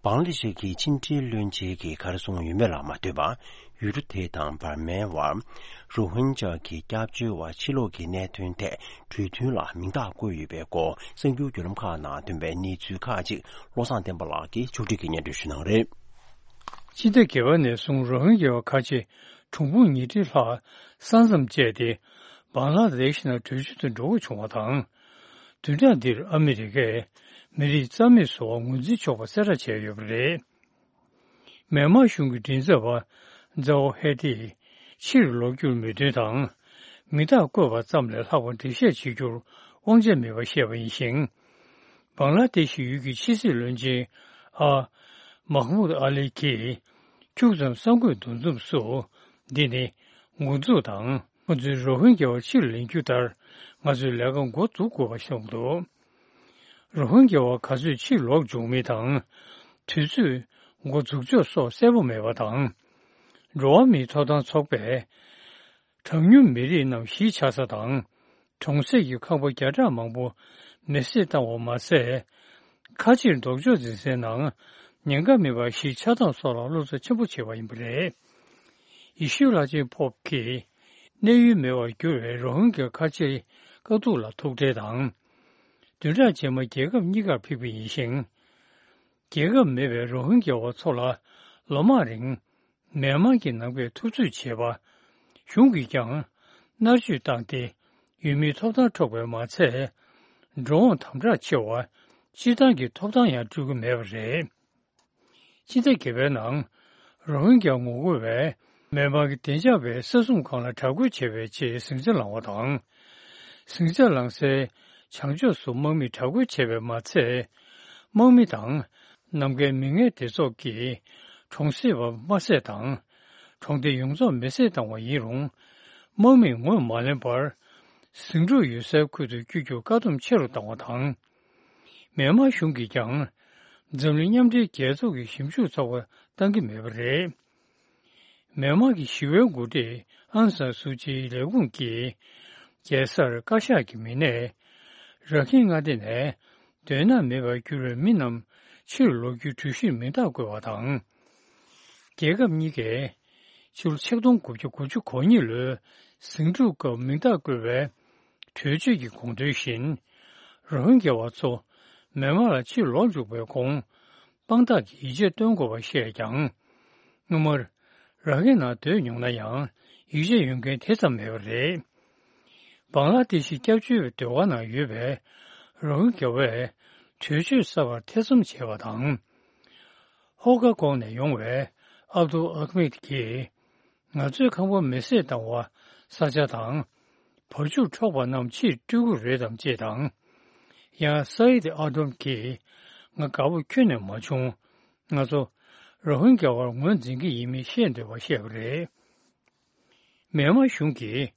བང་ལ་དེ་ཤི་གི་ཕྱི་འབྲེལ་བློན་ཆེན་གྱིས་ག་རེ་གསུངས་ཡོད་མེད་ལ་མ་ལྟོས་པར། ཡུལ་གྲུ་དེ་དང་འབར་མའི་བར་རུ་ཧིན་ཇཱ་གི་སྐྱབས་བཅོལ་བ་ཕྱིར་ལོག་གི་གནད་དོན་ཐད་གྲོས་མཐུན་ལ་མིང་རྟགས་བཀོད་ཡོད་པའི་སྐོར་གསར་འགྱུར་བརྒྱུད་ལམ་ཁག་ནང་ཐོན་པའི་གནས་ཚུལ་ཁག་ཅིག་བློ་བཟང་བསྟན་པ་ལགས་ཀྱིས་ཕྱོགས་སྒྲིག་གིས་སྙན་སྒྲོན་ཞུ་གནང་རེད། ཕྱི་ཟླ་བརྒྱད་པ་ནས་བཟུང་རོ་ཧིན་གྱི་བ་ཁ་ཆེ་གྲངས་འབོར་ཉིས་ཁྲི་ལྷག་ས་མཚམས་བཅད་དེ་བང་ལ་དེ་ཤི་ནང་བྲོས་བྱོལ་དུ་འགྲོ་དགོས་བྱུང་བ་དང་། བདུན་ཕྲག་འདིར་ཨ་མི་རི་ཀས་མི་རིགས་རྩ་མེད་བཟོ་བར་ངོས་འཛིན་ཆོག་པ་གསལ་བསྒྲགས་བྱས་ཡོད་པ་རེད། མེན་མར་གཞུང་གི་མགྲིན་ཚབ་པ་ཛའོ་ཧེ་ཏིས་ཕྱིར་ལོག་རྒྱུར་མོས་མཐུན་དང་། མིང་རྟགས་བཀོད་པ་ཙམ་ལས་ལྷག་པར་འགྲེལ་བཤད་བྱེད་རྒྱུར་དབང་ཆ་མེད་པ་བཤད་པ་ཡིན་ཞིང་། བང་ལ་དེ་ཤི་ཡུལ་གྱི་ཕྱི་སྲིད་བློན་ཆེན་ཨ་མཱ་ཧ་མུད་ཨ་ལི་གིས་ཁྱུག་ཙམ་གསར་འགོད་འདུ་འཛོམས་སུ། འདི་ནི་འགོ་འཛུགས་དང་། ཁོ་ཚོས་རོ་ཧིན་རྒྱ་བ་ཕྱིར་ལེན་རྒྱུ་ལྟར་ང་ཚོས་ལས་ཀ་འགོ་འཛུགས་དགོས་པ་གསུངས་འདུག་རོ་ཧིན་རྒྱ་བ་ག་ཚོད་ཕྱིར་ལོག་འབྱུང་མིན་དང་། དུས་ཚོད་འགོ་འཛུགས་ཕྱོགས་སོགས་གསལ་པོ་མེད་པ་དང་། འགྲོ་བ་མིའི་ཐོབ་ཐང་ཚོགས་པས་གྲངས་ཉུང་མི་རིགས་རྣམས་གཞིས་ཆགས་ས་དང་། གྲོང་གསེབ་ཀྱི་ཁང་པ་བརྒྱ་ཕྲག་མང་པོ་མེ་བསྲེགས་བཏང་བ་མ་ཟད། ཁ་ཆེར་ལྡོག་ཕྱོགས་འཛིན་སའི་ནང་ཉེན་ཁ་མེད་པར་གཞིས་ཆགས་སྟངས་སོགས་ལ་བློ་འཚབ་ཆེན་པོ་བྱས་པ་ཡིན་པ་རེད། ཡེ་ཤུ་བླ་ཆེན་པོབ་ཀྱིས་གནས་ཡུལ་མེད་པར་གྱུར་བའི་རོ་ཧིན་གྱི་ཁ་ཆེའི་དཀའ་སྡུག་ལ་ཐུགས་ཁྲལ་དང་། བདུན་ཕྲག་རྗེས་མ་རྒྱལ་ཁབ་གཉིས་ཀར་ཕེབས་ཀྱི་ཡིན་ཞིང་། རྒྱལ་ཁབ་མེད་པའི་རོ་ཧིན་གྱི་བ་ཚོ་ལ་ལོ་མང་རིང་མེན་མར་གྱི་ནང་པས་འཐབ་རྩོད་བྱས་པ། གཞུང་གིས་ཀྱང་མནར་གཅོད་བཏང་སྟེ། ཡུལ་མིའི་ཐོབ་ཐང་འཕྲོག་པས་མ་ཚད། འགྲོ་འོང་དམ་དྲག་ཆེ་བ། སྤྱིར་བཏང་གི་ཐོབ་ཐང་ཡང་སྤྲོད་ཀྱི་མེད་པ་རེད། སྤྱི་ཟླ་བརྒྱད་པའི་ནང་། རོ་ཧིན་རྒྱ་ངོ་རྒོལ་བས་མེན་མར་གྱི་བདེ་འཇགས་པའི་ས་སྲུང་ཁང་ལ་དྲག་རྒོལ་བྱས་པའི་ཆེད་ཟིང་ཆ་ལངས་པ་དང་། ཟིང་ཆ་ལངས་སའི་བྱང་ཕྱོགས་སུ་དམག་མིས་དྲག་རྒོལ་བྱས་པས་མ་ཚད། དམག་མི་དང་ནམ་མཁའི་མི་ངན་སྡེ་ཚོགས་ཀྱིས་གྲོང་གསེབ་པ་དམར་བསད་དང་། གྲོང་སྡེ་ཡོངས་རྫོགས་མེ་བསྲེགས་བཏང་བ་ཡིན་རུང་། དམག་མིས་ངོས་མ་ལེན་པར། ཟིང་འཁྲུག་ཡོད་སའི་ཁུལ་དུ་བསྐྱོད་རྒྱུར་བཀག་སྡོམ་ཆེ་རུ་བཏང་བ་དང་། མེན་མར་གཞུང་གིས་ཀྱང་། འཛམ་གླིང་མཉམ་འབྲེལ་རྒྱལ་ཚོགས་ཀྱི་ཞིབ་འཇུག་ཚོགས་པ་བཏང་གི་མེད་པ་རེད། མེན་མར་གྱི་ཞི་བའི་འགོ་ཁྲིད་ཨང་སན་སུའུ་ཅིའི་ལས་ཁུངས་ཀྱིས། རྒྱལ་སར་བཀའ་ཤག་གི་མི་སྣས། ར་ཁིན་མངའ་སྡེ་ནས། དོན་དག་མེད་པར་གྱུར་བའི་མི་རྣམས་ཕྱིར་ལོག་རྒྱུའི་གྲོས་གཞིར་མིང་རྟགས་བཀོད་པ་དང་། རྒྱལ་ཁབ་གཉིས་ཀས་ཕྱི་ལོ་ཆིག་སྟོང་དགུ་བརྒྱ་དགུ་བཅུ་གོ་གཉིས་ལོའི་ཟིང་འཁྲུག་སྐབས་མིང་རྟགས་བཀོད་པའི་གྲོས་ཆོད་ཀྱི་དགོངས་དོན་བཞིན། རོ་ཧིན་རྒྱ་བ་ཚོ་མེན་མར་ལ་ཕྱིར་ལོག་འཇུག་པའི་གོང་དཔང་རྟགས་ཀྱི་ཡིག་ཆ་སྟོན་དགོས་པ་བཤད་ཀྱང་། སྔོན་མར་ར་ཁིན་ནང་སྡོད་མྱོང་ན་ཡང་ཡིག་ཆ་ཡོད་མཁན་དེ་ཙམ་མེད་པ་རེད། བང་ལ་དེ་ཤི་སྐྱབས་བཅོལ་བའི་སྡོད་སྒར་ནང་ཡོད་པའི་རོ་ཧིན་རྒྱ་བས་གྲོས་ཆོད་གསར་པར་ཐེ་ཚོམ་བྱས་པ་དང་། ཧོ་ཀ་ཀོང་ནས་ཡོང་བའི་ཨབ་དུལ་ཨ་ཁ་མིད་ཀྱིས། ང་ཚོའི་ཁང་པ་མེ་བསྲེགས་བཏང་བ། ས་ཆ་དང་། བར་ཆུར་འཕྲོག་པ་རྣམས་ཕྱིར་སྤྲོད་ཀྱི་རེད་དམ་ཅེས་དང་། ཡང་ས་ཡིད་ཨ་དོམ་གྱིས། ང་དགའ་པོ་ཁྱོན་ནས་མ་བྱུང་། ང་ཚོ་རོ་ཧིན་རྒྱ་བར་ངོས་འཛིན་གྱི་ཡིན་མིན་བཤད་འདོད་པ་བཤད་པ་རེད། མེན་མར་གཞུང་གིས་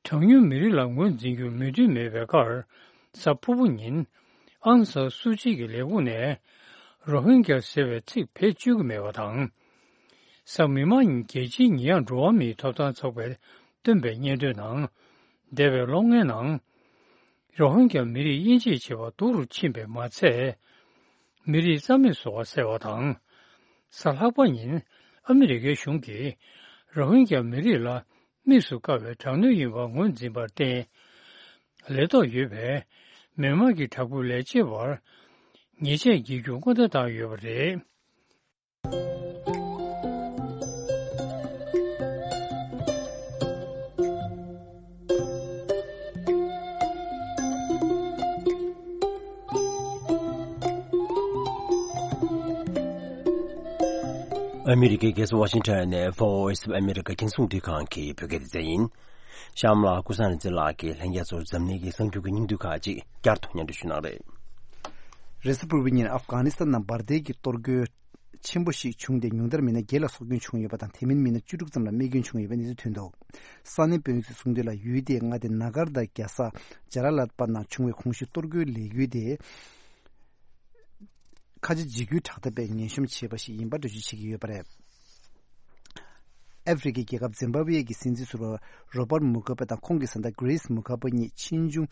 གྲངས་ཉུང་མི་རིགས་ལ་ངོས་འཛིན་རྒྱུར་མོས་མཐུན་མེད་པའི་ཁར། གཟའ་ཕུར་བུ་ཉིན་ཨང་སང་སུའུ་ཅི་གི་ལས་ཁུངས་ནས་རོ་ཧིན་རྒྱ་ཟེར་བའི་ཚིག་བེད་སྤྱོད་ཀྱི་མེད་པ་དང་། གཟའ་མིག་དམར་ཉིན་རྒྱལ་སྤྱིའི་ཉེས་ཡངས་འགྲོ་བ་མིའི་ཐོབ་ཐང་ཚོགས་པས་བཏོན་པའི་སྙན་ཐོའི་ནང་། འདས་པའི་ལོ་ལྔའི་ནང་། རོ་ཧིན་རྒྱ་མི་རིགས་དབྱེ་འབྱེད་བྱེད་པ་སྡུག་རུ་ཕྱིན་པས་མ་ཚད། མི་རིགས་རྩ་མེད་བཟོ་བ་བསལ་བ་དང་། གཟའ་ལྷག་པ་ཉིན་ཨ་མི་རི་ཀའི་གཞུང་གིས་རོ་ཧིན་རྒྱ་མི་རིགས་ལ་དམིགས་སུ་བཀར་བའི་དྲག་གནོན་ཡིན་པར་ངོས་འཛིན་པར་བརྟེན། ལས་ཐོག་ཡོད་པའི་མི་མང་གི་དྲག་པོའི་ལས་བྱེད་པར་ཉེས་ཆད་འགེལ་རྒྱུར་སྔོན་བརྡ་བཏང་ཡོད་པ་རེད། ཨ་མི་རི་ཀའི་རྒྱལ་ས་ཝ་ཤིང་ཊོན་ནས་Voice of America རྒྱང་སྲིང་རླུང་འཕྲིན་ཁང་གི་བོད་སྐད་སྡེ་ཚན་ཡིན། གཤམ་ལ་ཀུན་བཟང་རིག་འཛིན་ལགས་ཀྱིས་ལྷན་རྒྱས་ཚོར་འཛམ་གླིང་གི་གསར་འགྱུར་གྱི་སྙིང་བསྡུས་ཁག་ཅིག་བསྐྱར་དུ་སྙན་སྒྲོན་ཞུ་གནང་རེད། རེས་གཟའ་ཕུར་བུའི་ཉིན་ཨབ་གྷ་ནི་སི་ཐན་ནང་འབར་མདེལ་གྱི་གཏོར་རྒོལ་ཆེན་པོ་ཞིག་བྱུང་སྟེ། ཉུང་མཐར་མི་སྣ་བརྒྱད་ལ་སྲོག་སྐྱོན་བྱུང་ཡོད་པ་དང་། དེ་མིན་མི་སྣ་བཅུ་དྲུག་ཙམ་ལ་རྨས་སྐྱོན་བྱུང་ཡོད་པའི་གནས་ཚུལ་ཐོན་འདུག། ས་གནས་དཔོན་རིགས་ཚོས་གསུངས་དོན་ལ། ཡུལ་དེའི་མངའ་སྡེ་ན་གར་དང་རྒྱལ་ས་ཇ་ལ་ལ་པ་ནང་བྱུང་བའི་གོང་ཞུས་གཏོར་རྒོལ་ལས་འགུལ་དེ། ཁ་ཆེ་འཇིགས་སྐུལ་དྲག་འཐབ་པས་ངན་གཤོམ་བྱས་པ་ཞིག་ཡིན་པར་འགྲེལ་བརྗོད་བྱེད་ཀྱི་ཡོད་པ་རེད། ཨ་ཧྥེ་རི་ཁའི་རྒྱལ་ཁབ་ཛིམ་བྷ་ཝེ་ཡི་སྲིད་འཛིན་ཟུར་པ་རོ་བྷར་མུ་གྷ་བྷེ་དང་ཁོང་གི་བཟའ་ཟླ་གྷི་རེས་མུ་གྷ་བྷེ་གཉིས་ཕྱིས་འབྱུང་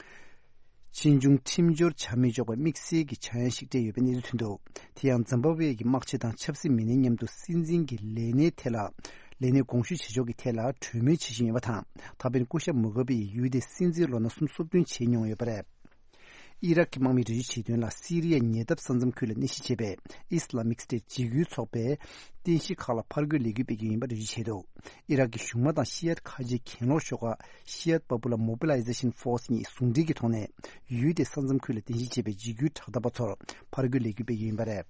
ཕྱིས་འབྱུང་ཁྲིམས་སྦྱོར་བྱ་མི་ཆོག་པའི་དམིགས་བསལ་གྱི་ཆག་ཡང་ཞིག་སྤྲད་ཡོད་པའི་གནས་ཚུལ་ཐོན་འདུག། དེ་ཡང་ཛིམ་བྷ་ཝེ་ཡི་དམག་སྤྱི་དང་ཆབ་སྲིད་མི་སྣའི་མཉམ་དུ་སྲིད་འཛིན་གྱི་ལས་གནས་ཐད་ལ་ལས་གནས་དགོངས་ཞུ་བྱེད་ཕྱོགས་ཀྱི་ཐད་ལ་གྲོས་མོལ་བྱེད་བཞིན་ཡོད་པ་དང་། ད་ཕན་སྐུ་ཞབས་མུ་གྷ་བྷེ་ཡིས་ཡུལ་དེའི་སྲིད་འཛིན་ལོ་ན་སུམ་ཅུ་སོ་བདུན་བྱས་མྱོང་ཡོད་པ་རེད། ཨི་རག་གི་དམག་མིས་འགྲེལ་བརྗོད་བྱས་དོན་ལ། སི་རི་ཡ་ཉེ་འདབས་ས་མཚམས་ཁུལ་ལ་གནས་གཞི་བྱས་པའི་ཨི་སི་ལ་མིག་སི་ཏེ་འཇིགས་སྐུལ་ཚོགས་པས་རྟེན་གཞི་ཁག་ལ་ཕར་རྒོལ་ལས་འགུལ་སྤེལ་གྱི་ཡོད་པ་འགྲེལ་བརྗོད་བྱས་འདུག། ཨི་རག་གི་གཞུང་མང་དང་ཤི་ཡད་ཁ་ཆེའི་གྱེན་ལོག་ཤོག་ཁག་Shiite Popular Mobilization Force གཉིས་ཟུང་འབྲེལ་གྱི་ཐོག་ནས། ཡུལ་དེའི་ས་མཚམས་ཁུལ་ལ་རྟེན་གཞི་བྱས་པའི་འཇིགས་སྐུལ་དྲག་འཐབ་པ་ཚོར་ཕར་རྒོལ་ལས་འགུལ་སྤེལ་གྱི་ཡོད་པ་རེད།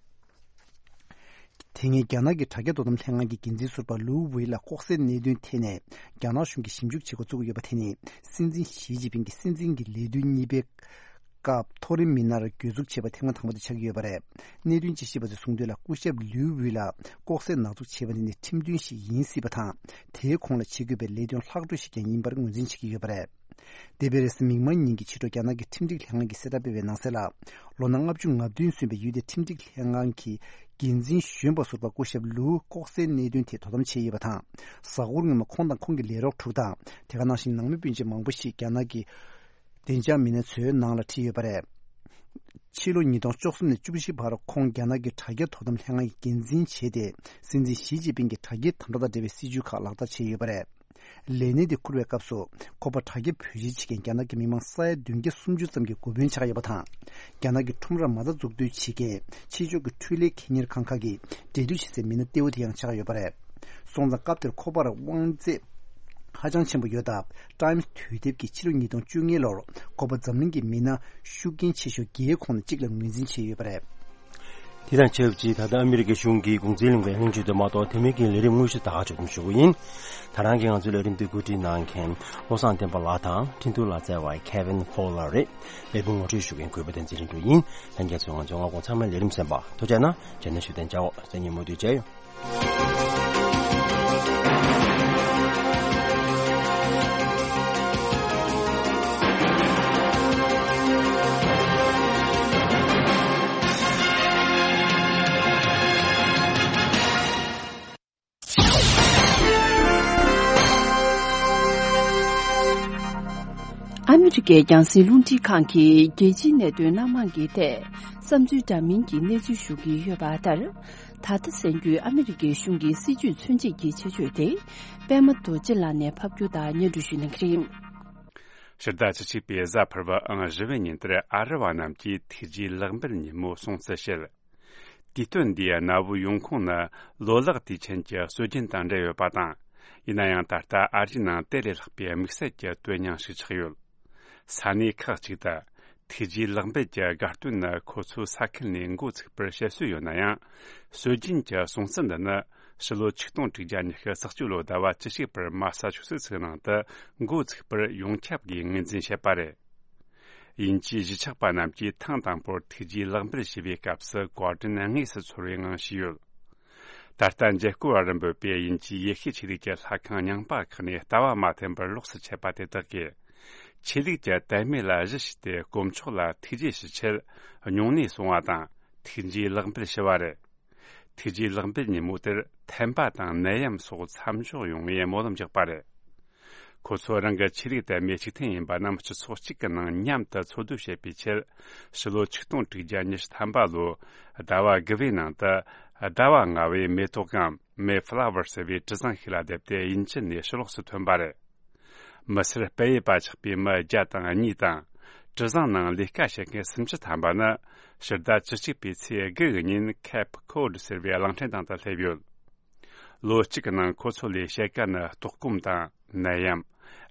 དེ་སྔའི་རྒྱ་ནག་གི་དྲ་རྒྱ་དོ་དམ་ལྷན་ཁང་གི་འགན་འཛིན་ཟུར་པ་ལུའུ་ཝེ་ལ་ལྐོག་ཟའི་གནད་དོན་ཐད་ནས། རྒྱ་ནག་གཞུང་གིས་ཞིབ་འཇུག་བྱེད་འགོ་བཙུགས་ཡོད་པ་དེ་ནི། སྲིད་འཛིན་ཞི་ཅིན་ཕིང་གིས་སྲིད་འཛིན་གྱི་ལས་དོན་གཉིས་པའི་སྐབས་མཐོ་རིམ་མི་སྣར་གྱོད་འཛུགས་བྱས་པ་ཐེངས་མ་དང་པོ་དེ་ཆགས་ཀྱི་ཡོད་པ་རེད། གནད་དོན་དཔྱད་ཞིབ་པ་ཚོས་གསུངས་དོན་ལ། སྐུ་ཞབས་ལིའུ་ཝུའུ་ལ་ལྐོག་ཟས་ནག་འཛུགས་བྱས་པ་འདི་ནི་ཁྲིམས་མཐུན་ཞིག་ཡིན་སྲིད་པ་དང་། དེའི་གོང་ལ་བྱེད་དགོས་པའི་ལས་དོན་ལྷག་འཕྲོ་ཞིག་ཀྱང་ཡིན་པར་ངོས་འཛིན་བྱེད་ཀྱི་ཡོད་པ་རེད། འདས་པའི་རེས་གཟའ་མིག་དམར་ཉིན་གྱི་ཕྱི་དྲོ་རྒྱ་ནག་གི་ཁྲིམས་སྒྲིག་ལྷན་ཁང་གིས་གསལ་བསྒྲགས་སྤེལ་བའི་ནང་གསལ་ལ། ལོ་ན་ལྔ་བཅུ་ང་བདུན་སོན་པའི་ཡུལ་དེའི་ཁྲིམས་སྒྲིག་ལྷན་ཁང་གི་འགན་འཛིན་གཞོན་པ་ཟུར་པ་སྐུ་ཞབས་ལུའུ་ལྐོག་ཟའི་གནད་དོན་ཐད་དོ་དམ་བྱས་ཡོད་པ་དང་། གཟའ་འཁོར་སྔོན་མ་ཁོང་དང་ཁོང་གི་ལས་རོགས་དྲུག་དང་། དེ་ག་ནང་བཞིན་ནང་མི་སྤུན་མཆེད་མང་པོ་ཞིག་རྒྱ་ནག་གི་བདེ་འཇགས་མི་སྣ་ཚོའི་ནང་ལ་ཁྲིད་ཡོད་པ་རེད། ཕྱི་ལོ་ཉིས་སྟོང་བཅུ་གསུམ་ནས་བཅུ་བཞི་བར་ཁོང་རྒྱ་ནག་གི་དྲ་རྒྱ་དོ་དམ་ལྷན་ཁང་གི་འགན་འཛིན་བྱས་ཏེ། སྲིད་འཛིན་ཞི་ཅིན་ཕིང་གི་དྲ་རྒྱའི་དམ་དྲག་དང་འབྲེལ་བའི་སྲིད་ཇུས་ཁག་ལག་བསྟར་བྱས་ཡོད་པ་རེད། ལས་གནས་དེ་འཁུར་བའི་སྐབས་སུ། ཁོ་པ་དྲ་རྒྱ་བེད་སྤྱོད་བྱེད་མཁན་རྒྱ་ནག་གི་མི་མང་ས་ཡ་བདུན་བརྒྱ་སུམ་ཅུ་ཙམ་གྱི་འགོ་དཔོན་ཆགས་ཡོད་པ་དང་། རྒྱ་ནག་གི་ཁྲོམ་ར་མ་རྩ་འཛུགས་གཏོད་བྱེད་མཁན་ཕྱི་ཕྱོགས་ཀྱི་འཕྲུལ་ལས་ཁེ་གཉེར་ཁང་ཁག་གི་འབྲེལ་མཐུད་བྱེད་སའི་མི་སྣ་གཏེ་བོ་དེ་ཡང་ཆགས་ཡོད་པ་རེད། སོང་ཙང་སྐབས་དེར་ཁོ་པར་དབང་ཚད་ ཧ་ཅང་ཆེན་པོ་ཡོད་སྟབས། ཊའིམ་སི་དུས་དེབ་ཀྱིས་ཕྱི་ལོ་ཉིས་སྟོང་བཅུ་གཉིས་ལོར་ཁོ་པ་འཛམ་གླིང་གི་མི་སྣ་ཤུགས་རྐྱེན་ཆེ་ཤོས་བརྒྱའི་ཁོངས་ནས་གཅིག་ལ་ངོས་འཛིན་བྱས་ཡོད་པ་རེད། དེ་དང་ཆབས་ཅིག་ད་ལྟ་ཨ་མི་རི་ཀའི་གཞུང་གིས་གུང་ཚིགས་ལུང་པའི་ལྷན་ཇུས་དུ་མ་གཏོགས་དེ་མིན་གྱི་ལས་རིམ་དངོས་གཞི་དག་ཞུ་དགོས་ཞུ་གི་ཡིན། ད་རང་གི་ང་ཚོའི་ལས་རིམ་འདི་གོ་སྒྲིག་གནང་མཁན་བློ་བཟང་བསྟན་པ་ལགས་དང་འཕྲིན་ཐུང་ལ་བསྩལ་བ་ཁེ་ཝིན་ཧྥོ་ལར་རེད། ལས་འགུལ་ངོ་སྤྲོད་ཞུ་མཁན་གུས་པ་བསྟན་འཛིན་ལྷུན་གྲུབ་ཡིན། ལྷན་རྒྱས་ཚོས་ང་ཚོའི་མངའ་ཁོངས་ཚང་མའི་ལས་རིམ་གསན་པ་ཐུགས་རྗེ་གནང་། རྗེས་ནས་ཞུ་གཏན་འཇགས་འོག་སེ་ཉིན་མུ་མཐུད་མཇལ་ཡོང་། ཨ་མི་རི་ཀའི་རྒྱང་སྲིང་རླུང་འཕྲིན་ཁང་གིས་རྒྱལ་སྤྱིའི་གནད་དོན་སྣ་མང་གི་ཐད་བསམ་ཚུལ་འདྲ་མིན་གྱི་གནས་ཚུལ་ཞུ་གི་ཡོད་པ་ལྟར། ད་ལྟ་གསན་རྒྱུའི་ཨ་མི་རི་ཀའི་གཞུང་གི་སྲིད་ཇུས་མཚོན་བྱེད་ཀྱི་ཆེད་བརྗོད་དེ། པད་མ་རྡོ་རྗེ་ལགས་ནས་ཕབ་སྒྱུར་དང་སྙན་སྒྲོན་ཞུ་གནང་གི་རེད། ཕྱི་ཟླ་བཅུ་གཅིག་པའི་གཟའ་ཕུར་བུ་ཨང་བཞི་པའི་ཉིན་དེར་ཨ་རི་བ་རྣམས་ཀྱིས་ཐུགས་རྗེ་ལེགས་འབུལ་ཉིན་མོ་སྲུང་བརྩི་བྱེད། དུས་སྟོན་འདིའི་གནའ་བོའི་ཡོང་ཁུངས་ནི་ལོ་ལེགས་དུས་ཆེན་གྱི་སྲོལ་རྒྱུན་དང་འབྲེལ་ཡོད་པ་དང་། ཡིན་ན་ཡང་ད་ལྟ་ཨ་རིའི་ནང་དེ་ལས་ལྷག་པའི་དམིགས་བསལ་གྱི་དོན་སྙིང་ཞིག་ཆགས་ཡོད། ས་གནས་ཁག་ཅིག་ཏུ་ཐུགས་རྗེ་ལེགས་འབུལ་གྱི་དགའ་སྟོན་ནི་ཁོ་ཚོའི་ས་ཁུལ་ནས་འགོ་ཚུགས་པར་བཤད་སྲོལ་ཡོད་ན་ཡང་། སྲོལ་རྒྱུན་གྱི་སྲུང་བརྩི་འདི་ནི་ཕྱི་ལོ་ཆིག་སྟོང་དྲུག་བརྒྱ་ཉི་ཤུ་རྩ་གཅིག་ལོའི་ཟླ་བ་བཅུ་གཅིག་པར་མ་ས་ཆུ་སེ་ཚིག་ནང་དུ་འགོ་ཚུགས་པར་ཡོངས་ཁྱབ་ཀྱིས་ངོས་འཛིན་བྱེད་པ་རེད། དབྱིན་ཇིའི་གཞིས་ཆགས་པ་རྣམས་ཀྱིས་ཐེངས་དང་པོར་ཐུགས་རྗེ་ལེགས་འབུལ་ཞུ་བའི་སྐབས་སུ་བཀའ་དྲིན་དངོས་སུ་ཚོར་བའི་ངང་ཞུས་ཡོད། ད་ལྟ་མཇལ་སྐོར་བ་རིམ་པོད་པས་དབྱིན་ཇིའི་ཡེ་ཤུའི་ཆོས་ལུགས་ཀྱི་ལྷ་ཁང་རྙིང་པ་ཁག་ནས་ལྟ་བ་མ་འཐེན་པར་ལོགས་སུ་ཆས་པ་དེ་དག་གིས། ཆོས་ལུགས་ཀྱི་དད་མོས་ལ་གཞི་བྱས་ཏེ་དཀོན་མཆོག་ལ་ཐུགས་རྗེ་ཞུ་ཆེད་སྙུང་གནས་སོང་བ་དང་། ཐུགས་རྗེ་ལེགས་འབུལ་ཞུ་བ་རེད། ཐུགས་རྗེ་ལེགས་འབུལ་ཉིན་མོ་དེར་ཐན་པ་དང་ནད་ཡམས་སོགས་མཚམས་འཇོག་ཡོང་བའི་སྨོན་ལམ་རྒྱག་པ་རེད། ཁོ་ཚོ་རང་གི་ཆོས་ལུགས་དད་མོས་གཅིག་མཐུན་ཡིན་པ་རྣམས་སྤྱི་ཚོགས་གཅིག་གི་ནང་མཉམ་དུ་འཚོ་སྡོད་བྱེད་པའི་ཆེད། ཕྱི་ལོ་ཆིག་སྟོང་དྲུག་བརྒྱ་ཉི་ཤུ་ཐམ་པ་ལོའི་ཟླ་བ་དགུ་པའི་ནང་དུ་ཟླ་བ་ལྔ་པའི་མེ་ཏོག་གམ་མེ་ཕ་ལ་ཝར་ཟེར་བའི་གྲུ་གཟིངས་ཤིག་ལ་བསྡེབས་ཏེ་དབྱིན་ཇི་ནས་ཕྱི་ལོགས་སུ་ཐོན་པ་རེད། མི་སེར་སྤེལ་ཡུལ་པ་ཆགས་པའི་མི་བརྒྱ་དང་གཉིས་དང་། གྲུ་གཟིངས་ནང་ལས་ཀ་བྱེད་མཁན་སུམ་ཅུ་ཐམ་པ་ནི་ཕྱི་ཟླ་བཅུ་གཅིག་པའི་ཚེས་དགུ་གི་ཉིན་ཁེབ་ཁོ་ཌི་ཟེར་བའི་གླིང་ཕྲན་སྟེང་དུ་སླེབས་ཡོད། ལོ་གཅིག་གི་ནང་ཁོ་ཚོ་ལས་བྱེད་ག་ནི་ལྟོགས་སྐོམ་དང་ནད་ཡམས།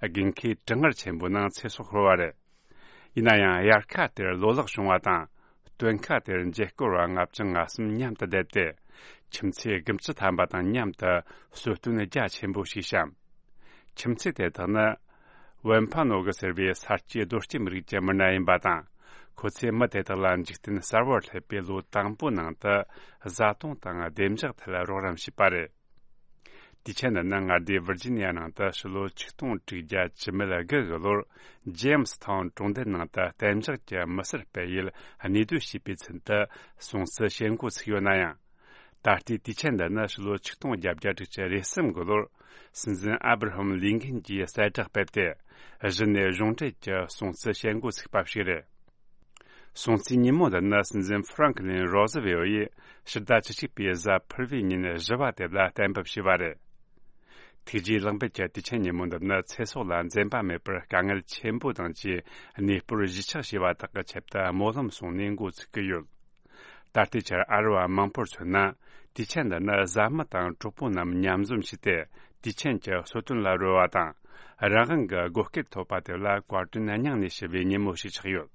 དགུན་ཁའི་གྲང་ངར་ཆེན་པོའི་ནང་ཚེ་སྲོག་ཤོར་བ་རེད། ཡིན་ན་ཡང་དབྱར་ཁ་དེར་ལོ་ལེགས་བྱུང་བ་དང་། སྟོན་ཁ་དེར་མཇལ་སྐོར་བ་ལྔ་བཅུ་ང་གསུམ་མཉམ་དུ་བསྡད་དེ། ཁྱིམ་མཚེས་དགུ་བཅུ་ཐམ་པ་དང་མཉམ་དུ་གསོལ་སྟོན་རྒྱ་ཆེན་པོ་ཞིག་བཤམས། ཁྱིམ་མཚེས་དེ་དག་ནི། ཝན་ཕ་ནོ་གི་ཟེར་བའི་ས་སྐྱེས་རྡོ་སྐྱེས་མི་རིགས་ཀྱི་མི་སྣ་ཡིན་པ་དང་། ཁོ་ཚོས་མི་དེ་དག་ལ་འཇིག་རྟེན་གསར་བར་སླེབས་པའི་ལོ་དང་པོའི་ནང་དུ་བཟའ་བཏུང་དང་བདེ་འཇགས་ཐད་རོགས་རམ་བྱས་པ་རེད། དུས་ཆེན་འདི་ནི་མངའ་སྡེ་ཝིར་ཇི་ནི་ཡ་ནང་དུ་ཕྱི་ལོ་ཆིག་སྟོང་དྲུག་བརྒྱ་བཅུ་མེད་དགུ་གི་ལོར་ཇེམ་སི་ཐའུན་གྲོང་རྡལ་ནང་དུ་གཏན་འཇགས་ཀྱི་མི་སེར་སྤེལ་ཡུལ་གནས་སྡོད་བྱས་པའི་ཚུན་དུ་སྲུང་བརྩི་བྱེད་འགོ་ཚུགས་ཡོད་ན་ཡང་། ད་ལྟའི་དུས་ཆེན་འདི་ནི་ཕྱི་ལོ་ཆིག་སྟོང་བརྒྱད་བརྒྱ་དྲུག་ཅུ་རེ་གསུམ་གི་ལོར་སྲིད་འཛིན་ཨབ་ར་ཧམ་ལིན་ཁན་གྱིས་གསལ་བསྒྲགས་སྤེལ་ཏེ། གཞི་ནས་གཞུང་འབྲེལ་གྱི་སྲུང་བརྩི་བྱེད་འགོ་ཚུགས་པ་ཞིག་རེད། སྲུང་བརྩིའི་ཉིན་མོ་འདི་ནི་སྲིད་འཛིན་ཧྥ་རང་ཀི་ལིན་རོ་ཟི་ཝེལ་ཡིས་ཕྱི་ཟླ་བཅུ་གཅིག་པའི་གཟའ་ཕུར་བུའི་ཉིན་བཞི་པ་དེ་ལ་གཏན་འབེབས་བྱས་པ་རེད། ཐུགས་རྗེ་ལེགས་འབུལ་གྱི་དུས་ཆེན་ཉིན་མོ་འདི་ནི་ཚེ་སྲོག་ལ་འཛེམ་པ་མེད་པར་དཀའ་ངལ་ཆེན་པོ་དང་བཅས་གནས་སྤོར་གཞིས་ཆགས་བྱས་པ་དག་གི་ཆེད་དུ་སྨོན་ལམ་གསུངས་ནས་འགོ་ཚུགས་ཀྱི་ཡོད། ད་ལྟའི་ཆར་ཨ་རི་བ་མང་པོར་མཚོན་ན། དུས་ཆེན་འདི་ནི་བཟའ་མི་དང་གྲོགས་པོ་རྣམས་མཉམ་འཛོམས་བྱས་ཏེ། དུས་ཆེན་གྱི་གསོལ་སྟོན་ལ་རོལ་བ་དང་། རང་དབང་གི་བགོ་སྐལ་ཐོབ་པ་དེ་ལ་བཀའ་དྲིན་སྙིང་ནས་ཞུ་བའི་ཉིན་མོ་ཞིག་ཆགས་ཡོད།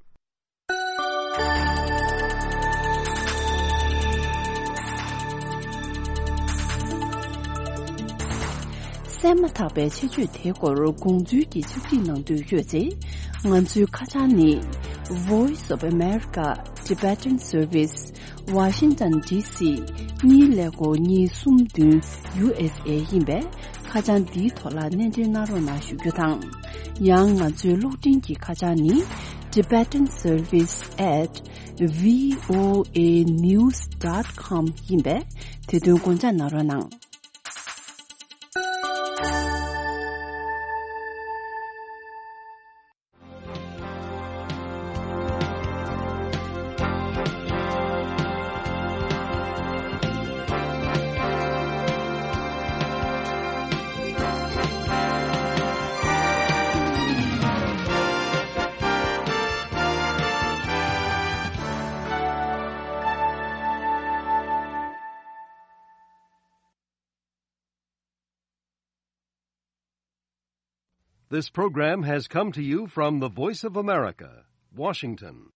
གསན་མ་ཐག་པའི་ཆེད་བརྗོད་དེའི་སྐོར་དགོངས་ཚུལ་གྱི་ཕྱག་བྲིས་གནང་འདོད་ཡོད་ཚེ། ང་ཚོའི་ཁ་བྱང་ནི། Voice of America, Tibetan Service, Washington D C གཉིས་ཀླད་ཀོར་གཉིས་གསུམ་བདུན། U S A ཡིན་པས། ཁ་བྱང་འདིའི་ཐོག་ལ་སྣེ་འདྲེན་གནང་རོགས་གནང་ཞུ་རྒྱུ་དང་། ཡང་ང་ཚོའི་གློག་འཕྲིན་གྱི་ཁ་བྱང་ནི། Tibetan Service at V O A news dot com ཡིན་པས། དེ་དོན་དགོངས་འཇགས་གནང་རོགས་གནང་། This program has come to you from the Voice of America, Washington.